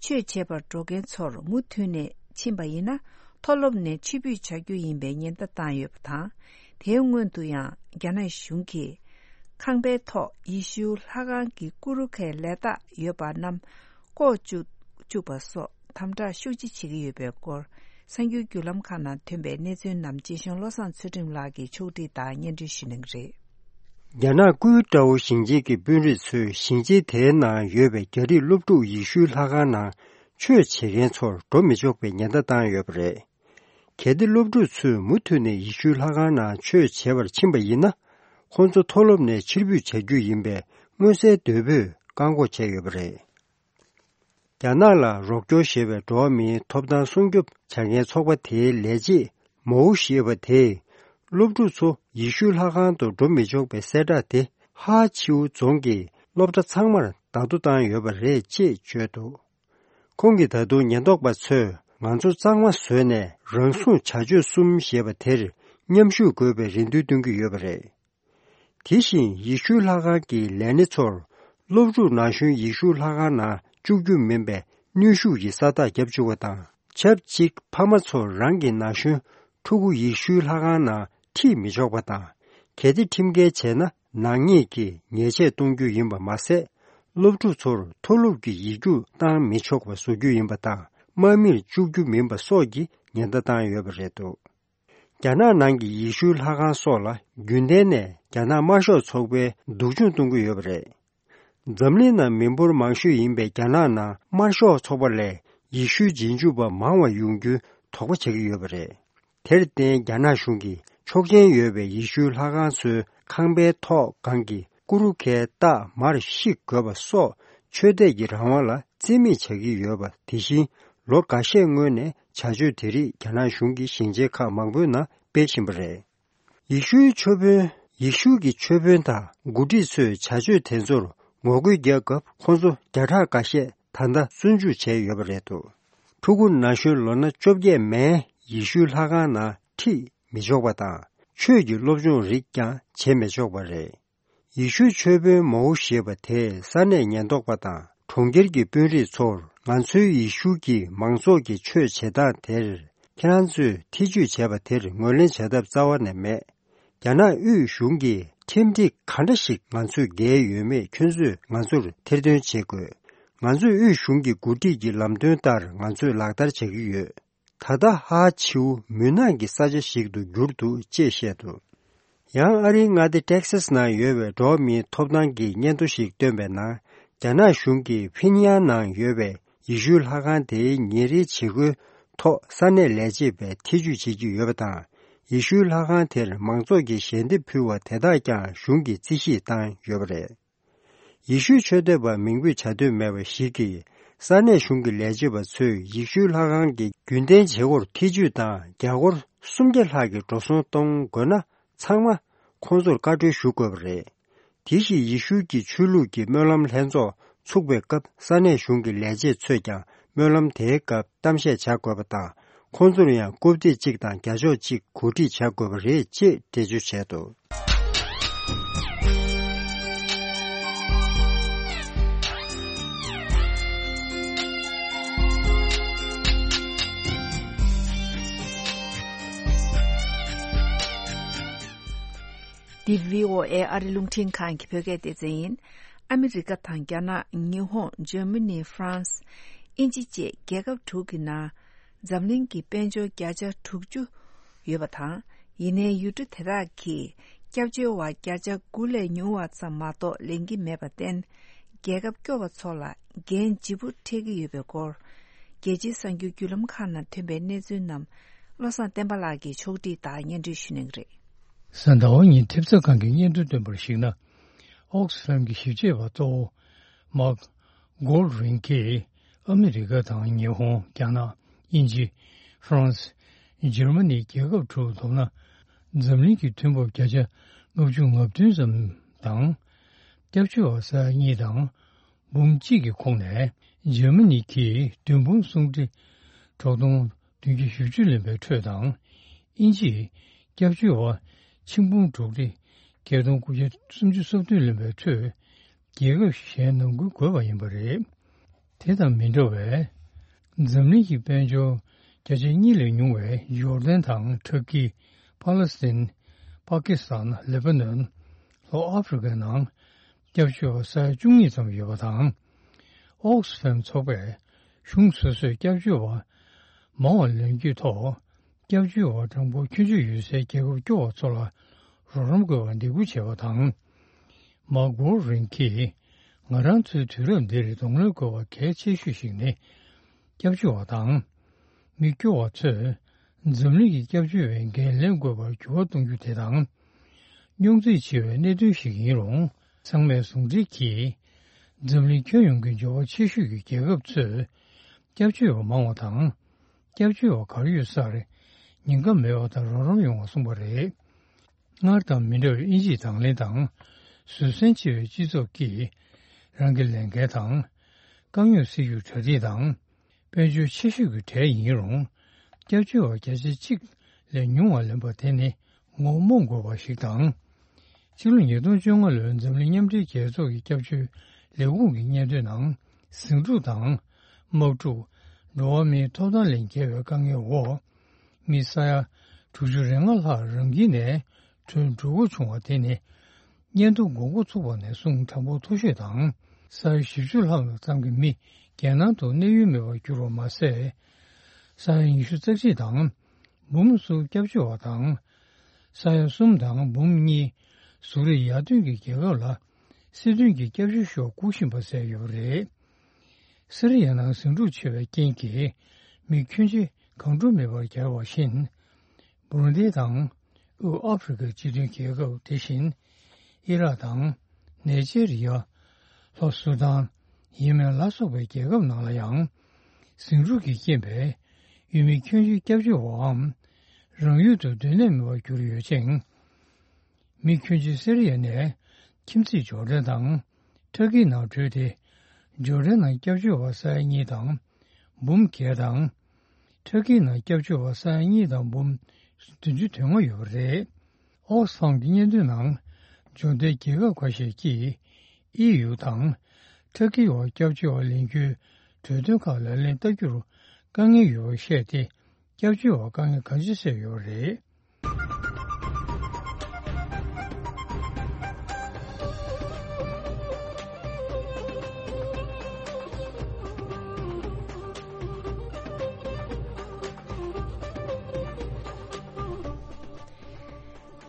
ཆོས་བྱེད་པར་འགྲོ་མཁན་ཚོར་མུ་མཐུད་ནས་ཕྱིན་པ་ཡིན་ན། མཐོ་སློབ་ནས་ཕྱིར་འབུད་བྱ་རྒྱུ་ཡིན་པའི་ཉེན་བརྡ་བཏང་ཡོད་པ་དང་། དེའི་སྔོན་དུ་ཡང་རྒྱ་ནག་གཞུང་གིས་ཁང་པའི་ཐོག་ཡེ་ཤུ་ལྷ་ཁང་གི་ཀུ་རུ་ཁའི་ལས་རྟགས་ཡོད་པ་རྣམས་བཀོག་བཅུག་བཅུག་པ་སོགས་དམ་དྲག་ཤུགས་ཆེ་བྱེད་ཀྱི་ཡོད་པའི་སྐོར། གསར་འགྱུར་བརྒྱུད་ལམ་ཁག་ནང་ཐོན་པའི་གནས་ཚུལ་རྣམས་རྗེ་གཞུང་བློ་བཟང་ཚུལ་ཁྲིམས་ལགས་ཀྱིས་ཕྱོགས་སྒྲིག་དང་སྙན་སྒྲོན་ཞུ་གནང་གི་རེད། རྒྱ་ནག་ཀུའུ་ཀྲའོ་ཞིང་ཆེན་གྱི་དཔོན་རིགས་ཚོས་ཞིང་ཆེན་དེའི་ནང་ཡོད་པའི་རྒྱ་རིགས་སློབ་ཕྲུག་ཡེ་ཤུའི་ལྷ་ཁང་ནང་ཆོས་བྱེད་མཁན་ཚོར་འགྲོ་མི་ཆོག་པའི་ཉེན་བརྡ་བཏང་ཡོད་པ་རེད། གལ་ཏེ་སློབ་ཕྲུག་ཚོས་མུ་མཐུད་ནས་ཡེ་ཤུའི་ལྷ་ཁང་ནང་ཆོས་བྱེད་པར་ཕྱིན་པ་ཡིན་ན། ཁོང་ཚོ་མཐོ་སློབ་ནས་ཕྱིར་འབུད་བྱ་རྒྱུ་ཡིན་པའི་མངོན་གསལ་དོད་པོས་བཀག་འགོག་བྱས་ཡོད་པ་རེད། རྒྱ་ནག་ལ་རོགས་སྐྱོར་བྱེད་པའི་འགྲོ་བ་མིའི་ཐོབ་ཐང་སྲུང་སྐྱོབ་བྱ་མཁན་ཚོགས་པ་དེའི་ལས་བྱེད་མའོ་ཞེས་པ་དེས། སློབ་ཕྲུག་ཚོ་ཡེ་ཤུའི་ལྷ་ཁང་དུ་འགྲོ་མི་ཆོག་པའི་གསལ་བསྒྲགས་དེ་ཧ་ཆིའུ་རྫོང་གི་སློབ་གྲྭ་ཚང་མར་བརྡ་ཐོ་བཏང་ཡོད་པ་རེད་ཅེས་བརྗོད་འདུག་ཁོང་གིས་ད་དུང་ཉེན་རྟོག་པ་ཚོས་ང་ཚོ་གཙང་མ་བཟོས་ནས་རང་སྲུང་བྱ་སྤྱོད་གསུམ་ཞེས་པ་དེར་མཉམ་ཞུགས་དགོས་པའི་རེ་འདུན་བཏོན་གྱི་ཡོད་པ་རེད། དེ་བཞིན་ཡེ་ཤུའི་ལྷ་ཁང་གི་ལས་སྣེ་ཚོར་སློབ་ཕྲུག་ན་གཞོན་ཡེ་ཤུའི་ལྷ་ཁང་ནང་བཅུག་རྒྱུ་མིན་པའི་གནོན་ཤུགས་ཀྱི་ས་རྟགས་བརྒྱབ་བཅུག་པ་དང་། ཆབས་ཅིག་ཕ་མ་ཚོར་རང་གི་ན་གཞོན་ཕྲུ་གུ་ཡེ་ཤུའི་ལྷ་ཁང་ནང་ཁྲིད་མི་ཆོག་པ་དང་། གལ་ཏེ་ཁྲིམས་འགལ་བྱས་ན་ནག་ཉེས་ཀྱི་ཉེས་ཆད་གཏོང་རྒྱུ་ཡིན་པ་མ་ཟད། སློབ་ཕྲུག་ཚོར་མཐོ་སློབ་ཀྱི་ཡིག་རྒྱུགས་བཏང་མི་ཆོག་པ་བཟོ་རྒྱུ་ཡིན་པ་དང་། དམག་མིར་བཅུག་རྒྱུ་མིན་པ་སོགས་ཀྱི་ཉེན་བརྡ་བཏང་ཡོད་པ་རེད་འདུག་རྒྱ་ནག་ནང་གི་ཡེ་ཤུའི་ལྷ་ཁང་སོགས་ལ་རྒྱུན་ལྡན་ནས་རྒྱ་ནག་དམར་ཤོག་ཚོགས་པས་སྡུག་སྦྱོང་གཏོང་གི་ཡོད་པ་རེད། འཛམ་གླིང་ནང་མི་འབོར་མང་ཤོས་ཡིན་པའི་རྒྱ་ནག་ནང་དམར་ཤོག་ཚོགས་པ་ལས་ཡེ་ཤུའི་རྗེས་འཇུག་པ་མང་བ་ཡོང་རྒྱུའི་དོགས་པ་བྱེད་ཀྱི་ཡོད་པ་རེད། དེར་བརྟེན་རྒྱ་ནག་གཞུང་གིས་ཆོག་མཆན་ཡོད་པའི་ཡེ་ཤུའི་ལྷ་ཁང་ཚོའི་ཁང་པའི་ཐོག་སྒང་གི་ཀུ་རུ་ཁའི་རྟགས་མར་བཤིག་དགོས་པ་སོགས་ཆོས་དད་ཀྱི་རང་དབང་ལ་བརྩི་མེད་བྱ་གི་ཡོད་པ། དེ་བཞིན་ལོ་འགའ་ཤས་སྔོན་ནས་བྱ་སྤྱོད་དེ་རིགས་རྒྱ་ནག་གཞུང་གིས་ཞིང་ཆེན་ཁག་མང་པོའི་ནང་སྤེལ་བཞིན་པ་རེད། ཡེ་ཤུའི་ཆོས་དཔོན། ཡེ་ཤུ་གི་ཆོས་དཔོན་དང་འགོ་ཁྲིད་ཚོས་བྱ་སྤྱོད་དེ་ཚོར་ངོ་རྒོལ་རྒྱག་སྐབས་ཁོང་ཚོ་བརྒྱ་ཕྲག་འགའ་ཤས་ད་ལྟ་བཙོན་འཇུག་བྱས་ཡོད་པ་རེད་འདུག་ཕྲུ་གུ་ན་གཞོན་ལོ་ན་བཅོ་བརྒྱད་མན་ཡེ་ཤུའི་ལྷ་ཁང་ནང་ཁྲིད་མི་ཆོག་པ་དང་། ཆོས་ཀྱི་སློབ་སྦྱོང་རིགས་ཀྱང་བྱེད་མི་ཆོག་པ་རེད། ཡེ་ཤུའི་ཆོས་དཔོན་མའོ་ཞེས་པ་དེས་ས་གནས་ཉེན་རྟོག་པ་དང་གྲོང་ཁྱེར་གྱི་དཔོན་རིགས་ཚོར། ང་ཚོའི་ཡེ་ཤུ་གི་མང་ཚོགས་ཀྱི་ཆོས་བྱེད་སྟངས་དེར་ཁྱེད་རང་ཚོས་ཐེ་ཇུས་བྱས་པ་དེར་ངོས་ལེན་བྱ་ཐབས་རྩ་བ་ནས་མེད། རྒྱ་ནག་དབུས་གཞུང་གིས་ཁྲིམས་སྒྲིག་ག་འདྲ་ཞིག་ང་ཚོས་འགལ་ཡོད་མེད་ཁྱོད་ཚོས་ང་ཚོར་ཐེར་འདོན་བྱེད་དགོས། ང་ཚོས་དབུས་གཞུང་གི་འགོ་ཁྲིད་ཀྱི་ལམ་སྟོན་ལྟར་ང་ཚོས་ལག་བསྟར་བྱ་གི་ཡོད། ད་ལྟ་ཧ་ཆིའུ་མུན་ནག་གི་ས་ཆ་ཞིག་ཏུ་གྱུར་འདུག་ཅེས་བཤད་འདུག་ཡང་ཨ་རིའི་མངའ་སྡེ་ཏེག་སཱས་ནང་ཡོད་པའི་འགྲོ་བ་མིའི་ཐོབ་ཐང་གི་སྙན་ཐོ་ཞིག་བཏོན་པའི་ནང་། རྒྱ་ནག་གཞུང་གིས་ཕིན་ཡང་ནང་ཡོད་པའི་ཡེ་ཤུའི་ལྷ་ཁང་དེའི་ཉིན་རེའི་བྱེད་སྒོའི་ཐོག་ས་གནས་ལས་བྱེད་པས་ཐེ་ཇུས་བྱེད་ཀྱི་ཡོད་པ་དང་། ཡེ་ཤུའི་ལྷ་ཁང་དེར་མང་ཚོགས་ཀྱིས་ཞལ་འདེབས་ཕུལ་བ་དེ་དག་ཀྱང་གཞུང་གིས་རྩིས་ཞིབ་བཏང་ཡོད་པ་རེད། ཡེ་ཤུའི་ཆོས་དད་པ་མིང་འབོད་བྱ་འདོད་མེད་པ་ཞིག་གིས། ས་གནས་གཞུང་གི་ལས་བྱེད་པ་ཚོས་ཡེ་ཤུའི་ལྷ་ཁང་གི་རྒྱུན་ལྡན་བྱེད་སྒོར་ཐེ་ཇུས་དང་རྒྱ་སྒོར་སུམ་བརྒྱ་ལྷག་གི་འགྲོ་སོང་གཏོང་དགོས་ན། ཚང་མ་ཁོང་ཚོར་བཀའ་འཁྲོལ་ཞུ་དགོས་པ་རེད། དེ་བཞིན་ཡེ་ཤུ་གི་ཆོས་ལུགས་ཀྱི་སྨོན་ལམ་ལྷན་ཚོགས་ཚུགས་པའི་སྐབས། ས་གནས་གཞུང་གི་ལས་བྱེད་ཚོས་ཀྱང་སྨོན་ལམ་དེའི་སྐབས་གཏམ་བཤད་བྱ་དགོས་པ་དང་། ཁོང་ཚོར་ཡང་རྐུབ་སྟེགས་གཅིག་དང་རྒྱ་ཤོག་གཅིག་གོ་སྒྲིག་བྱ་དགོས་པ་རེད་ཅེས་འགྲེལ་བརྗོད་བྱས་འདུག་འདི་བྷི་ཨོ་ཨེ་ཨ་རི་རླུང་འཕྲིན་ཁང་གི་བོད་སྐད་སྡེ་ཚན་ཡིན། ཨ་མི་རི་ཀ་དང་རྒྱ་ནག་ཉི་ཧོང་ཇར་མ་ནི་ཧྥ་རན་སི་དབྱིན་ཇི་བཅས་རྒྱལ་ཁབ་དྲུག་གི་ནང་འཛམ་གླིང་གི་དཔལ་འབྱོར་བརྒྱ་ཆ་དྲུག་ཅུ་ཡོད་པ་དང་། ཡིན་ནའི་ཡུལ་གྲུ་དེ་དག་གིས་སྐྱབས་བཅོལ་བ་བརྒྱ་ཆ་དགུ་ལས་ཉུང་བ་ཙམ་མ་གཏོགས་ལེན་གྱི་མེད་པར་བརྟེན། རྒྱལ་ཁབ་སྐྱོ་བ་ཚོ་ལ་འགན་ལྗིད་པོ་འཕྲད་ཀྱི་ཡོད་པའི་སྐོར། རྒྱལ་སྤྱིའི་གསར་འགྱུར་བརྒྱུད་ལམ་ཁག་ནང་ཐོན་པའི་གནས་ཚུལ་རྣམས་བློ་བཟང་བསྟན་པ་ལགས་ཀྱིས་ཕྱོགས་སྒྲིག་དང་སྙན་སྒྲོན་ཞུ་གནང་གི་རེད། གཟའ་ཟླ་བ་ཉིན་ཐེབས་རྩ་ཁང་གིས་སྙན་ཐོ་བཏོན་པར་གཞིགས་ན། ཨོག་སི་ཕེམ་གྱི་ཞིབ་དཔྱད་པ་གཙོ་བོ་མཱག་གོལ་རིན་གྱིས་ཨ་མི་རི་ཀ་དང་ཉི་ཧོང་། རྒྱ་ནག་དབྱིན་ཇི། ཧྥ་རན་སི། འཇར་མ་ནི་རྒྱལ་ཁབ་དྲུག་བསྡོམས་ན་འཛམ་གླིང་གི་མཐུན་འབབ་བརྒྱ་ཆ་ལྔ་བཅུ་ང་བདུན་ཙམ་དང་། སྐྱབས་བཅོལ་བ་ས་ཡ་གཉིས་དང་འབུམ་གཅིག་གི་ཁོངས་ནས་འཇར་མ་ནི་གིས་བདུན་འབུམ་སུམ་ཁྲི་དྲུག་སྟོང་བདུན་བརྒྱ་བཞི་བཅུ་ལོན་པའི་ཁྲོད་དང་། དབྱིན་ཇིས་སྐྱབས་བཅོལ་བ་ཆིག་འབུམ་དྲུག་ཁྲི་བརྒྱད་སྟོང་དགུ་བརྒྱ་སུམ་ཅུ་སོ་བདུན་ལོན་པའི་ཁྲོད། རྒྱལ་ཁབ་གཞན་ནང་ཁུལ་དགོས་པ་ཡིན་པ་རེད། དེ་དང་མི་འདྲ་བའི་འཛམ་གླིང་གི་དཔལ་འབྱོར་བརྒྱ་ཆ་གཉིས་ལས་ཉུང་བའི་ཇོར་ཌན་དང་ཏུར་ཀི། ཕ་ལེ་སི་ཐན། པ་ཀི་སི་ཐན། ལེ་པ་ནོན། ལྷོ་ཨ་ཧྥེ་རི་ཀའི་ནང་སྐྱབས་བཅོལ་བ་ས་ཡ་བཅུ་གཉིས་ཙམ་ཡོད་པ་དང་། ཨོག་སི་ཕེམ་ཚོགས་པས་གཞུང་སོ་སོས་སྐྱབས་བཅོལ་བ་མང་བ་ལེན་རྒྱུའི་ཐོག་སྐྱབས་བཅོལ་བ་གྲངས་འབོར་ཁྱོན་ཆོད་ཡོད་སའི་རྒྱལ་ཁབ་སྐྱོ་བ་ཚོ་ལ་རོགས་རམ་དགོས་པར་འདེད་སྐུལ་བྱས་པ་དང་། མཱག་གོལ་རིན་གྱིས། ང་རང་ཚོའི་དུས་རབས་འདིར་གདོང་ལེན་དགོས་པ་གལ་ཆེ་ཤོས་ཤིག་ནི། སྐྱབས་བཅོལ་བ་དང་། མི་སྐྱོ་བ་ཚོས་འཛམ་གླིང་གི་སྐྱབས་བཅོལ་བའི་འགན་ལེན་དགོས་པར་འགྱུར་བ་གཏོང་རྒྱུ་དེ་དང་། རྙོག་འཛིང་ཆེ་བའི་གནད་དོན་ཞིག་ཡིན་རུང་། ཚང་མས་ཟུང་འབྲེལ་གྱིས། འཛམ་གླིང་ཁྱོན་ཡོངས་ཀྱི་འབྱོར་བ་ཆེ་ཤོས་ཀྱི་རྒྱལ་ཁབ་ཚོས་སྐྱབས་བཅོལ་བ་མང་བ་དང་། སྐྱབས་བཅོལ་བ་གར་ཡོད་སར་ཉེན་ཁ་མེད་པ་དང་རོགས་རམ་ཡོང་བ་གསུངས་པ་རེད། སྔར་དང་མི་འདྲ་བའི་དབྱིན་ཇིའི་དང་ལེན་དང་། བཟོད་བསྲན་ཆེ་བའི་སྤྱི་ཚོགས་ཀྱིས་རང་གི་ལས་འགན་དང་། དཀའ་རྙོག་སེལ་རྒྱུར་གྲ་སྒྲིག་དང་། དཔལ་འབྱོར་ཆེ་ཤོས་ཀྱི་གྲས་ཡིན་རུང་། སྐྱབས་བཅོལ་བ་བརྒྱ་ཆ་གཅིག་ལས་ཉུང་བ་ལེན་པ་དེ་ནི་ངོ་མ་དགོས་པ་ཞིག་དང་། ཕྱི་ལོ་ཉིས་སྟོང་བཅོ་ལྔ་ལོའི་འཛམ་གླིང་མཉམ་འབྲེལ་རྒྱལ་ཚོགས་ཀྱི་སྐྱབས་བཅོལ་ལས་ཁུངས་ཀྱི་སྙན་ཐོའི་ནང་། ཟིང་འཁྲུག་དང་། དམག་འཁྲུག་འགྲོ་བ་མིའི་ཐོབ་ཐང་ལས་འགལ་བའི་དཀའ་ངལ་འོག་མི་ས་ཡ་དྲུག་ཅུ་རེ་ལྔ་ལྷག་རང་ཁྱིམ་ནས་བྲོས་འགྲོ་དགོས་བྱུང་བ་དེ་ནི། སྙན་ཐོ་དགོས་མཁོ་ཚུགས་པ་ནས་བཟུང་གྲངས་འབོར་མཐོ་ཤོས་དང་། ས་ཡ་བཞི་བཅུ་ལྷག་ཙམ་གྱི་མི་རྒྱལ་ནང་དུ་གནས་ཡུལ་མེད་པར་གྱུར་བ་མ་ཟད། ས་ཡ་ཉི་ཤུ་རྩ་གཅིག་དང་། འབུམ་གསུམ་སྐྱབས་བཅོལ་བ་དང་། ས་ཡ་གསུམ་དང་འབུམ་གཉིས་ཟུར་རེས་ཡར་ཐོན་གྱི་རྒྱལ་ཁབ་ལ་སྲིད་དོན་གྱི་སྐྱབས་བཅོལ་ཤོག་བསྐུར་བཞིན་པ་བཅས་ཡོད་པ་རེད། སི་རི་ཡའི་ནང་ཟིང་འཁྲུག་ཆེ་བའི་རྐྱེན་གྱིས་མི་ཁྱོན་ཆེ་གང་འགྲོ་མེད་པར་གྱུར་བ་བཞིན། བུ་རུན་དི་དང་དབུས་ཨ་ཧྥི་རི་ཀའི་སྤྱི་མཐུན་རྒྱལ་ཁབ་དེ་བཞིན། ཨི་རག་དང་། ནེ་ཇེ་རི་ཡ། ལྷོ་སུ་དཱན། ཡེ་མེན་ལ་སོགས་པའི་རྒྱལ་ཁབ་ནང་ལ་ཡང་། ཟིང་འཁྲུག་གི་རྐྱེན་པས་ཡུལ་མི་ཁྱོན་ཆེ་སྐྱབས་བཅོལ་བའམ། རང་ཡུལ་དུ་སྡོད་གནས་མེད་པར་གྱུར་ཡོད་ཅིང་། མི་ཁྱོན་ཆེ་སི་རི་ཡ་ནས་ཁྱིམ་མཚེས་ཇོར་ཌན་དང་ཊར་ཀིའི་ནང་བྲོས་ཏེ། ཇོར་ཌན་ནང་སྐྱབས་བཅོལ་བ་ས་ཡ་གཉིས་དང་འབུམ་བརྒྱད་དང་། ཊར་ཀིའི་ནང་སྐྱབས་བཅོལ་བ་ས་ཡ་གཉིས་དང་འབུམ་བདུན་ཅུ་དོན་ལྔ་ཡོད་པ་རེད། ཨོག་སི་ཕམ་གྱི་སྙན་ཐོའི་ནང་ཇོར་ཌན་རྒྱལ་ཁབ་ཁ་ཤས་ཀྱིས་ཨི་ཡུ་དང་ཊར་ཀིའི་འོག་སྐྱབས་བཅོལ་བ་ལེན་རྒྱུའི་གྲོས་དོན་ཁག་ལག་ལེན་བསྟར་རྒྱུར་དཀའ་ངལ་ཡོད་པར་བཤད་དེ། སྐྱབས་བཅོལ་བར་དཀའ་ངལ་གང་ཆེ་བཟོས་ཡོད་པ་རེད།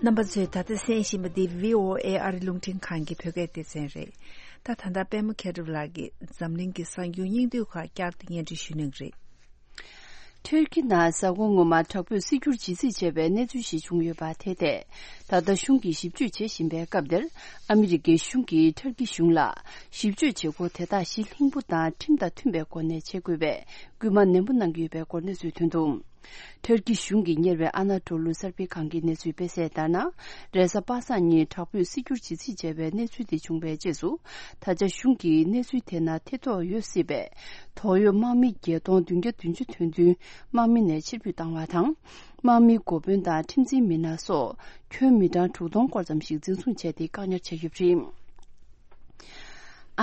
རྣམ་པ་ཚོས་ད་ལྟ་གསན་བཞིན་པ་འདི་བྷི་ཨོ་ཨེ་ཨ་རི་རླུང་འཕྲིན་ཁང་གི་བོད་སྐད་སྡེ་ཚན་རེད། ད་ད་ལྟ་པད་མ་མཁས་གྲུབ་ལགས་ཀྱིས་འཛམ་གླིང་གི་གསར་འགྱུར་སྙིང་བསྡུས་ཁག་བསྐྱར་དུ་སྙན་སྒྲོན་ཞུ་གནང་གི་རེད། ཐུར་ཁི་ནང་གཟའ་འཁོར་སྔོན་མ་དྲག་པོས་སྲིད་འགྱུར་ཇི་སྲིད་བྱས་པའི་གནས་ཚུལ་ཞིག་བྱུང་ཡོད་པ་དེ་ཐད། ད་ལྟ་གཞུང་གིས་ཞིབ་དཔྱོད་བྱེད་བཞིན་པའི་སྐབས་འདིར། ཨ་མི་རི་ཀའི་གཞུང་གིས་ཐུར་ཁི་གཞུང་ལ་ཞིབ་དཔྱོད་བྱེད་སྒོ་དེ་དག་གཞི་ལྷིང་པོ་དང་ཁྲིམས་དང་མཐུན་པའི་སྒོ་ནས་བྱེད་དགོས་པའི་སྐུལ་མ་ནན་པོ་གནང་གི་ཡོད་པའི་སྐོར་གནས་ཚུལ་ཐོན་འདུག་ཐུར་ཁི་གཞུང་གིས་གཉེར་བའི་ཨ་ན་ཊོ་ལུ་གསར་སྤེལ་ཁང་གིས་གནས་ཚུལ་སྤེལ་གསལ་ལྟར་ན། རེས་གཟའ་པ་སངས་ཉིན་དྲག་པོས་སྲིད་འགྱུར་ཇི་སྲིད་བྱས་པའི་གནས་ཚུལ་དེ་བྱུང་བའི་རྗེས་སུ། ད་ཆ་གཞུང་གིས་གནས་ཚུལ་དེ་ནང་ཐེ་གཏོགས་ཡོད་སྲིད་པའི། དོགས་ཡོད་དམག་མི་བརྒྱད་སྟོང་བདུན་བརྒྱ་བདུན་ཅུ་ཐོན་ཚུན་དམག་མི་ནས་ཕྱིར་འབུད་བཏང་བ་དང་། དམག་མིའི་འགོ་དཔོན་དང་ཁྲིམས་འཛིན་མི་སྣ་སོགས་ཁྱོན་མི་གྲངས་དྲུག་སྟོང་སྐོར་ཙམ་ཞིག་འཛིན་བཟུང་བྱས་ཏེ་བཀག་ཉར་བྱས་ཡོད་པ་རེད།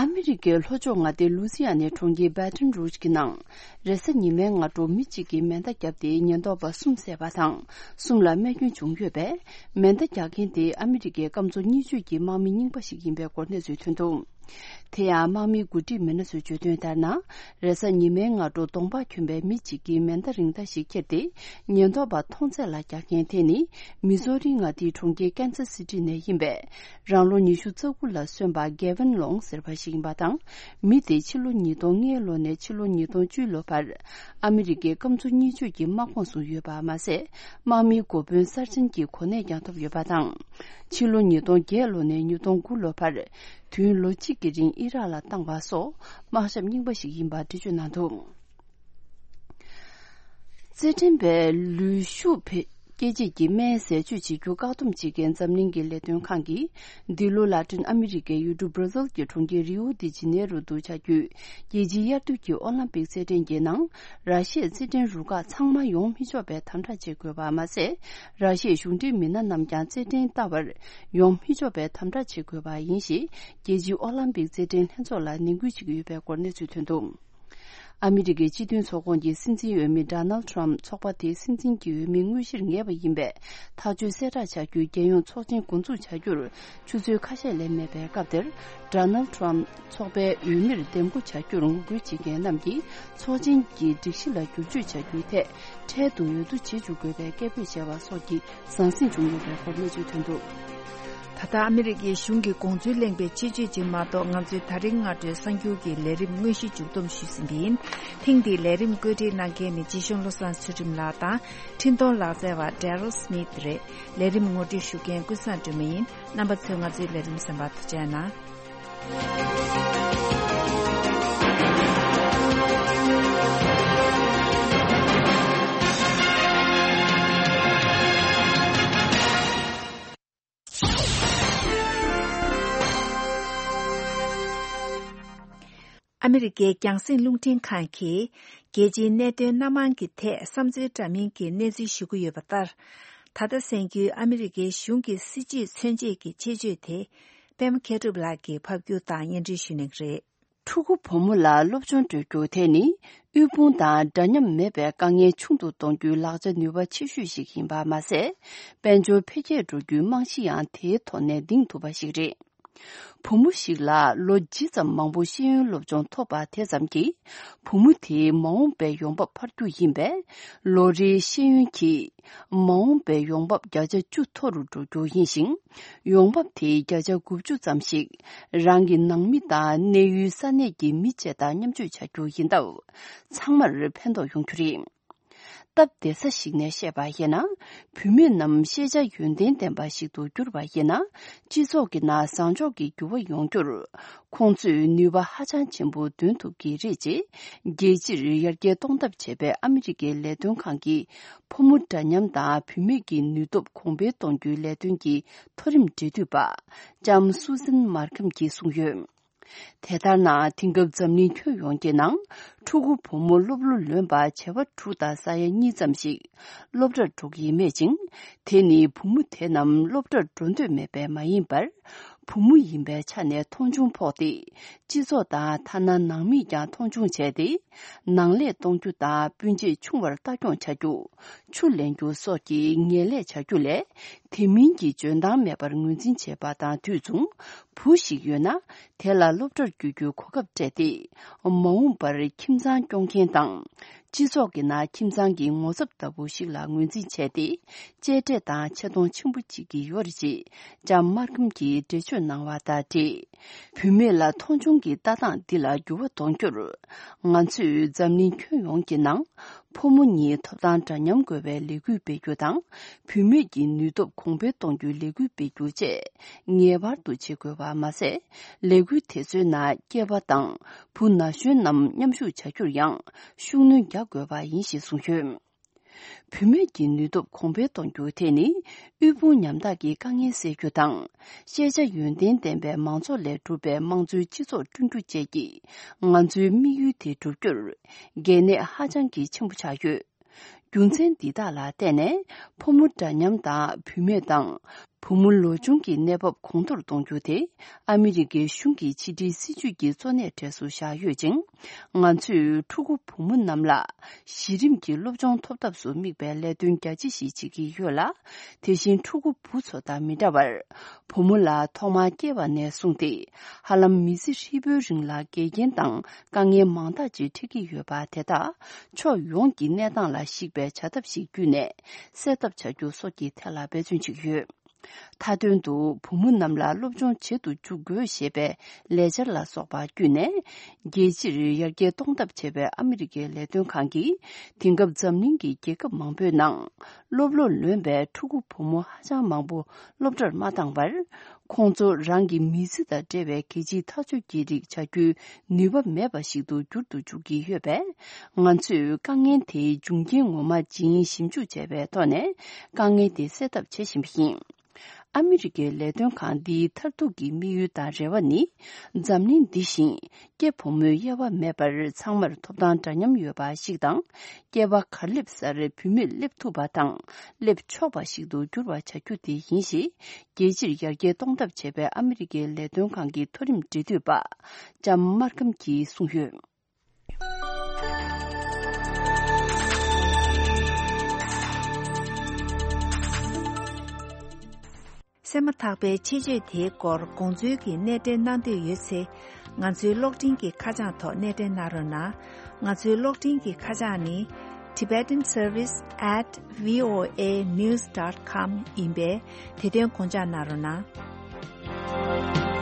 ཨ་མི་རི་ཀའི་ལྷོ་ཕྱོགས་མངའ་སྡེ་ལུ་སི་ཡ་ནའི་གྲོང་ཁྱེར་བྷ་ཏོན་རུཇ་གྱི་ནང་། རེས་གཟའ་ཉི་མའི་སྔ་དྲོ་མི་གཅིག་གིས་མེ་མདའ་བརྒྱབ་སྟེ་ཉེན་རྟོག་པ་གསུམ་བསད་པ་དང་། གསུམ་ལ་རྨས་སྐྱོན་བྱུང་ཡོད་པས། མེ་མདའ་རྒྱག་མཁན་དེ་ཨ་མི་རི་ཀའི་སྐམ་མཚོ་གཉིས་ཕྱོགས་ཀྱི་དམག་མི་རྙིང་པ་ཞིག་ཡིན་པའི་སྐོར་གནས་ཚུལ་ཐོན་འདུག་དེ་ཡང་དམག་མིའི་འགོ་ཁྲིད་མི་སྣ་ཚོས་བརྗོད་དོན་ལྟར་ན། རེས་གཟའ་ཉི་མའི་སྔ་དྲོ་གདོང་པགས་གྱོན་པའི་མི་གཅིག་གིས་མེ་མདའ་རིང་མདའ་ཞིག་ཁྱེར་ཏེ། ཉེན་རྟོག་པ་མཐོང་ཚད་ལ་རྒྱག་མཁན་དེ་ནི། མི་སོ་རི་མངའ་སྡེའི་གྲོང་ཁྱེར་ཀན་ཚ་སི་ཊི་ནས་ཡིན་པའི། རང་ལོ་ཉི་ཤུ་རྩ་དགུ་ལ་སོན་པ་གེ་ཝན་ལོང་ཟེར་བ་ཞིག་ཡིན་པ་དང་། མི་དེ་ཕྱི་ལོ་ཉིས་སྟོང་ལྔའི་ལོ་ནས་ཕྱི་ལོ་ཉིས་སྟོང་བཅུའི་ལོ་བར། ཨ་མི་རི་ཀའི་སྐམ་མཚོ་གཉིས་ཕྱོགས་ཀྱི་དམག་ཁོངས་སུ་ཡོད་པ་མ་ཟད། དམག་མིའི་འགོ་དཔོན་གསར་རྗེན་གྱི་གོ་གནས་ཀྱང་ཐོབ་ཡོད་པ་དང་། ཕྱི་ལོ་ཉིས་སྟོང་བརྒྱད་ལོ་ནས་ཉིས་སྟོང་དགུ་ལོ་བར། དུས་ཡུན་ལོ་གཅིག་གི་རིང་ཨི་རག་ལ་བཏང་བ་སོགས། དམག་ཞབས་རྙིང་པ་ཞིག་ཡིན་པར་འགྲེལ་བརྗོད་གནང་འདུག་རྩེད་འགྲན་པའི་ལུས་ཤུགས་བེད་སྐྱེད་བྱེད་ཀྱི་སྨན་ཟས་སྤྱོད་བྱེད་རྒྱུ་བཀག་སྡོམ་བྱེད་མཁན་འཛམ་གླིང་གི་ལས་དོན་ཁང་གིས། འདི་ལོ་ལ་ཏིན་ཨ་མི་རི་ཀའི་ཡུལ་གྲུ་བྷར་ཛིལ་གྱི་གྲོང་ཁྱེར་རིའུ་དི་ཇི་ནེ་རུ་དུ་བྱ་རྒྱུའི་རྒྱལ་སྤྱིའི་དབྱར་དུས་ཀྱི་ཨོ་ལམ་པིག་རྩེད་འགྲན་གྱི་ནང་། ར་ཤི་ཡའི་རྩེད་འགྲན་རུ་ཁག་ཚང་མ་ཡོང་མི་ཆོག་པའི་དམ་དྲག་བྱེད་དགོས་པ་མ་ཟད། ར་ཤི་ཡའི་གཞུང་འབྲེལ་མི་སྣ་རྣམས་ཀྱང་རྩེད་འགྲན་ལྟ་བར་ཡོང་མི་ཆོག་པའི་དམ་དྲག་བྱེད་དགོས་པ་ཡིན་ཞེས། རྒྱལ་སྤྱིའི་ཨོ་ལམ་པིག་རྩེད་འགྲན་ལྷན་ཚོགས་ལ་ནན་སྐུལ་བྱེད་ཀྱི་ཡོད་པའི་སྐོར་གནས་ཚུལ་ཐོན་འདུག་ཨ་མི་རི་ཀའི་སྤྱི་མཐུན་ཚོགས་ཁོངས་ཀྱི་སྲིད་འཛིན་འོས་མི་ཌོ་ནལ་ཁྲམ་ཚོགས་པ་དེའི་སྲིད་འཛིན་གྱི་འོས་མི་དངོས་གཞིར་ངེས་པ་ཡིན་པའི་ཐག་གཅོད་གསལ་བསྒྲགས་བྱ་རྒྱུའི་རྒྱལ་ཡོངས་ཚོགས་ཆེན་འགོ་འཛུགས་བྱ་རྒྱུར་ཆུ་ཚོད་ཁ་ཤས་ལས་མེད་པའི་སྐབས་དེར། ཌོ་ནལ་ཁྲམ་ཚོགས་པའི་འོས་མིར་འདེམས་བསྐོ་བྱ་རྒྱུར་ངོ་རྒོལ་བྱེད་མཁན་རྣམས་ཀྱིས་ཚོགས་ཆེན་གྱི་སྒྲིག་གཞི་ལ་བསྒྱུར་བཅོས་བྱ་རྒྱུའི་ཐད་འཕྲལ་དུ་འོས་བསྡུ་བྱེད་འཇུག་དགོས་པའི་སྐད་འབོད་བྱས་པ་སོགས་ཀྱི་ཟང་ཟིང་བྱུང་ཡོད་པའི་སྐོར་གནས་ཚུལ་ཐོན་འདུག་ད་ལྟ་ཨ་མི་རི་ཀའི་གཞུང་གི་དགོངས་ཚུལ་གླེང་བའི་སྤྱི་སྤྱོད་ཅིག་མ་གཏོགས། ང་ཚོའི་ད་རིང་སྔ་དྲོའི་གསར་འགྱུར་གྱི་ལས་རིམ་དངོས་གཞི་མཇུག་བསྡོམས་ཞུས་ཟིན་པ་ཡིན། ཐེངས་འདིའི་ལས་རིམ་བཀོད་སྒྲིག་གནང་མཁན་ནི་རྗེ་གཞུང་བློ་བཟང་ཚུལ་ཁྲིམས་ལགས་དང་། འཕྲིན་གཏོང་ལག་རྩལ་བ་Daryl Smith་རེད། ལས་རིམ་ངོ་སྤྲོད་ཞུ་མཁན་ཀུན་བཟང་སྒྲོལ་མ་ཡིན། རྣམ་པ་ཚོས་ང་ཚོའི་ལས་རིམ་གསན་པར་ཐུགས་རྗེ་གནང་། ཨ་མི་རི་ཀའི་རྒྱང་སྲིང་རླུང་འཕྲིན་ཁང་གིས་རྒྱལ་སྤྱིའི་གནད་དོན་སྣ་མང་གི་ཐད་བསམ་ཚུལ་འདྲ་མིན་གྱི་གནས་ཚུལ་ཞུ་གི་ཡོད་པ་ལྟར། ད་ལྟ་གསན་རྒྱུའི་ཨ་མི་རི་ཀའི་གཞུང་གི་སྲིད་བྱུས་མཚོན་བྱེད་ཀྱི་ཆེད་བརྗོད་དེ། པད་མ་མཁས་གྲུབ་ལགས་ཀྱིས་ཕབ་སྒྱུར་དང་སྙན་སྒྲོན་ཞུ་གནང་གི་རེད། ཕྲུ་གུ་བུ་མོ་ལ་སློབ་སྦྱོང་སྤྲོད་རྒྱུ་དེ་ནི་དབུལ་ཕོངས་དང་འདྲ་མཉམ་མེད་པའི་དཀའ་ངལ་ཆུང་དུ་གཏོང་རྒྱུའི་ལག་ཆ་ནུས་པ་ཆེ་ཤོས་ཤིག་ཡིན་པ་མ་ཟད། དཔལ་འབྱོར་འཕེལ་རྒྱས་འགྲོ་རྒྱུའི་རྨང་གཞི་ཡང་དེའི་ཐོག་ནས་ལྡིང་ཐུབ་པ་ཞིག་རེད། བུ་མོ་ཞིག་ལ་ལོ་ཇི་ཙམ་མང་པོ་ཤེས་ཡོན་སློབ་སྦྱོང་ཐོབ་པ་དེ་ཙམ་གྱིས། བུ་མོ་དེའི་མ་འོངས་པའི་ཡོང་འབབ་འཕར་རྒྱུ་ཡིན་པས། ལོ་རེའི་ཤེས་ཡོན་གྱིས་མ་འོངས་པའི་ཡོང་འབབ་བརྒྱ་ཆ་བཅུ་མཐོ་རུ་འགྲོ་རྒྱུ་ཡིན་ཞིང་། ཡོང་འབབ་དེའི་བརྒྱ་ཆ་དགུ་བཅུ་ཙམ་ཞིག་རང་གི་ནང་མི་དང་གནས་ཡུལ་ས་གནས་ཀྱི་མི་བཅས་དང་མཉམ་སྤྱོད་བྱ་རྒྱུ་ཡིན་སྟབས། ཚང་མར་ཕན་ཐོགས་ཡོང་རྒྱུ་རེད། སྟབས་བདེ་ས་ཞིག་ནས་བཤད་པ་ཡིན་ན། བུད་མེད་རྣམས་ཤེས་བྱ་ཡོན་ཏན་ལྡན་པ་ཞིག་ཏུ་གྱུར་པ་ཡིན་ན། སྤྱི་ཚོགས་ཀྱི་ནང་བཟང་ཕྱོགས་ཀྱི་འགྱུར་བ་ཡོང་རྒྱུར། ཁོང་ཚོས་ནུས་པ་ཧ་ཅང་ཆེན་པོ་འདོན་ཐུབ་ཀྱི་རེད། ཅེས་རྒྱལ་སྤྱིར་ཡར་རྒྱས་གཏོང་ཐབས་བྱས་པའི་ཨ་མི་རི་ཀའི་ལས་དོན་ཁང་གི་ཕོ་མོ་འདྲ་མཉམ་དང་བུད་མེད་ཀྱི་ནུས་སྟོབས་གོང་འཕེལ་གཏོང་རྒྱུའི་ལས་དོན་གྱི་མཐོ་རིམ་འབྲེལ་མཐུད་པ། ལྕམ་སུ་ཟན་མར་ཁམ་གྱིས་གསུངས་ཡོད། དེ་ལྟར་ན། དེང་སྐབས་འཛམ་གླིང་ཁྱོན་ཡོངས་ཀྱི་ནང་། ཕྲུ་གུ་བུ་མོ་སློབ་ལོ་ལོན་པ་བྱེ་བ་དྲུག་དང་ས་ཡ་གཉིས་ཙམ་ཞིག་སློབ་གྲྭར་འགྲོ་གི་མེད་ཅིང་། དེ་ནི་བུ་མོ་དེ་རྣམས་སློབ་གྲྭར་འགྲོ་འདོད་མེད་པས་མ་ཡིན་པར། བུ་མོ་ཡིན་པའི་ཆ་ནས་མཐོང་ཆུང་ཕོག་སྟེ། སྤྱི་ཚོགས་དང་ཐ་ན་ནང་མིས་ཀྱང་མཐོང་ཆུང་བྱས་ཏེ། ནང་ལས་གཏོང་རྒྱུ་དང་སྤུན་མཆེད་ཆུང་བར་ལྟ་སྐྱོང་བྱ་རྒྱུ། ཆུ་ལེན་རྒྱུ་སོགས་ཀྱི་ངན་ལས་བྱ་རྒྱུ་ལས། དེ་མིན་གྱི་འཇོན་ཐང་མེད་པར་ངོས་འཛིན་བྱེད་པ་དང་དུས་མཚུངས། བུ་ཞིག་ཡོད་ན། དེ་ལ་སློབ་གྲྭར་བསྐྱོད་རྒྱུའི་གོ་སྐབས་སྤྲད་དེ། མ་འོངས་པར་ཁྱིམ་ཚང་སྐྱོང་མཁན་དང་། སྤྱི་ཚོགས་ཀྱི་ནང་ཁྱིམ་ཚང་གི་ངོ་ཚབ་ལྟ་བུ་ཞིག་ལ་ངོས་འཛིན་བྱས་ཏེ། གཅེས་སྤྲས་དང་ཆེ་མཐོང་ཆེན་པོ་བྱེད་ཀྱི་ཡོད་རེད། ཅེས་ལྕམ་མར་ཁམ་གྱིས་འགྲེལ་བརྗོད་གནང་བ་དང་འབྲེལ། བུད་མེད་ལ་མཐོང་ཆུང་གི་ལྟ་སྟངས་འདི་ལ་འགྱུར་བ་གཏོང་རྒྱུར། ང་ཚོས་འཛམ་གླིང་ཁྱོན་ཡོངས་ཀྱི་ནང་། ཕོ་མོ་གཉིས་ཐོབ་ཐང་འདྲ་མཉམ་དགོས་པའི་ལས་འགུལ་སྤེལ་རྒྱུ་དང་། བུད་མེད་ཀྱི་ནུས་སྟོབས་གོང་འཕེལ་གཏོང་རྒྱུའི་ལས་འགུལ་སྤེལ་རྒྱུ་བཅས་ངེས་པར་དུ་བྱེད་དགོས་པ་མ་ཟད། ལས་འགུལ་དེ་ཚོའི་ནང་སྐྱེས་པ་དང་བུ་ན་གཞོན་རྣམས་མཉམ་ཞུགས་བྱ་རྒྱུར་ཡང་ཤུགས་སྣོན་རྒྱག་དགོས་པ་ཡིན་ཞེས་གསུངས་ཡོད། བུད་མེད་ཀྱི་ནུས་སྟོབས་གོང་འཕེལ་གཏོང་རྒྱུ་དེ་ནི་དབུལ་ཕོངས་ཉམ་ཐག་གི་དཀའ་ངལ་སེལ་རྒྱུ་དང་། ཤེས་བྱ་ཡོན་ཏན་ལྡན་པའི་མང་ཚོགས་ལས་གྲུབ་པའི་དམངས་གཙོའི་སྤྱི་ཚོགས་བསྐྲུན་རྒྱུ་བཅས་ཀྱིས་ང་ཚོའི་དམིགས་ཡུལ་དེ་བསྒྲུབ་རྒྱུར་གལ་གནད་ཧ་ཅང་གི་ཆེན་པོ་ཆགས་ཡོད། རྒྱུ་མཚན་འདི་དག་ལ་བརྟེན་ནས་ཕོ་མོ་འདྲ་མཉམ་དང་བུད་མེད་དང་བུ་མོ་ལོ་ཆུང་གི་གནས་བབ་གོང་མཐོར་གཏོང་རྒྱུ་དེ་ཨ་མི་རི་ཀའི་གཞུང་གི་ཕྱི་འབྲེལ་སྲིད་ཇུས་ཀྱི་གཙོ་གནད་གྲས་སུ་བཞག་ཡོད་ཅིང་། ང་ཚོས་ཕྲུ་གུ་བུ་མོ་རྣམས་ལ་གཞི་རིམ་གྱི་སློབ་སྦྱོང་ཐོབ་ཐབས་སུ་དམིགས་པའི་ལས་དོན་རྒྱ་ཆེ་ཞིག་བྱེད་ཀྱི་ཡོད་ལ། དེ་བཞིན་ཕྲུ་གུ་བུ་ཚོ་དང་མི་འདྲ་བར། བུ་མོ་ལ་ཐོག་མར་སྐྱེས་པ་ནས་བཟུང་སྟེ། ཧ་ལམ་མི་ཚེ་ཧྲིལ་པོའི་རིང་ལ་འགལ་རྐྱེན་དང་དཀའ་ངལ་མང་དག་ཅིག་འཕྲད་ཀྱི་ཡོད་པ་དེ་དག་ཕྱོགས་ཡོངས་ཀྱི་གནས་སྟངས་ལ་གཞིགས་པའི་བྱ་ཐབས་ཤིག་བརྒྱུད་ནས་སེལ་ཐབས་བྱ་རྒྱུ་སོགས་ཀྱི་ཐད་ལ་འབད་བརྩོན་བྱེད་ཀྱི་ཡོད། མཐའ་དོན་དུ་བུ་མོ་རྣམས་ལ་སློབ་སྦྱོང་བྱེད་དུ་འཇུག་དགོས་ཞེས་པའི་ལས་འཆར་ལ་སོགས་པ་བརྒྱུད་ནས། རྒྱལ་སྤྱིར་ཡར་རྒྱས་གཏོང་ཐབས་བྱས་པའི་ཨ་མི་རི་ཀའི་ལས་དོན་ཁང་གིས། དེང་སྐབས་འཛམ་གླིང་གི་རྒྱལ་ཁབ་མང་པོའི་ནང་། སློབ་ལོ་ལོན་པའི་ཕྲུ་གུ་བུ་མོ་ཧ་ཅང་མང་པོ་སློབ་གྲྭར་མ་བཏང་བར། ཁོང་ཚོ་རང་གི་མི་ཚེ་དང་འབྲེལ་བའི་གལ་ཆེའི་ཐག་གཅོད་ཀྱི་རིགས་བྱ་རྒྱུའི་ནུས་པ་མེད་པ་ཞིག་ཏུ་འགྱུར་དུ་འཇུག་གི་ཡོད་པས། ང་ཚོས་དཀའ་ངལ་དེའི་འབྱུང་རྐྱེན་ངོ་མ་ཇི་ཡིན་ཞིབ་འཇུག་བྱས་པའི་ཐོག་ནས། དཀའ་ངལ་དེ་སེལ་ཐབས་བྱེད་བཞིན་པ་ཡིན། ཨ་མི་རི་ཀའི་ལས་དོན་ཁང་འདིའི་མཐར་ཐུག་གི་དམིགས་ཡུལ་དང་རེ་བ་ནི། འཛམ་གླིང་འདི་བཞིན་སྐྱེས་ཕོ་མོའི་དབྱེ་བ་མེད་པར་ཚང་མར་ཐོབ་ཐང་འདྲ་མཉམ་ཡོད་པ་ཞིག་དང་། སྐྱེས་པ་གར་སླེབས་སར་བུད་མེད་སླེབས་ཐུབ་པ་དང་། སླེབས་ཆོག་པ་ཞིག་ཏུ་འགྱུར་བ་བྱ་རྒྱུ་དེ་ཡིན་ཞེས། རྒྱལ་སྤྱིར་ཡར་རྒྱས་གཏོང་ཐབས་བྱས་པའི་ཨ་མི་རི་ཀའི་ལས་དོན་ཁང་གི་མཐོ་རིམ་འབྲེལ་མཐུད་པ། ལྕམ་མར་ཁམ་གྱིས་གསུངས་ཡོད། གསན་མ་ཐག་པའི་ཆེད་བརྗོད་དེའི་སྐོར་དགོངས་ཚུལ་གྱི་སྣེ་འདྲེན་གནང་འདོད་ཡོད་ཚེ། ང་ཚོའི་གློག་འཕྲིན་གྱི་ཁ་བྱང་ཐོག་སྣེ་འདྲེན་གནང་རོགས་གནང་། ང་ཚོའི་གློག་འཕྲིན་གྱི་ཁ་བྱང་ནི། Tibetan Service at V O A news dot com ཡིན་པས། དེ་དོན་དགོངས་འཇགས་གནང་རོགས་གནང་།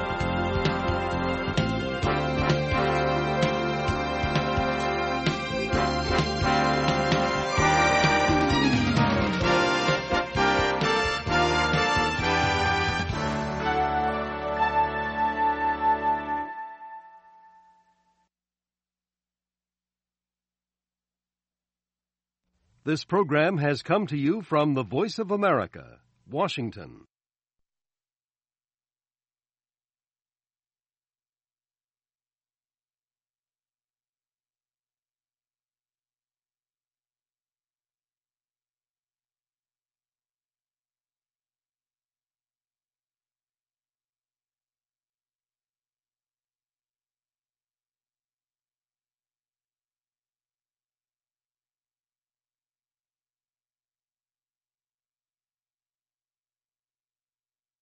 This program has come to you from the Voice of America, Washington.